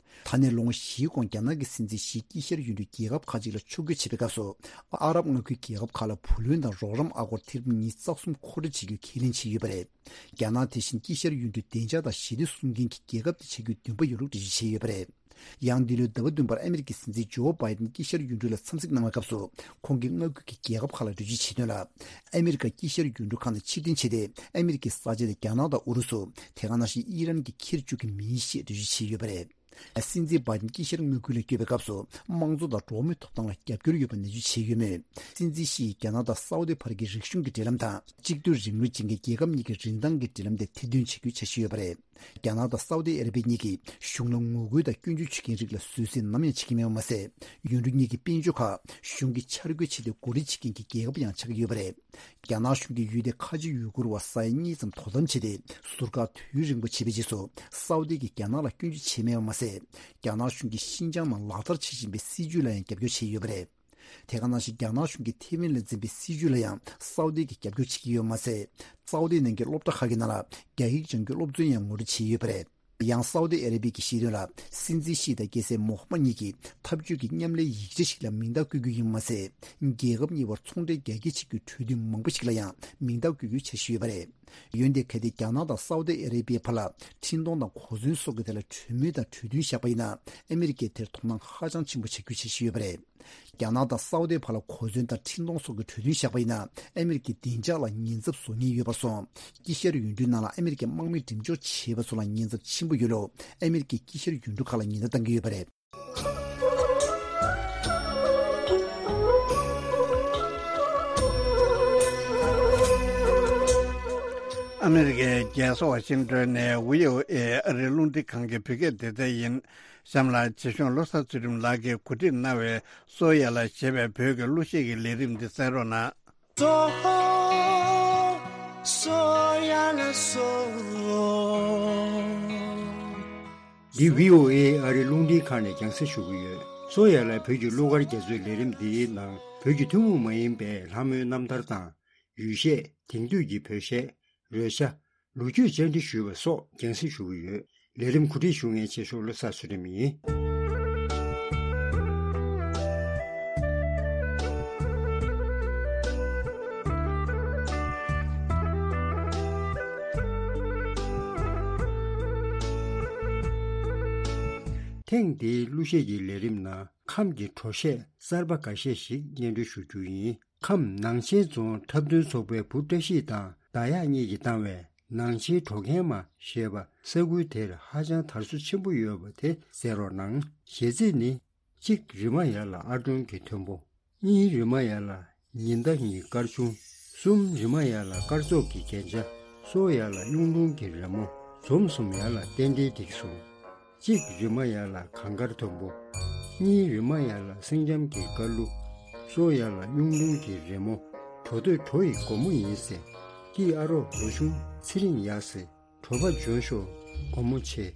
ད་ནས་ལོ་ངོ་བཞིའི་གོང་རྒྱ་ནག་གི་སྲིད་འཛིན་ཞིས་དཀྱིལ་ཤར་ཡུལ་གྲུའི་རྒྱལ་ཁབ་ཁག་ཅིག་ལ་ཕྱོགས་བསྐྱོད་བྱེད་པའི་སྐབས་སུ། ཨ་རབ་མངའ་ཁུལ་རྒྱལ་ཁབ་ཁག་ལ་བུ་ལོན་དང་རོགས་རམ་ཨ་སྒོར་ཐེར་འབུམ་ཉི་ཤུ་རྩ་གསུམ་མཁོ་སྤྲོད་བྱེད་རྒྱུའི་ཁས་ལེན་བྱས་ཡོད་པ་རེད། རྒྱ་ནག་དེ་བཞིན་དཀྱིལ་ཤར་ཡུལ་གྲུའི་བདེ་འཇགས་དང་ཞི་བདེ་སྲུང་མཁན་གྱི་རྒྱལ་ཁབ་དེ་ཆགས་རྒྱུའི་འདུན་པ་ཡོད་ལུགས་འགྲེལ་བརྗོད་བྱས་ཡོད་པ་རེད། ཡང་འདི་ལོའི་ཟླ་བ་བདུན་པར་ཨ་མི་རི་ཀའི་སྲིད་འཛིན་ཇོ་བྷའི་ཌེན་དཀྱིལ་ཤར་ཡུལ་གྲུ་ལ་འཚམས་གཟིགས་གནང་བའི་སྐབས་སུ། ཁོང་གིས་མངའ་ཁུལ་གྱི་རྒྱལ་ཁབ་ཁག་ལ་འགྲེལ་བརྗོད་བྱས་དོན་ལ། ཨ་མི་རི་ཀ་དཀྱིལ་ཤར་ཡུལ་གྲུ་ཁག་ནས་ཕྱིར་འཐེན་བྱས་ཏེ། ཨ་མི་རི་ཀའི་ས་ཆ་དེ་རྒྱ་ནག་དང་ཨུ་རུ་སུ། དེ་ག་ནང་བཞིན་ཨི་རན་གྱིས་འཁྱེར་བཅུག་གི་མིན་ཞེས་འགྲེལ་བརྗོད་བྱས་ཡོད་པ་རེད། སྲིད་འཛིན་བྷའི་ཌེན་དཀྱིལ་ཤར་མངའ་ཁུལ་ལ་བསྐྱོད་པའི་སྐབས་སུ། དམངས་གཙོ་དང་འགྲོ་བ་མིའི་ཐོབ་ཐང་ལ་རྒྱབ་སྐྱོར་ཡོད་པ་ནན་བརྗོད་བྱས་ཡོད་མོད། སྲིད་འཛིན་ཞི་ཡིས་རྒྱ་ནག་དང་སའུ་ཏི་བར་གྱི་རིག་གཞུང་གི་འབྲེལ་ལམ་དང་། གཅིག་སྡུད་རིང་ལུགས་ཅན་གྱི་རྒྱལ་ཁབ་གཉིས་ཀྱི་རིན་ཐང་གི་འབྲེལ་ལམ་དེ་ཐེར་འདོན་བྱེད་རྒྱུའི་འཆར་གཞི་ཡོད་པ་རེད། རྒྱ་ནག་དང་སའུ་ཏི་ཨ་ར་པི་གཉིས་ཀྱིས་གཞུང་ལ་ངོ་རྒོལ་དང་སྐྱོན་བརྗོད་བྱེད་མཁན་རིགས་ལ་བཟོད་བསྲན་ནམ་ཡང་བྱེད་ཀྱི་མེད་པ་མ་ཟད། ཡུལ་གྲུ་གཉིས་ཀྱི་དཔལ་འབྱོར་ཁག་གཞུང་གིས་འཆར་འགོད་བྱས་ཏེ་གོ་སྒྲིག་བྱེད་མཁན་གྱི་རྒྱལ་ཁབ་ཡང་ཆགས་ཀྱི་ཡོད་པ་རེད། རྒྱ་ནག་གཞུང་གིས་ཡུལ་དེ་ཁ་ཆེ་ཡུ་གུར་བ་ས་ཡ་གཉིས་ཙམ་དོ་དམ་བྱས་ཏེ། ཟུར་བཀག་དུས་རིང་པོ་བྱས་པའི་རྗེས་སུ། སའུ་ཏི་གིས་རྒྱ་ནག་ལ་སྐྱོན་བརྗོད་བྱས་མེད་པ་མ་ཟད། རྒྱ་ནག་གཞུང་གིས་ཤིན་ཅང་ནང་ལག་བསྟར་བྱེད་བཞིན་པའི་སྲིད་ཇུས་ལ་ཡང་རྒྱབ་སྐྱོར་བྱས་ཡོད་པ་རེད། དེ་ག་ནང་བཞིན་རྒྱ་ནག་གཞུང་གིས་ཐེ་ཝན་ལ་འཛིན་པའི་སྲིད་ཇུས་ལ་ཡང་སའུ་ཏི་གིས་རྒྱབ་སྐྱོར་བྱེད་ཀྱི་ཡོད་མ་ཟད། སའུ་ཏི་ནང་གི་སློབ་གྲྭ་ཁག་གི་ནང་ལ་རྒྱ་ཡིག་སྦྱང་རྒྱུའི་སློབ་ཚན་ཡང་ངོ་སྤྲོད་བྱས་ཡོད་པ་རེད། ཡང་སའུ་ཏི་ཨ་ར་པི་གིས་བཤད་དོན་ལ། སྲིད་འཛིན་ཞི་དང་སྐྱ་སེར་མོ་ཧ་མ་གཉིས་ཀྱིས་འཐབ་ཇུས་ཀྱི་མཉམ་ལས་ཡིག་ཆ་ཞིག་ལ་མིང་རྟགས་བཀོད་རྒྱུ་ཡིན་པ་མ་ཟད། རྒྱལ་ཁབ་གཉིས་བར་ཚོང་འབྲེལ་རྒྱ་སྐྱེད་བྱེད་རྒྱུའི་གྲོས་མཐུན་མང་པོ་ཞིག་ལ་ཡང་མིང་རྟགས་བཀོད་རྒྱུའི་འཆར་གཞི་ཡོད་པ་རེད། འོན་ཏེ་གལ་ཏེ་རྒྱ་ནག་དང་སའུ་ཏི་ཨ་ར་པིའི་བར་ལ་འཕྲིན་གཏོང་དང་གོ་མཚོན་སོགས་ཀྱི་ཐད་ལ་གྲོས་མོལ་དང་གྲོས་མཐུན་བཞག་པ་ཡིན་ན། ཨ་མི་རི་ཀས་དེར་དོ་སྣང་ཧ་ཅང་ཆེན་པོ་བྱ་རྒྱུའི་འཆར་གཞི་ཡོད་པ་རེད། རྒྱ་ནག་དང་སའུ་ཏིའི་བར་ལ་གོ་མཚོན་དང་འཕྲིན་གཏོང་སོགས་ཀྱི་གྲོས་མཐུན་བཞག་པ་ཡིན་ན། ཨ་མི་རི་ཀའི་བདེ་འཇགས་ལ་ཉེན་ཚབས་བཟོ་ཉེན་ཡོད་པར་སོང་། དཀྱིལ་ཤར་ཡུལ་གྲུའི་ནང་ལ་ཨ་མི་རི་ཀའི་དམག་མི་འགྲེམས་འཇོག་བྱེད་པ་ཚོ་ལ་ཉེན་ཚབས་ཆེན་པོ་ཡོད་ལུགས་ཨ་མི་རི་ཀས་དཀྱིལ་ཤར་ཡུལ་གྲུ་ཁག་ལ་ཉེན་བརྡ་བཏང་གི་ཡོད་པ་རེད། ཨ་མི་རི་ཀའི་རྒྱལ་ས་ཝ་ཤིང་ཏོན་ནས་བྷི་ཨོ་ཨེ་ཨ་རིའི་རླུང་འཕྲིན་ཁང་གི་བོད་སྐད་སྡེ་ཚན་ཡིན། གཤམ་ལ་རྗེ་གཞུང་བློ་བཟང་ཚུལ་ཁྲིམས་ལགས་ཀྱིས་གོ་སྒྲིག་གནང་བའི་སོ་ཡ་ལ་ཞེས་པའི་བོད་ཀྱི་གླུ་གཞས་ཀྱི་ལས་རིམ་འདི་གསན་རོགས་གནང་། སོ། སོ་ཡ་ལ་སོ། འདི་བྷི་ཨོ་ཨེ་ཨ་རིའི་རླུང་འཕྲིན་ཁང་ནས་རྒྱང་སྲིང་ཞུ་གི་ཡོད། སོ་ཡ་ལ་བོད་ཀྱི་གླུ་གར་རྒྱ་མཚོའི་ལས་རིམ་འདིའི་ནང་བོད་ཀྱི་ཐུན་མོང་མ་ཡིན་པའི་ལྷ་མོའི་རྣམ་ཐར་དང་། ཡུལ་གཞས། དེང་དུས་ཀྱི་བོད་གཞས། རོལ་ཆ། ལོ་རྒྱུས་བཅར་འདྲི་ཞུས་པ་སོགས་རྒྱང་སྲིང་ཞུ་གི་ཡོད། ལས་རིམ་གོ་སྒྲིག་ཞུ་མཁན་རྗེ་གཞུང་བློ་བཟང་ཚུལ་ཁྲིམས་ཡིན། ཐེངས་འདིའི་གླུ་གཞས་ཀྱི་ལས་རིམ་ནང་ཁམས་ཀྱི་བྲོ་གཞས་གསར་པ་འགའ་ཤས་ཤིག་སྙན་སྒྲོན་ཞུ་རྒྱུ་ཡིན། ཁམས་ནང་ཆེན་རྫོང་འཁྲབ་སྟོན་ཚོགས་པའི་བུ་བཀྲ་ཤིས་དང་ཟླ་གཡག་གཉིས་ཀྱིས་བཏང་བའི་ནང་ཆེན་བྲོ་མཁན་མ་ཞེས་པ་ས་ཁུལ་དེར་ཧ་ཅང་དར་སྲོལ་ཆེན་པོ་ཡོད་པ་དེ་གསན་རོགས་གནང་། གཞས་ཚིག་ནི། གཅིག་རི་མ་ཡ་ལ་ཨར་སྒྲོན་གྱི་མཐོན་པོ། གཉིས་རི་མ་ཡ་ལ་ཉི་ཟླ་ཡི་སྐར་ཆུང་། གསུམ་རི་མ་ཡ་ལ་སྐར་ཚོགས་ཀྱི་རྒྱན་ཆ། སོ་ཡ་ལ་གཡུང་དྲུང་གི་རི་མོ། འཛོམས་གསུམ་ཡ་ལ་རྟེན་འབྲེལ་འགྲིག་སོང་། གཅིག་རི་མ་ཡ་ལ་གངས་དཀར་མཐོན་པོ། གཉིས་རི་མ་ཡ་ལ་སེང་ལྕམ་གྱི་དཀར་གླུ། སོ་ཡ་ལ་གཡུང་དྲུང་གི་རི་མོ། བྲོ་འདོད་བྲོ་ཡི་སྒོ་མོ་ཡིན་ཟེར། སྐྱིད་ཨ་རོགས་ལོ་ཆུང་ཚེ་རིང་ཡག་ཟེར། བྲོ་བ་འཇོན་ཤོག་སྒོ་མོ་ཆེ།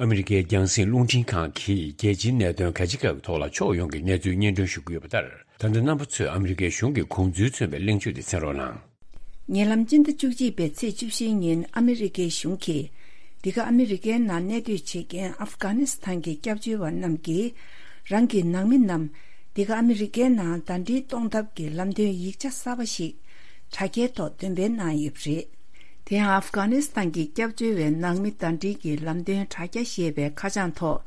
ཨ་མི་རི་ཀའི་རྒྱང་སྲིང་རླུང་འཕྲིན་ཁང་གིས་རྒྱལ་སྤྱིའི་གནད་དོན་ག་ཅི་ག་གི་ཐོག་ལ་ཕྱོགས་ཡོངས་ཀྱི་གནས་ཚུལ་སྙན་སྒྲོན་ཞུ་གི་ཡོད་པ་ལྟར། ད་ལྟ་རྣམ་པ་ཚོས་ཨ་མི་རི་ཀའི་གཞུང་གི་དགོངས་ཚུལ་མཚོན་པའི་གླེང་བརྗོད་དེ་གསན་རོགས་གནང་། ཉེ་ལམ་སྤྱི་ཟླ་བཅུ་གཅིག་པའི་ཚེས་བཅུ་བཞིའི་ཉིན་ཨ་མི་རི་ཀའི་གཞུང་གིས། འདི་ག་ཨ་མི་རི་ཀའི་ནང་གནས་སྡོད་བྱེད་མཁན་ཨབ་གྷ་ནི་སི་ཐན་གྱི་སྐྱབས་བཅོལ་བ་རྣམས་ཀྱིས། རང་གི་ནང་མི་རྣམས་འདི་ག་ཨ་མི་རི་ཀའི་ནང་ཟླ་སྒྲིལ་གཏོང་ཐབས་ཀྱི་ལམ་སྟོན་ཡིག་ཆ་གསར་པ་ཞིག་དྲ་རྒྱའི་ཐོག་འདོན་སྤེལ་གནང་ཡོད་པ་རེད། དེ་ཡང་ཨབ་གྷ་ནི་སི་ཐན་གྱི་སྐྱབས་བཅོལ་བའི་ནང་མི་ཟླ་སྒྲིལ་གྱི་ལམ་སྟོན་དྲ་རྒྱ་ཞེས་པའི་ཁ་བྱང་ཐོག་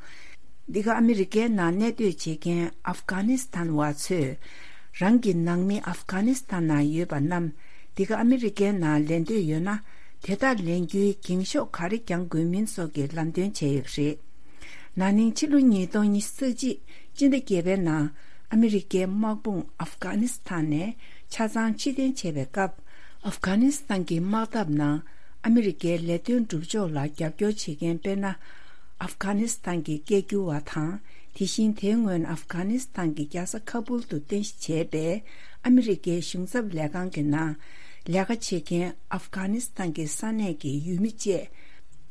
འདི་ག་ཨ་མི་རི་ཀའི་ནང་གནས་སྡོད་བྱེད་མཁན་ཨབ་གྷ་ནི་སི་ཐན་བ་ཚོས། རང་གི་ནང་མི་ཨབ་གྷ་ནི་སི་ཐན་ནང་ཡོད་པ་རྣམས་འདི་ག་ཨ་མི་རི་ཀའི་ནང་ལེན་འདོད་ཡོད་ན། དེ་དག་ལེན་རྒྱུའི་འགེངས་ཤོག་ག་རེ་བརྒྱང་དགོས་མིན་སོགས་ཀྱི་ལམ་སྟོན་བྱས་ཡོད་པ་རེད། ན་ནིང་ཕྱི་ལོ་ཉིས་སྟོང་ཉི་ཤུ་རྩ་གཅིག་སྤྱི་ཟླ་བརྒྱད་པའི་ནང་ཨ་མི་རི་ཀའི་དམག་དཔུང་ཨབ་གྷ་ནི་སི་ཐན་ནས་ཆ་ཚང་ཕྱིར་འཐེན་བྱས་པའི་སྐབས། ཨབ་གྷ་ནི་སི་ཐན་གྱི་དམག་འཐབ་ནང་ཨ་མི་རི་ཀའི་ལས་དོན་སྒྲུབ་ཕྱོགས་ལ་རྒྱབ་སྐྱོར་བྱེད་མཁན་དཔེར་ན། ཨབ་གྷ་ནི་སི་ཐན་གྱི་སྐད་སྒྱུར་བ་དང་། དེ་བཞིན་དེའི་སྔོན་ཨབ་གྷ་ནི་སི་ཐན་གྱི་རྒྱལ་ས་ཁ་པུལ་དུ་རྟེན་གཞི་བྱས་པའི་ཨ་མི་རི་ཀའི་གཞུང་ཚབ་ལས་ཁང་གི་ནང་ལས་ཀ་བྱེད་མཁན་ཨབ་གྷ་ནི་སི་ཐན་གྱི་ས་གནས་ཀྱི་ཡུལ་མི་བཅས་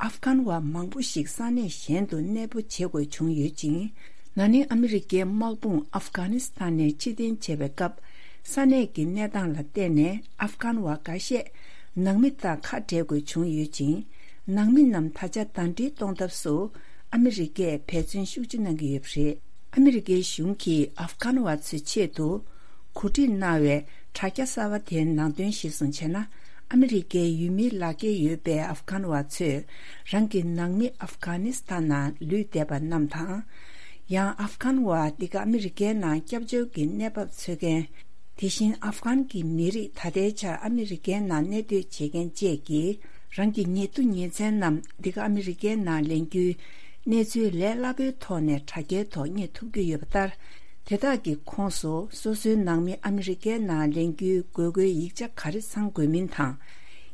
ཨབ་གྷན་བ་མང་པོ་ཞིག་ས་གནས་གཞན་དུ་གནས་སྤོ་བྱེད་དགོས་བྱུང་ཡོད་ཅིང་། ན་ནིང་ཨ་མི་རི་ཀའི་དམག་དཔུང་ཨབ་གྷ་ནི་སི་ཐན་ནས་ཕྱིར་འཐེན་བྱས་པའི་སྐབས། ས་གནས་ཀྱི་གནས་སྟངས་ལ་བལྟས་ནས་ཨབ་གྷན་བ་འགའ་ཤས་ནང་མི་དང་ཁ་བྲལ་དགོས་བྱུང་ཡོད་ཅིང་། ནང་མི་རྣམས་ད་ཆ་ཟླ་སྒྲིལ་གཏོང་ཐབས་སུ་ཨ་མི་རི་ཀས་འབད་བརྩོན་ཤུགས་ཆེ་གནང་གི་ཡོད་པ་རེད། ཨ་མི་རི་ཀའི་གཞུང་གིས་ཨབ་གྷན་བ་ཚོའི་ཆེད་དུ་གོ་སྒྲིག་གནང་བའི་དྲ་རྒྱ་གསར་པ་དེའི་ནང་དོན་གཞིར་བཟུང་བྱས་ན། ཨ་མི་རི་ཀའི་ཡུལ་མིའི་ལག་འཁྱེར་ཡོད་པའི་ཨབ་གྷན་བ་ཚོས་རང་གི་ནང་མི་ཨབ་གྷ་ནི་སི་ཐན་ནང་ལུས་བསྡད་པ་རྣམས་དང་། ཡང་ཨབ་གྷན་བ་འདི་ག་ཨ་མི་རི་ཀའི་ནང་སྐྱབས་བཅོལ་གྱི་གནས་བབ་འཚོལ་མཁན། དེ་བཞིན་ཨབ་གྷན་གྱི་མི་རིགས་ད་ལྟའི་ཆར་ཨ་མི་རི་ཀའི་ནང་གནས་སྡོད་བྱེད་མཁན་བཅས་ཀྱིས་རང་གི་ཉེ་དུ་ཉེ་ཚན་རྣམས་འདི་ག་ཨ་མི་རི་ཀའི་ནང་ལེན་རྒྱུའི་གནས་ཚུལ་ལས་སླ་པོའི་ཐོག་ནས་དྲ་རྒྱའི་ཐོག་རྙེད་ཐུབ་ཀྱི་ཡོད་པ་ལྟར། དེ་དག་གི་ཁོངས་སུ་སོ་སོའི་ནང་མི་ཨ་མི་རི་ཀའི་ནང་ལེན་རྒྱུའི་དགོས་མཁོའི་ཡིག་ཆ་ག་རེ་ཚང་དགོས་མིན་དང་།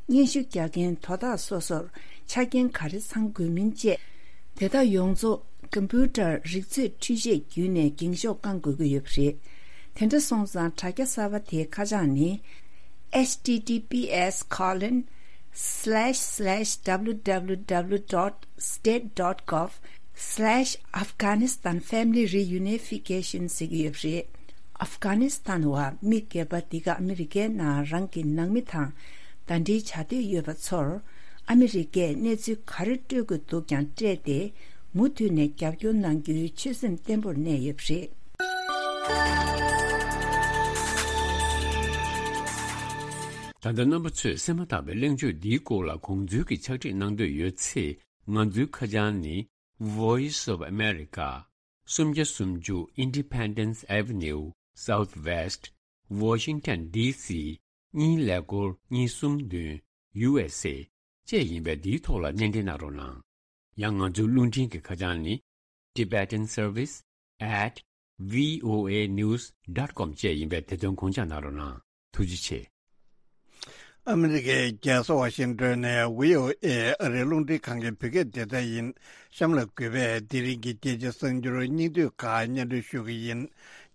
སྙན་ཞུ་རྒྱག་མཁན་དོ་བདག་སོ་སོར་ཆ་རྐྱེན་ག་རེ་ཚང་དགོས་མིན་བཅས། དེ་དག་ཡོངས་རྫོགས་ཀམ་པུ་ཊར་རིག་ཚོད་འཕྲུལ་ཆས་བརྒྱུད་ནས་འགེངས་ཤོག་བཀང་དགོས་ཀྱི་ཡོད་པ་རེད། དེ་འདྲ་སོང་ཙང་དྲ་རྒྱ་གསར་པ་དེའི་ཁ་བྱང་ནི། H T T P S colon slash slash W W W dot state dot gov slash Afghanistan family reunification ཟེར་གྱི་ཡོད་པ་རེད། ཨབ་གྷ་ནི་སི་ཐན་བ་མི་སྒེར་པ་འདི་ག་ཨ་མི་རི་ཀའི་ནང་རང་གི་ནང་མི་དང་ཟླ་སྒྲིལ་བྱ་འདོད་ཡོད་པ་ཚོར་ཨ་མི་རི་ཀས་གནས་ཚུལ་ག་རེ་སྤྲོད་དགོས་འདུག་ཀྱང་སྤྲད་དེ། མུ་མཐུད་ནས་རྒྱབ་སྐྱོར་གནང་རྒྱུའི་ཆོད་སེམས་བརྟན་པོར་གནས་ཡོད་པ་རེད། ད་ལྟ་རྣམ་པ་ཚོས་གསན་མ་ཐག་པའི་གླེང་བརྗོད་འདིའི་སྐོར་ལ་དགོངས་ཚུལ་གྱི་ཕྱག་བྲིས་གནང་འདོད་ཡོད་ཚེ། ང་ཚོའི་ཁ་བྱང་ནི། Voice of America། སུམ་བརྒྱ་སུམ་ཅུ་Independence Avenue Southwest Washington D C གཉིས་ཀླད་ཀོར་གཉིས་གསུམ་བདུན། U S A བཅས་ཡིན་པས་འདིའི་ཐོག་ལ་སྣེ་འདྲེན་གནང་རོགས་གནང་། ཡང་ང་ཚོའི་རླུང་འཕྲིན་གྱི་ཁ་བྱང་ནི། Tibetan Service at V O A news dot com བཅས་ཡིན་པས་དེ་དོན་དགོངས་འཇགས་གནང་རོགས་གནང་། ཐུགས་རྗེ་ཆེ། ཨ་མི་རི་ཀའི་རྒྱལ་ས་ཝ་ཤིང་ཏོན་ནས་V O A ཨ་རིའི་རླུང་འཕྲིན་ཁང་གི་བོད་སྐད་སྡེ་ཚན་ཡིན། གཤམ་ལ་གུས་པས་དེ་རིང་གི་རྒྱལ་སྤྱིའི་གསར་འགྱུར་སྙིང་བསྡུས་ཁག་སྙན་སྒྲོན་ཞུ་གི་ཡིན།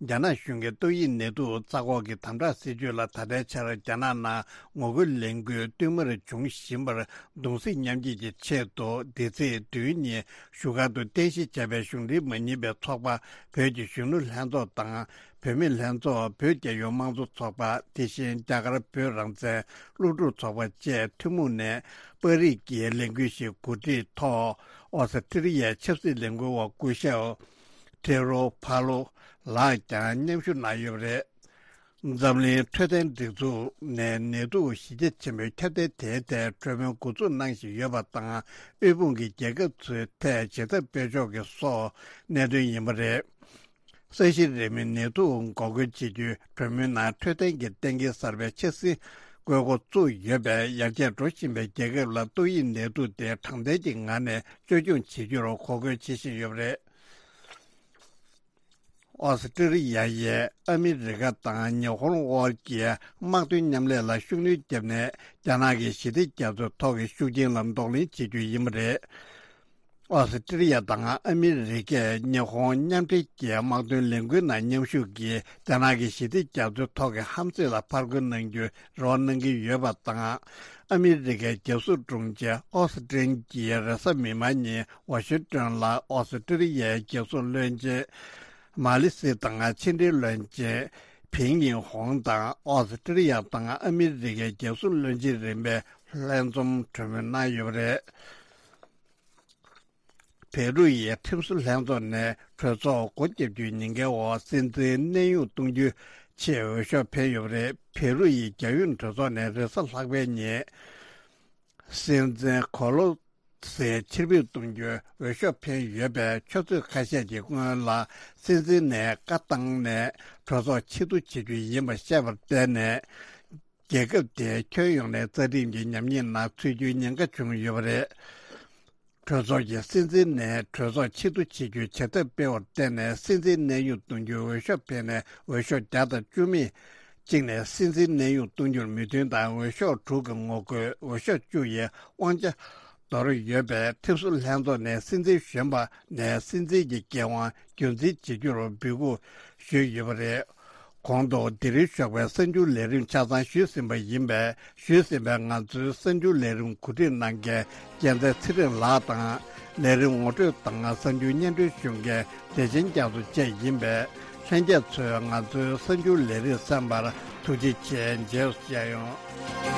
རྒྱ་ནག་གཞུང་གིས་ཏོག་དབྱིབས་ནད་དུག་རྩ་འགོག་གི་དམ་དྲག་སྲིད་ཇུས་ལ་ད་ལྟའི་ཆར་རྒྱ་ནག་ནང་ངོ་རྒོལ་ལས་འགུལ་བསྟུད་མར་འབྱུང་བཞིན་པར་གདུང་སེམས་མཉམ་སྐྱེད་ཀྱི་ཆེད་དུ། འདི་ཚེས་བདུན་ཉིན་བཞུགས་སྒར་དུ་རྟེན་གཞི་བྱས་པའི་གཞུང་འབྲེལ་མ་ཡིན་པའི་ཚོགས་པ་བོད་ཀྱི་གཞོན་ནུ་ལྷན་ཚོགས་དང་། བོད་མི་ལྷན་ཚོགས། བོད་རྒྱལ་ཡོངས་དམངས་གཙོ་ཚོགས་པ། དེ་བཞིན་རྒྱ་གར་བོད་རང་བཙན་སློབ་ཕྲུག་ཚོགས་པ་བཅས་ཐུན་མོང་ནས་པར་རིས་ཀྱི་ལས་འགུལ་ཞིག་གོ་སྒྲིག་ཐོག་ཨོ་སི་ཀྲི་ལི་ཡའི་ཆབ་སྲིད་ལས་འགུལ་བ་སྐུ་ཞབས་ཐེ་རོ་ཕ་ལོ་ལགས་ཀྱང་མཉམ་ཞུགས་གནང་ཡོད་པ་རེད། འཛམ་གླིང་འཕྲོད་བསྟེན་སྒྲིག་འཛུགས་ནས་ནད་དུག་གཞི་རྒྱ་ཆེན་པོའི་ཁྱབ་གདལ་དེའི་ཐད་གྲོས་མོལ་འགོ་འཛུགས་གནང་བཞིན་ཡོད་པ་དང་། དབུལ་ཕོངས་ཀྱི་རྒྱལ་ཁབ་ཚོའི་ཐད་ཇེ་ཚབས་སྤེལ་ཕྱོགས་ཀྱི་སོགས་གནད་དོན་ཡིན་པ་རེད། ས་གཞི་རིང་མོའི་ནད་དུག་འགོག་རྒོལ་བྱེད་རྒྱུའི་གྲོས་མོལ་ནང་འཕྲོད་བསྟེན་གྱི་གཏན་འཁེལ་གསར་པའི་འཆར་ཟིན་བཀོད་འགོ་བཙུགས་ཡོད་པས། ཡར་རྒྱས་འགྲོ་བཞིན་པའི་རྒྱལ་ཁབ་ལ་ཏོག་དབྱིབས་ནད་དུག་དེ་དྲང་བདེན་གྱི་ངང་ནས་བཅོས་སྐྱོང་བྱེད་རྒྱུར་འགོག་རྒོལ་བྱེད་བཞིན་ཡོད་པ་རེད། ཨོ་སི་ཀྲི་ལི་ཡ་ཡིས་ཨ་མི་རི་ཀ་དང་ཉི་ཧོང་དབར་གྱི་དམག་དོན་མཉམ་ལས་ལ་ཤུགས་སྣོན་བརྒྱབ་ནས། རྒྱ་ནག་གི་ཞི་བདེ་རྒྱ་མཚོའི་ཐོག་གི་ཤུགས་རྐྱེན་ལ་གདོང་ལེན་བྱེད་རྒྱུ་ཡིན་པ་རེད། ཨོ་སི་ཀྲི་ཡ་དང་ཨ་མི་རི་ཀས་ཉི་ཧོང་མཉམ་འབྲེལ་གྱི་དམག་དོན་ལས་འགུལ་ནང་མཉམ་ཞུགས་ཀྱིས་རྒྱ་ནག་གི་ཞི་བདེ་རྒྱ་མཚོའི་ཐོག་གི་ཧམ་སེམས་ལ་ཕར་རྒོལ་གནང་རྒྱུའི་རེ་བ་གནང་གི་ཡོད་པ་དང་། ཨ་མི་རི་ཀའི་རྒྱལ་སྲུང་དྲུང་ཆེ་ཨོ་སི་ཀྲིན་གྱིས་རེས་གཟའ་མིག་དམར་ཉིན་ཝ་ཤིང་ཏོན་ལ་ཨོ་སི་ཀྲི་ཡའི་རྒྱལ་སྲུང་བློན་ཆེན་མ་ལི་སི་དང་ཕྱི་འབྲེལ་བློན་ཆེན་ཕིང་ཡིན་ཧོང་དང་ཨོ་སི་ཀྲི་ཡ་དང་ཨ་མི་རི་ཀའི་རྒྱལ་སྲུང་བློན་ཆེན་རིམ་པས་ལྷན་འཛོམས་གྲོས་མོལ་གནང་ཡོད་པ་རེད། བེ་རུ་ཡི་ཁྲིམས་བཟོ་ལྷན་ཚོགས་ནས་གྲོས་ཚོགས་སྒོ་བརྒྱབ་རྒྱུའི་ཉེན་ཁའི་འོག་སྲིད་འཛིན་གནས་དབྱུང་གཏོང་རྒྱུའི་ཆེད་འོས་ཤོག་འཕེན་ཡོད་པ་རེད། བེ་རུ་ཡི་རྒྱལ་ཡོངས་གྲོས་ཚོགས་ནས་རེས་གཟའ་ལྷག་པའི་ཉིན་སྲིད་འཛིན་གོ་ལོ་སི་ཕྱིར་འབུད་གཏོང་རྒྱུའི་འོས་ཤོག་འཕེན་ཡོད་པས། ཆུ་ཚོད་ཁ་ཤས་ཀྱི་སྔོན་ལ་སྲིད་འཛིན་ནས་བཀའ་བཏང་ནས་གྲོས་ཚོགས་ཕྱིར་བསྡུ་བྱེད་རྒྱུ་ཡིན་པ་བཤད་པར་བརྟེན་ནས། རྒྱལ་ཁབ་དེ་ཁྱོན་ཡོངས་ནས་རྩ་ཁྲིམས་ཀྱི་ཉམས་ཉེས་ནང་ཚུད་རྒྱུའི་ཉེན་ཁ་བྱུང་ཡོད་པ་རེད། གྲོས་ཚོགས་ཀྱིས་སྲིད་འཛིན་ནས་གྲོས་ཚོགས་ཕྱིར་བསྡུ་བྱེད་རྒྱུའི་བྱེད་ཐབས་སྤེལ་བར་བརྟེན་ནས། སྲིད་འཛིན་གནས་དབྱུང་གཏོང་རྒྱུའི་འོས་ཤོག་འཕེན་ནས་འོས་ཤོག་བརྒྱ་དང་བཅུ་མེད་གཅིག་ནས་སྲིད་འཛིན་གནས་དབྱུང་གཏོང་རྒྱུར་མོས་མཐུན་དང་། འོས་ཤོག་དྲུག་གི་ངོ་རྒོལ། འོས་ཤོག་བཅུ་ཡི་དབང་ཆ་འདོར་ཡོད་པས། ཁྲིམས་བཟོ་ལྷན་ཚོགས་ནས་སྲིད་འཛིན་གཞོན་པ་ནས་སྲིད་འཛིན་གྱི་འགན་དབང་རྒྱུན་འཛིན་བྱེད་རྒྱུར་འབོད་སྐུལ་ཞུས་ཡོད་པ་རེད། གོང་དུ་དེ་རིང་ཞོགས་པའི་གསར་འགྱུར་ལས་རིམ་ཆ་ཚང་ཞུས་ཟིན་པ་ཡིན་པས། ཞུས་ཟིན་པའི་ང་ཚོའི་གསར་འགྱུར་ལས་རིམ་གོ་སྒྲིག་གནང་མཁན་རྒྱལ་མཚན་ཚེ་རིང་ལགས་དང་། ལས་རིམ་ངོ་སྤྲོད་དང་གསར་འགྱུར་སྙན་སྒྲོན་ཞུ་མཁན་བདེ་ཆེན་རྒྱ་མཚོ་བཅས་ཡིན་པས། ལྷན་རྒྱས་ཚོས་ང་ཚོའི་གསར་འགྱུར་ལས་རིམ་གསན་པར་ཐུགས་རྗེ་ཆེ། མཇལ་བསུ་ཞུ་ཡ་ཡིན།